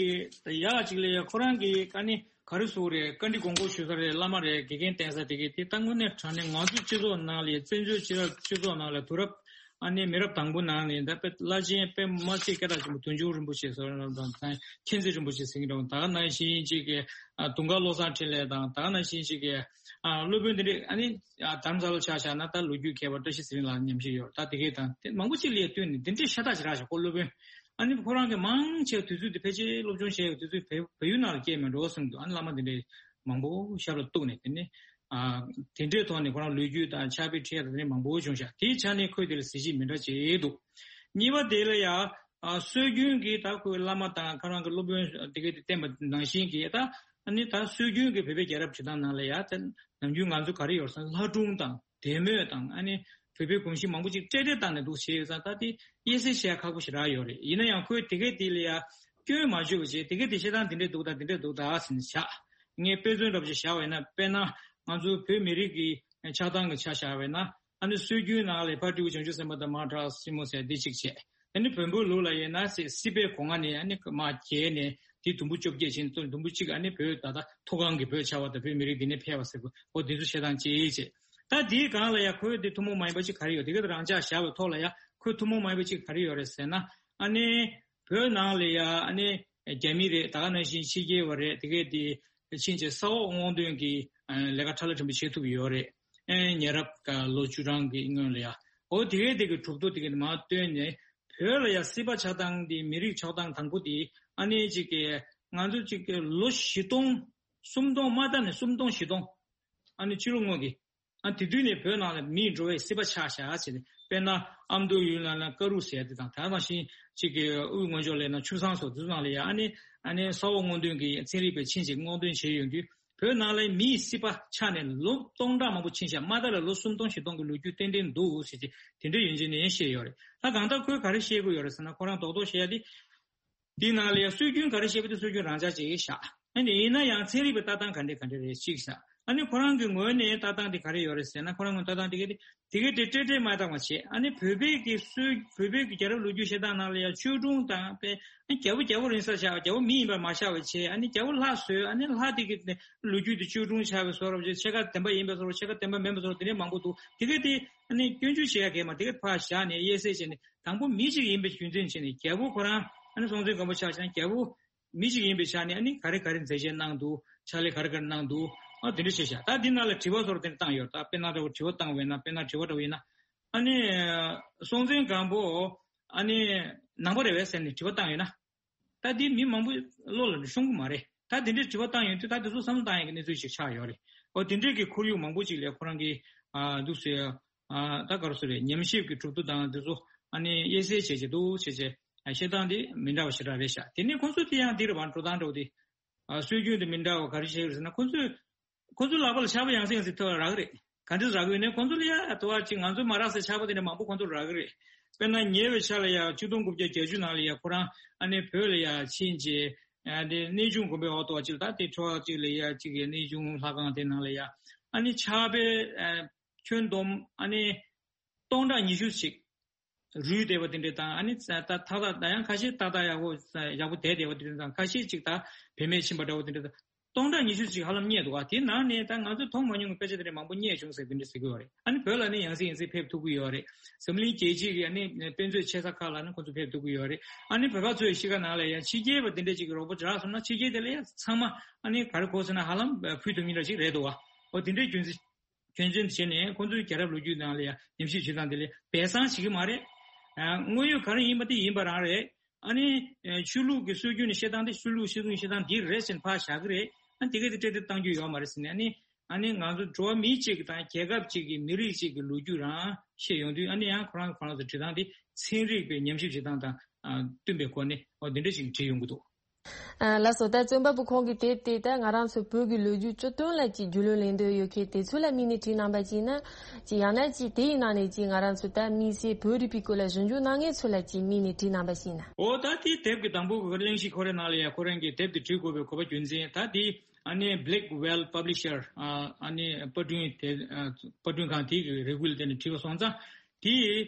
ཡག་ཅིག་ལ་ཡ་ཁོ་རང་གི་ཨ་ནི་ག་རེ་ཟེར་དགོས་རེད། བཀའ་འདྲི་དགོངས་སྐོར་ཞུ་ས་རེད། བླ་མ་རེད། དགེ་རྒན་བསྟེན་ས་དེ་གི་དེ་ད་དངོས་གནས་དྲང་གནས་ང་ཚོ་སྤྱི་ཚོགས་ནང་ལ་ཡ་བཙན་བྱོལ་སྤྱི་ཚོགས་ནང་ལ་དུས་རབས་ཨ་ནི་མི་རབས་དང་པོ་ནང་ནས་ད་དཔེ་བླ་ཆེན་དཔེ་མ་སྲིད་སྐད་གྲགས་ཆེན་པོ་དོན་གཅོད་རིན་པོ་ཆེ་ཟེར་བ་དང་མཁྱེན་བརྩེ་རིན་པོ་ཆེ་ཟེར་གྱི་འདྲ་བོ། ད་ག་ནང་བཞིན་ཅིག་གི་ཨ་དུང་དཀར་བློ་བཟང་འཕྲིན་ལས་དང་། ད་ག་ནང་བཞིན་ཅིག་གི་ཨ་སློབ་དཔོན་དེ་འདྲས། ཨ་ནི་ཨ་དྷ་རམ་ས་ལ་ཆ་བཞག་ན་ད་ལོ་རྒྱུས་མཁས་པ་བཀྲ་ཤིས་ཚེ་རིང་ལགས་ཉམས་ཞིབ་ཡོད། ད་དེ་གས་དང་དེ་མང་པོ་ཅིག་ལ་ཡ་བསྟུན་ནས་དེ་འདྲས་ཤ་སྟག་ཅིག་རག་བཞག་ཁོ་སློབ་དཔོན། ཨ་ནི་ཁོ་རང་གིས་མང་ཆེ་བ་དུས་ཚོད་དེ་ཕལ་ཆེར་སློབ་སྦྱོང་བྱས་ཡོད། དུས་ཚོད་བལ་བལ་ཡུལ་ནང་ལ་སྐྱེལ་མེད་འགྲོ་གསུངས་འདུག་ཨ་ནི་བླ་མ་དེ་འདྲས་མང་པོ་ཞབས་ལ་གཏུགས་ནས་དེ་ནས་ཨ་དེ་འདྲའི་ཐོག་ནས་ཁོ་རང་ལོ་རྒྱུས་དང་ཕྱག་དཔེ་ཁྲིད་ཡ་དང་དེ་འདྲས་མང་པོ་བྱུང་ཤག་དེའི་ཆ་ནས་ཁོས་དེ་ལ་གཟི་བརྗིད་མི་འདྲ་བྱས་འདུག་གཉིས་པ་དེ་ལ་ཡ་ཨ་སྲོལ་རྒྱུན་གྱི་ད་ཁོའི་བླ་མ་དང་ཁོ་རང་གི་སློབ་དཔོན་དེ་གས་དེ་བསྟེན་པ་ནང་བཞིན་གྱི་ད་ཨ་ནི་ད་སྲོལ་རྒྱུན་གྱི་བོད་པའི་རྒྱལ་རབས་བྲིས་སྟངས་ནང་ལ་ཡ་ད་ནམ་རྒྱུན་ང་ཚོ་ག་རེ་ཡོད་ཟེར་ན་ལྷ་སྒྲུང་དང་། དད་མོས་དང་ཨ་ནི་བོད་པའི་གོམས་གཤིས་མང་པོ་ཅིག་བཀྲལ་བཀྲལ་བཏང་ནས་འདུག་བྱས་ཡོད་ཙང་། ད་དེ་དབྱེ་གསེས་བྱེད་ཡ་ཁག་པོ་ཞིག་རག་ཡོད་རེད། ཡིན་ན་ཡང་ཁོས་དེ་གས་དེ་ལ་ཡ་སྐྱོན་མ་བརྗོད་པ་བྱས། དེ་གས་དེ་བཤད་སྟངས་དེ་འདྲས་འདུག་ད་དེ་འདྲས་འདུག་ད་ཟེར་ནས་བཞག་ངས་དཔེ་མཚོན་འདྲ་པོ་ཞིག་བཞག་པ་ཡིན་ན། དཔེར་ན་ང་ཚོ་བོད་མི་རིགས་ཀྱི་ཆགས་སྟངས་ཀྱི་ཆ་བཞག་པ་ཡིན་ན། ཨ་ནི་སྲོལ་རྒྱུན་ནང་ལ་ཕར་སྤྲེའུ་བྱང་ཆུབ་སེམས་དཔའ་དང་མར་བྲག་སྲིན་མོ་ཟེར་འདི་གཅིག་བྱས། ཨ་ནི་བོན་པོའི་ལུགས་ལ་ཡིན་ན་སྲིད་སྲིད་པའི་སྒོ་ང་ནས་ཨ་ནི་མར་རྒྱལ་ནས་དེ་དུམ་བུ་བཅོ་བརྒྱད་ཕྱིན་ཙང་དུམ་བུ་གཅིག་ཨ་ནི་བོད་ད་ལྟ་མཐོ་སྒང་གི་བོད་ཆགས་པ་དང་བོད་མི་རིགས་འདི་ནས་ཕེབས་པ་ཟེར་བ། འོ་འདི་ཚོ་བཤད་སྟངས་གཅིག་བྱས། ད་དེའི་སྒང་ལ་ཡ་ཁོས་དེ་ཐུན་མོང་མ་ཡིན་པ་ཅིག་ག་རེ་ཡོད། དེ་ག་དེ་རང་འཇགས་བཞག་པའི་ཐོག་ལ་ཡ་ཁོས་ཐུན་མོང་མ་ཡིན་པ་ཅིག་ག་རེ་ཡོད་རེད་ཟེར་ན། ཨ་ནི་བོད་ནང་ལ་ཡ་ཨ་ནི་རྒྱ་མི་རེད། ད་ག་ནང་བཞིན་ཕྱི་རྒྱལ་བ་རེད། དེ་གས་དེ་ཕྱིན་ཆད་ས་འོག་སྔོག་འདོན་གྱི་ལས་ཀ་ཕྲ་ལ་ཕྲན་བུ་བྱེད་ཐུབ་ཡོད་རེད། ཨེ་ཉེ་རབས་ཀ་ལོ་བཅུ་གྲངས་ཀྱི་སྔོན་ལ་ཡ། འོ་དེ་གའི་དེ་གི་གྲུབ་ཐོབ་དེ་གི་མར་བཏོན་ནས་བོད་ལ་ཡ་སྲིད་པ་ཆགས་སྟངས་དེ་མི་རིགས་ཆགས་སྟངས་དང་པོ་དེ་ཨ་ནི་ཅིག་གི་ང་ཚོ་ཅིག་གི་ལོ་བཞི་སྟོང་ སུམ་སྟོང་མ་ད་ནས་སུམ་སྟོང་བཞི་སྟོང་། ཨ་ནི་ཕྱི་ལོགས་དངོས་ཀྱི། ཨ་དེ་དུས་ནས་བོད་ནང་ལ་མིའི་འགྲོ་བའི་སྲིད་པ་ཆགས་བཞག་ཟེར་ནས། དཔེར་ན་ཨ་མདོ་ཡུལ་ལ་ན་ཀ་རུ་ཟེར་དེ་དང་། ད་ནང་བཞིན་གཅིག་གི་དབུས་སྔོན་ཕྱོགས་ལ་ན་ཆུ་བཟང་སོགས་དེ་ཚོ་ནང་ལ་ཡ། ཨ་ནི་ཨ་ནི་ས་འོག་སྔོག་འདོན་གྱི་ཚན་རིག་པའི་ཆིངས་ཅིག་སྔོག་འདོན་བྱས་ཡོང་དུས། བོད་ནང་ལ་མིའི་སྲིད་པ་ཆགས་ནས་ལོ་སྟོང་ཕྲག་མང་པོ་ཕྱིན་ཤག་མ་ད་ལ་ལོ་སུམ་སྟོང་བཞི་སྟོང་གི་ལོ་རྒྱུས་ཏན་ཏན་འདུག་ཟེར་གྱི་དེ་འདྲ་ཡོན་ཅན་ནས་བཤད་ཡོད་རེད། ད་གང་ལྟར་ཁོས་ག་རེ་བཤད་དགོས་ཡོད་རེད་ཟེར་ན། ཁོ་རང་རྡོག་རྡོག་བཤད་ཡ་དེ། འདི་ནང་ལ་ཡང་སྲོལ་རྒྱུན་ག་རེ་བཤད་པ་དེ་སྲོལ་རྒྱུན་རང་འཇགས་བྱེད་ཀྱི་ཤག་ཨ་ནི་ཡིན་ན་ཡང་ཚན་རིག་པའི་ལྟ་སྟངས་ག་འདྲ་ག་འདྲ་རེད་གཅིག་ཤག་ཨ་ནི་ཁོ་རང་གི་ངོས་ནས་ལྟ་སྟངས་དེ་ག་རེ་ཡོད་རེད་ཟེར་ན། ཁོ་རང་ངོས་ལྟ་སྟངས་དེ་ག་དེ་དེ་ག་དེ་ཏྲེ་ཏྲེ་མ་བཏང་བ་བྱས། ཨ་ནི་བོད་པའི་གི་སྲོལ། བོད་པའི་གི་རྒྱལ་རབས་ལོ་རྒྱུས་བཤད་སྟངས་ནང་ལ་ཡང་ཆོས་སྒྲུང་དང་། དཔེ་རྒྱལ་པོ་རྒྱལ་པོ་རིང་ས་ཆགས། རྒྱལ་པོ་མི་ཡིན་པར་མ་ཆགས་པ་བྱས། ཨ་ནི་རྒྱལ་པོ་ལྷ་བཟོས། ཨ་ནི་ལྷ་དེ་གི་ལོ་རྒྱུས་དེ་ཆོས་སྒྲུང་ཆགས་པའི་བཟོ་འདྲ་བྱས། ཕྱེད་ཀ་བདེན་པ་ཡིན་པའི་བཟོ་འདྲ། ཕྱེད་ཀ་བདེན་པ་མིན་པའི་བཟོ་འདྲ། དེ་འདྲ་མང་པོ་འདུག་དེ་ག་དེ་ཨ་ནི་སྐྱོན་བརྗོད་བྱེད་ཡ་གལ་མ། དེ་ག་ཕར་བཞག་ནས་དབྱེ་གསལ་བྱས་ནས། དང་པོ་མི་གཅིག་ཡིན་པའི་རྒྱུ་མཚན་བྱས་ནས། རྒྱལ་པོ་ཁོ་རང་ཨ་ནི་སྲོང་བཙན་སྒམ་པོ་ཆ་བཞག་ན་རྒྱལ་པོ་མི་གཅིག་ཡིན་པའི་ཆ་ནས། ཨ་ནི་ག་རེ་ག་རེ་མཛད་རྗེས་གནང་འདུག་ཕྱག་ལས་ག་རེ་ག་རེ་གནང་འདུག་ཨ་དེ་འདྲ་བྱས་ཤག་ད་འདི་ནང་ལ་དྲི་བ་སོགས་དེ་འདྲ་བཏང་ཡོད། ད་དཔེར་ན་འདྲ་བོ་དྲི་བ་བཏང་བས་ན། དཔེར་ན་དྲི་བ་འདྲ་བོ་ཡིན་ན། ཨ་ནི་སྲོང་བཙན་སྒམ་པོ་ཨ་ནི་ནང་པ་རེད་པས་ཟེར་ནས་དྲི་བ་བཏང་ཡོད་ན། ད་འདི་མི་མང་པོ་བློ་ལ་ཤོང་གི་མ་རེད། ད་དེ་འདྲའི་དྲི་བ་བཏང་ཡོང་དུས། ད་དེ་ཚོ་བསམ་བློ་བཏང་ཡག་གི་གནས་ཚུལ་ཞིག་ཆགས་ཡོད་རེད། འོ་དེ་འདྲའི་གི་ཁོར་ཡུག་མང་པོ་ཅིག་ལ་ཁོ་རང་གིས་ཨ་འདུག་ཟེར། ཨ་ད་ག་རེ་ཟེར་རེད། ཉམས་ཞིབ་ཀྱི་གྲུབ་ཐོབ་དང་དེ་ཚོ་ཨ་ནི་དབྱེ་གསལ་བྱེད་ཀྱི་འདུག་བྱས་བྱས། ཨ་བཤད་སྟངས་དེ་མི་འདྲ་བ་ཞེ་དྲག་རེད་ཤག་དེ་ནས་ཁོང་ཚོ་དེ་ཡང་འདི་རེད་པ། འགྲོ་སྟངས་འདྲ་བོ་དེ། ཨ་སྲོལ་རྒྱུན་དེ་མི་འདྲ་བ་ག་རེ་བྱས་རེད་ཟེར་ན། ཁོང་ཚོས། ཁོ་ཚོའི་ལག་པ་ལ་ཆར་པ་ཡང་སེ་ཡང་སེ་ཐོན་རག་གི་རེད། ག་འདྲས་རག་གི་ཡོད་ན། ཁོ་ཚོ་ལ་ཡ་དུ་བ་ཅིག་ང་ཚོ་མ་རག་སའི་ཆར་པ་དེ་འདྲ་མང་པོ་ཁོ་ཚོར་རག་གི་རེད། དཔེར་ན་ཉེ་བའི་ཆར་ལ་ཡ་ཆིག་སྟོང་དགུ་བརྒྱ་བརྒྱད་ཅུ་ནང་ལ་ཡ་ཁོ་རང་ཨ་ནི་བོད་ལ་ཡ་ཕྱིན་རྗེས། ཨ་དེ་གནས་ཆུང་དགོན་པའི་འོག་ཏུ་བ་ཅིག་ད་དེ་ཁྲོ་བ་ཅིག་ལ་ཡ་ཅིག་གི་གནས་ཆུང་ལྷ་ཁང་དེ་ནང་ལ་ཡ་ཨ་ནི་ཆར་པའི་ཨ་ཁྱོན་བསྡོམས་ཨ་ནི་སྟོང་ཕྲག་ཉི་ཤུ་ཅིག་རུལ་བསྡད་པ་དེ་འདྲ་དང་། ཨ་ནི་ད་ད་ད་ཡང་ཁ་ཤས་ཏག་ཏག་ཡག་པོ་ཡག་པོ་བསྡད་བསྡད་པ་དེ་འདྲ་དང་། ཁ་ཤས་ཅིག་ད་བེད་མེད་ཕྱིན་པ་འདྲ་བོ་དེ་འདྲ་དང་། སྟོང་ཕྲག་ཉི་ཤུ་ཅིག་ཧ་ལམ་རྙེད་འདུག་ག་དེ་ནང་ནས་ད་ང་ཚོས་མཐོང་མ་མྱོང་བའི་དཔེ་ཆ་དེ་འདྲ་མང་པོ་རྙེད་བྱུང་ཟེར་དེ་འདྲ་ཟེར་གྱི་ཡོད་རེད། ཨ་ནི་བོད་ལ་ནི་ཡང་སེ་ཡང་སེ་ཕེབས་ཐུབ་ཀྱི་ཡོད་རེད། འཛམ་གླིང་རྒྱལ་སྤྱིའི་ཨ་ནི་དཔེ་མཛོད་ཆེ་ས་ཁག་ལ་ནི་ཁོ་ཚོ་ཕེབས་ཐུབ་ཀྱི་ཡོད་རེད། ཨ་ནི་བོད་པ་ཚོའི་གཤིས་ཀ་ནང་ལ་ཡང་ཕྱི་རྒྱལ་བ་དེ་འདྲ་ཅིག་གི་རོགས་པ་རག་སོང་ན། ཕྱི་རྒྱལ་དེ་ལ་ཡང་ཚང་མ་ཨ་ནི་ག་རེ་གོ་ཟེར་ན། ཧ་ལམ་ཕུལ་ཐུབ་མཁན་འདྲ་ཅིག་རེད་འདུག་ག་འོ་དེ་འདྲའི་རྒྱུ་མཚན། སྐྱོན་ཅན་བྱས་ནས་ཁོང་ཚོའི་རྒྱལ་རབས་ལོ་རྒྱུས་ནང་ལ་ཡང་ཉམས་ཞིབ་བྱེད་སྟངས་དེ་ལ་སྦས་གསང་བྱེད་ཀྱི་མ་རེད། ཨ་དངོས་ཡོད་ག་རེ་ཡིན་པ་དེ་ཡིན་པ་རང་རེད། ཨ་ནི་ཨ་ཆོས་ལུགས་ཀྱི་སྲོལ་རྒྱུན་ནས་བཤད་སྟངས་དེ། ཆོས་ལུགས་སྲོལ་རྒྱུན་བཤད་སྟངས་འདི་རེད་ཟེར་ནས་ཕར་བཞག་གི་རེད། ཨ་དེ་ག་དེ་ཏྲེ་ཏྲེ་བཏང་རྒྱུ་ཡོད་མ་རེད་ཟེར་ནས། ཨ་ནི་ཨ་ནི་ང་ཚོ་འགྲོ་བ་མི་གཅིག་གི་དང་རྒྱལ་ཁབ་གཅིག་གི་མི་རིགས་གཅིག་གི་ལོ་རྒྱུས་རང་བཤད་ཡོང་དུས། ཨ་ནི་ཡང་ཁོ་རང་ཁོ་རང་ཚོ་འབྲི་སྟངས་དེ་ཚན་རིག་པའི་ཉམས་ཞིབ་བྱེད་སྟངས་དང་ཨ་བསྟུན་པའི་སྒོ་ནས། འོ་དེ་འདྲ་ཞིག་བྲིས་ཡོང་གི་འདུག་ཨ་ལགས་སོ། ད་བཙོན་པ་པོ་ཁོང་གིས་དེབ་དེ་ད་ང་རང་ཚོ་བོད་ཀྱི་ལོ་རྒྱུས་བཅུ་བདུན་ལ་ཅིག་རྒྱུས་ལོན་ལེན་འདོད་ཡོད་མཁན་དེ་ཚོ་ལ་དམིགས་ནས་བྲིས་གནང་པ་ཅིག་ན། ཅིག་ཡང་ན་ཅིག་དེའི་ནང་ནས་ཅིག་ང་རང་ཚོ་ད་དམིགས་བསལ་བོད་རིག་པའི་སྐོར་ལ་ཞིབ་འཇུག་གནང་མཁན་ཚོ་ལ་ཅིག་དམིགས་ནས་བྲིས་གནང་པ་ཞིག་ན། འོ་ད་དེའི་དེབ་ཀྱི་དང་པོ་གི་གླེང་གཞི་ཁོ་རའི་ནང་ལ་ཡ་ཁོ་རང་གིས་དེབ་དེ་བྲིས་དགོས་པའི་དགོས་པ་རྒྱུ་མཚན། ད་དེ་ཨ་ནི་Blackwell Publisher ཨ་ནི་པར་སྐྲུན་དེ་ཨ་པར་སྐྲུན་ཁང་དེ་གི་རེ་སྐུལ་དེ་ནས་བྲིས་པ་སོང་ཙང་། དེ་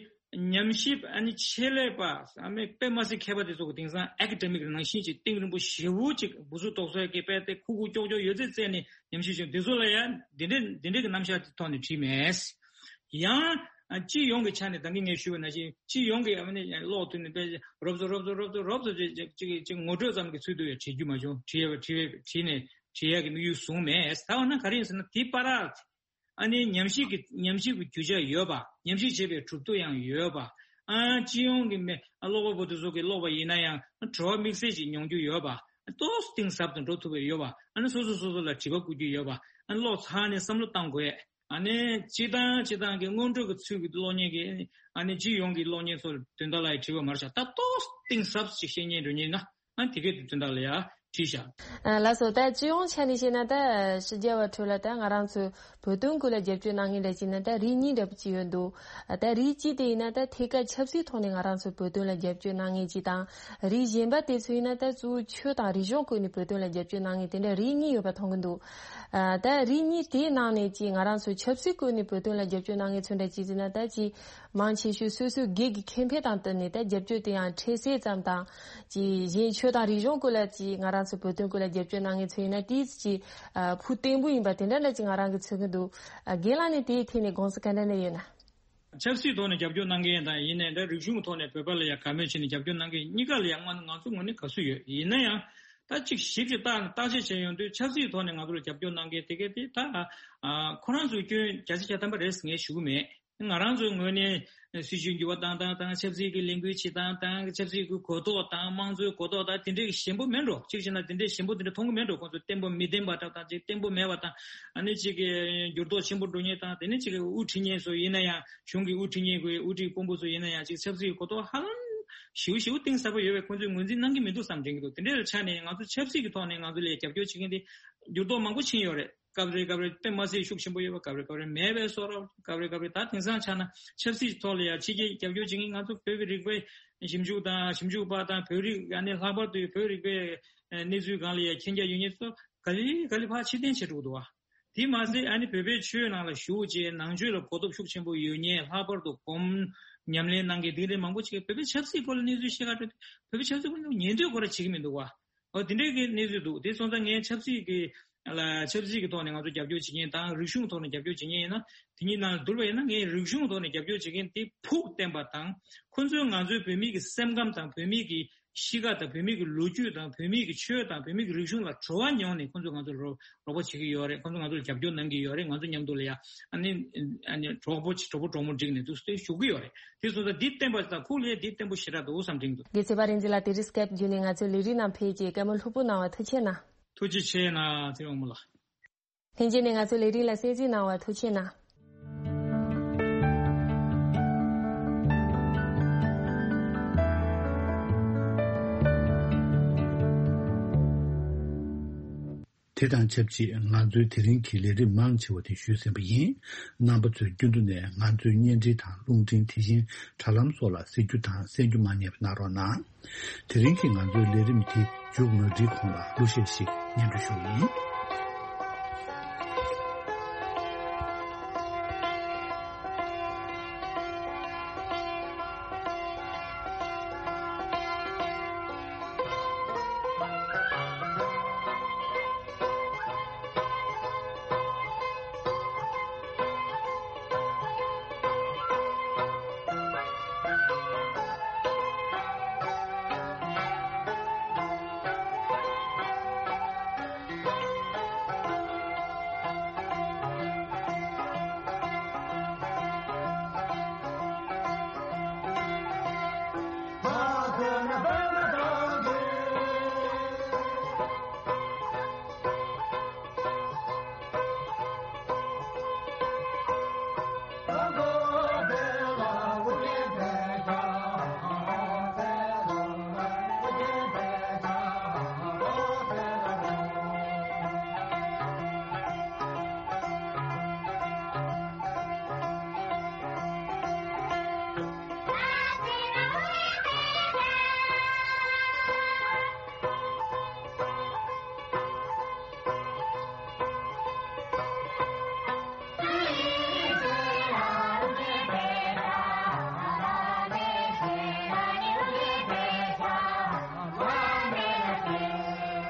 ཉམས་ཞིབ་ཨ་ནི་ཆེད་ལས་པ་ཨ་མའི་དཔེ་མ་སྲིད་མཁས་པ་དེ་ཚོ་གི་དེང་སང་ཨེ་ཀ་ཌེ་མིག་ནང་བཞིན་གྱི་གཏིང་རིང་པོ་ཞེ་བོ་ཅིག་འུ་ཚུགས་ཏོག་ཙམ་གྱི་དཔེ་དེ་ཁུག་ཁུག་ཀྱོག་ཀྱོག་ཡོད་ཚད་བཙལ་ནས་ཉམས་ཞིབ་བྱུང་། དེ་ཚོ་ལ་ཡང་འདི་འདྲའི་འདི་འདྲའི་གི་རྣམ་གཞག་དེ་ཐོག་ནས་བྲིས་མེད། ཡང་སྤྱི་ཡོངས་ཀྱི་ཆ་ནས་ད་གིན་ངས་ཞུས་པ་ནང་བཞིན་སྤྱི་ཡོངས་ཀྱི་ཨ་ནི་ཀློག་ཐུབ་ནས་དཔེ་རོབ་ཙམ་རོབ་ཙམ་རོབ་ཙམ་རོབ་ཙམ་ཅིག་ཅིག་ངོ་སྤྲོད་ཙམ་གྱི་ཚུལ་དུ་ཡང་བྲིས་རྒྱུ་མ་བྱུང་། བྲིས་ཡ་བྲིས་བྲིས་ནས་བྲིས་ཡ་གི་དམིགས་ཡུལ་བཟུང་མེད། ད་འོ་ན་ག་རེ་ཡིན་ཟེར་ན། དེ་པར་ཨ་ནི་ཉམས་ཞིབ་ཀྱི་ཉམས་ཞིབ་ཀྱི་རྒྱུ་ཆ་ཡོད་པ། ཉམས་ཞིབ་བྱེད་པའི་གྲུབ་ཐོབ་ཡང་ཡོད་པ། ཨ་སྤྱི་ཡོངས་ཀྱི་མི་ཨ་ཀློག་པ་པོ་དེ་ཚོ་གིས་ཀློག་པ་ཡིན་ན་ཡང་བྲོ་བ་དམིགས་བསལ་ཞིག་མྱོང་རྒྱུ་ཡོད་པ། ཏོག་ཙམ་གཏིང་ཟབ་ཏུ་འགྲོ་ཐུབ་པ་ཡོད་པ། ཨ་ནི་སོ་སོ་སོ་སོ་ལ་དྲི་བ་བཀོད་རྒྱུ་ཡོད་པ། ཨ་ནི་ཀློག་ཚར་ནས་བསམ་བློ་བཏང་དགོས། ཨ་ནི་སྤྱིར་བཏང་སྤྱིར་བཏང་གི་སྔོན་འགྲོ་གི་ཚུལ་གྱི་གློག་བརྙན་གྱི། ཨ་ནི་སྤྱི་ཡོངས་ཀྱི་གློག་བརྙན་ཚོ་དོན་དག་ལ་ཡང་དྲི་བ་མ་རེད་ཤག་ད་ཏོག་ཙམ་གཏིང་ཟབ་ཅིག་བཤད་སྙིང་འདོད་མཁན་ཡིན་ན། ཨ་དེ་གའི་དོན་དག་ལ་ཡང་བྲིས་བཞག་ཨ་ལགས་སོ། ད་སྤྱི་ཡོངས་ཆ་ནས་བཤད་ན། ད་ཕྱི་རྒྱལ་བ་ཁྲོད་ལ་ད་ང་རང་ཚོའི་བོད་དོན་སྐོར་ལ་རྒྱབ་སྐྱོར་གནང་མཁན་འདྲ་བྱས་ན་ད་རིགས་གཉིས་འདྲ་པོ་ཅིག་ཡོད་འདུག་ད་རིགས་གཅིག་དེ་ཡིན་ན་ད་ཐད་ཀར་ཆབ་སྲིད་ཐོག་ནས་ང་རང་ཚོའི་བོད་དོན་ལ་རྒྱབ་སྐྱོར་གནང་མཁན་ཅིག་དང་། རིགས་གཞན་པ་དེ་ཚོ་ཡིན་ན་ད་གཙོ་བོ་ཆོས་དང་རིག་གཞུང་སྐོར་ནས་བོད་དོན་ལ་རྒྱབ་སྐྱོར་གནང་མཁན་དེ་འདྲ་རིགས་གཉིས་ཡོད་པ་མཐོང་གི་འདུག་ཨ་ད་རིགས་གཉིས་དེའི་ནང་ནས་ཅིག་ང་རང་ཚོའི་ཆབ་སྲིད་སྐོར་ནས་བོད་དོན་ལ་རྒྱབ་སྐྱོར་གནང་མཁན་ཚོ་འདྲ་ཅིག་ཟེར་ན། ད་ཅིག་མང་ཆེ་ཤོས་སོ་སོའི་སྒེར་གྱི་ཁེ་ཕན་དང་བསྟུན་ནས་ད་རྒྱབ་སྐྱོར་དེ་ཡང་འཕྲལ་སེལ་ཙམ་དང་། ཅིག་གཞན་ཆོས་དང་རིག་གཞུང་སྐོར་ལ་ཅིག་ང་རང་ཚོ་བོད་དོན་སྐོར་ལ་རྒྱབ་སྐྱོར་གནང་མཁན་ཚོ་ཡིན་ན་དེ་ཅིག་ཨ་ཕུགས་བརྟན་པོ་ཡིན་པ་དེ་འདྲ་འདྲ་ཅིག་ང་རང་གིས་མཚོན་གྱི་འདུག་ཨ་རྒན་ལགས་ནས་དེའི་ཐད་ནས་དགོངས་ཚུལ་ག་འདྲ་འདྲ་ཡོད་ན། ཆབ་སྲིད་ཐོག་ནས་རྒྱབ་སྐྱོར་གནང་མཁན་དང་། ཡིན་ནའི་ད་རིག་གཞུང་ཐོག་ནས་བོད་པ་ལ་ཡང་དགའ་མོས་བྱས་ནས་རྒྱབ་སྐྱོར་གནང་མཁན་གཉིས་ཀ་ལ་ཡང་ང་ང་ཚོ་ངོས་ནས་དགའ་བསུ་ཡོད། ཡིན་ན་ཡང་ད་ཅིག་ཞིབ་ཅིག་བརྟག་བརྟག་དཔྱད་བྱས་ཡོང་དུས། ཆབ་སྲིད་ཐོག་ནས་ང་ཚོ་ལ་རྒྱབ་སྐྱོར་གནང་མཁན་དེ་གས་དེ་ད་ཨ་ཁོ་རང་ཚོའི་སྐྱོན་བརྒྱ་ཆ་བརྒྱ་ཐམ་པ་རེད་ཟེར་ངས་ཞུ་གི་མེད། ང་རང་ཚོའི་ངོས་ནས་སྲིད་བྱུས་འགྱུར་བ་བཏང་སྟངས་དང་ཆབ་སྲིད་ཀྱི་ལས་འགུལ་བྱེད་སྟངས་དང་ཆབ་སྲིད་ཀྱི་གོ་རྟོགས་དང་དམངས་གཙོའི་གོ་རྟོགས་དང་དེ་འདྲའི་ཞན་པོ་མེད་འགྲོ། གཅིག་བྱས་ན་དེ་འདྲའི་ཞན་པོ་དེ་འདྲ་མཐོང་གི་མེད་འགྲོ། ཁོང་ཚོ་བརྟན་པོ་མི་བརྟན་པ་འདྲ་དང་ཅིག་བརྟན་པོ་མེད་པ་དང་ཨ་ནི་ཅིག་གི་འགྱུར་ལྡོག་ཆེན་པོ་འགྲོ་མཁན་དང་དེ་ནི་ཅིག་གི་དབུ་ཁྲིད་མཁན་ཚོ་ཡིན་ན་ཡང་གཞུང་གི་དབུ་ཁྲིད་མཁན་དགོས་དབུ་ཁྲིད་དཔོན་པོ་ཚོ་ཡིན་ན་ཡང་ཅིག་ཆབ་སྲིད་གོ་རྟོགས་ཧ་ལམ་ཞེ་པོ་ཞེ་པོ་གཏིང་ཟབ་པོ་ཡོད་པས་ཁོང་ཚོས་ངོས་འཛིན་གནང་གི་མི་འདུག་བསམ་དྲན་གྱི་འདུག་དེ་འདྲའི་ཆ་ནས་ང་ཚོ་ཆབ་སྲིད་ཀྱི་ཐོག་ནས་ང་ཚོ་ལ་རྒྱབ་སྐྱོར་བྱེད་མཁན་དེ་འགྱུར་ལྡོག་མང་པོ་ཕྱིན་ཡོད་རེད། སྐབས་རེ་སྐབས་རེ་དཔེ་མ་སྲིད་ཤུགས་ཆེན་པོ་ཡོད་པ། སྐབས་རེ་སྐབས་རེ་མེད་པའི་བཟོ་འདྲ། སྐབས་རེ་སྐབས་རེ་ད་དེང་སང་ཆ་ན་ཆབ་སྲིད་ཐོག་ལ་ཡང་ཕྱི་རྒྱལ་རྒྱབ་སྐྱོར་བྱེད་མཁན་ང་ཚོ་བོད་ཀྱི་རིག་པའི་ཞིབ་འཇུག་དང་ཞིབ་འཇུག་པ་དང་བོད་རིགས་ཨ་ནི་ལྷག་པར་དུ་བོད་རིག་པའི་གནས་ཚུལ་སྒང་ལ་ཡང་མཁྱེན་རྒྱ་ཡོད་མཁན་ཚོ་ག་ལེ་ག་ལེ་ཕར་ཕྱིར་འཐེན་བྱེད་འགྲོ་གི་འདུག་བ། དེ་མ་ཟད་ཨ་ནི་བོད་པའི་ཆོས་ནང་ལ་ཞུགས་བྱས་ནང་ཆོས་ལ་གོ་རྟོགས་ཤུགས་ཆེན་པོ་ཡོད་མཁན་ལྷག་པར་དུ་སྒོམ་ཉམས་ལེན་གནང་མཁན་དེ་འདྲའི་མང་པོ་ཅིག་གིས་བོད་པའི་ཆབ་སྲིད་སྐོར་ལ་གནས་ཚུལ་བཤད་ག་འགྲོ་དུས་བོད་པའི་ཆབ་སྲིད་སྐོར་ལ་ཉན་ཐོས་སྐོར་ར་བྱེད་ཀྱི་མི་འདུག་བ། ཨོ་དེ་འདྲའི་གི་གནས་ཚུལ་འདུག་དེ་སོང་ཙང་ངས་ཆབ་སྲིད་ཀྱི་ལ་ཆབ་སྲིད་ཀྱི་ཐོག་ནས་ང་ཚོ་རྒྱབ་སྐྱོར་བྱེད་མཁན་དང་རིག་གཞུང་ཐོག་ནས་རྒྱབ་སྐྱོར་བྱེད་མཁན་ཡིན་ན་དེ་གཉིས་ནང་ལ་བསྡུར་བ་ཡིན་ན་ངས་རིག་གཞུང་ཐོག་ནས་རྒྱབ་སྐྱོར་བྱེད་མཁན་དེ་ཕུགས་བརྟན་པ་དང་ཁོ་ཚོས་ང་ཚོའི་བོད་མི་གི་སེམས་ཁམས་དང་བོད་མི་གི་གཤིས་ཀ་དང་བོད་མི་གི་ལོ་རྒྱུས་དང་བོད་མི་གི་ཆོས་དང་བོད་མི་གི་རིག་གཞུང་ལ་བྲོ་བ་མྱོང་ནས་ཁོ་ཚོས་ང་ཚོ་ལ་རོགས་པ་བྱེད་ཀྱི་ཡོད་རེད། ཁོ་ཚོ་ང་ཚོ་ལ་རྒྱབ་སྐྱོར་གནང་གི་ཡོད་རེད། ང་ཚོ་མཉམ་དུ་ལ་ཡ་ཨ་ནི་ཨ་ནི་གྲོགས་པོ་གྲོགས་པོ་གྲོགས་མོ་བསྒྲིགས་ནས་འདུག་སེ་བཞུགས་ཀྱི་ཡོད་རེད། དེ་སོང་ཙང་འདི་བརྟན་པ་དང་ཁུག་ལས་འདི་བརྟན་པོ་ཞེ་དྲག་འདུག་བསམ་དྲན་འདུག་དགེ་ཚེ་པ་རིན་འཛིན་ལགས་དེ་རིང་སྐེབ་བརྒྱུད་ནས་ང་ཚོའི་ལས་རིམ་ནང་ཕེབས་ཀྱིས་བཀའ་མོལ་ལྷུག་པོ་གནང་བར་ཐུགས་རྗེ་གནང་། ཐུགས་རྗེ་ཆེ་གནང་ཚེ་རིང་དབང་མོ་ལགས། ལྷན་རྒྱས་ནས་ང་ཚོའི་ལས་རིམ་ལ་གསན་གཟིགས་གནང་བར་ཐུགས་རྗེ་གནང་། དེ་དང་ཆབས་ཅིག་ང་ཚོའི་དེ་རིང་གི་ལས་རིམ་མང་ཆེ་བ་དེ་ཞུས་ཟིན་པ་ཡིན། རྣམ་པ་ཚོས་རྒྱུན་དུ་ནས་ང་ཚོའི་བརྙན་འཕྲིན་དང་རླུང་འཕྲིན་དེ་བཞིན་དྲ་ལམ་སོགས་ལ་གཟིགས་རྒྱུ་དང་གསན་རྒྱུ་མ་བསྙེལ་བ་གནང་རོགས་གནང་། དེ་རིང་གི་ང་ཚོའི་ལས་རིམ་དེ་མཇུག་མ་སྒྲིལ་གོང་ལ་གླུ་གཞས་ཤིག་སྙན་སྒྲོན་ཞུ་གི་ཡིན།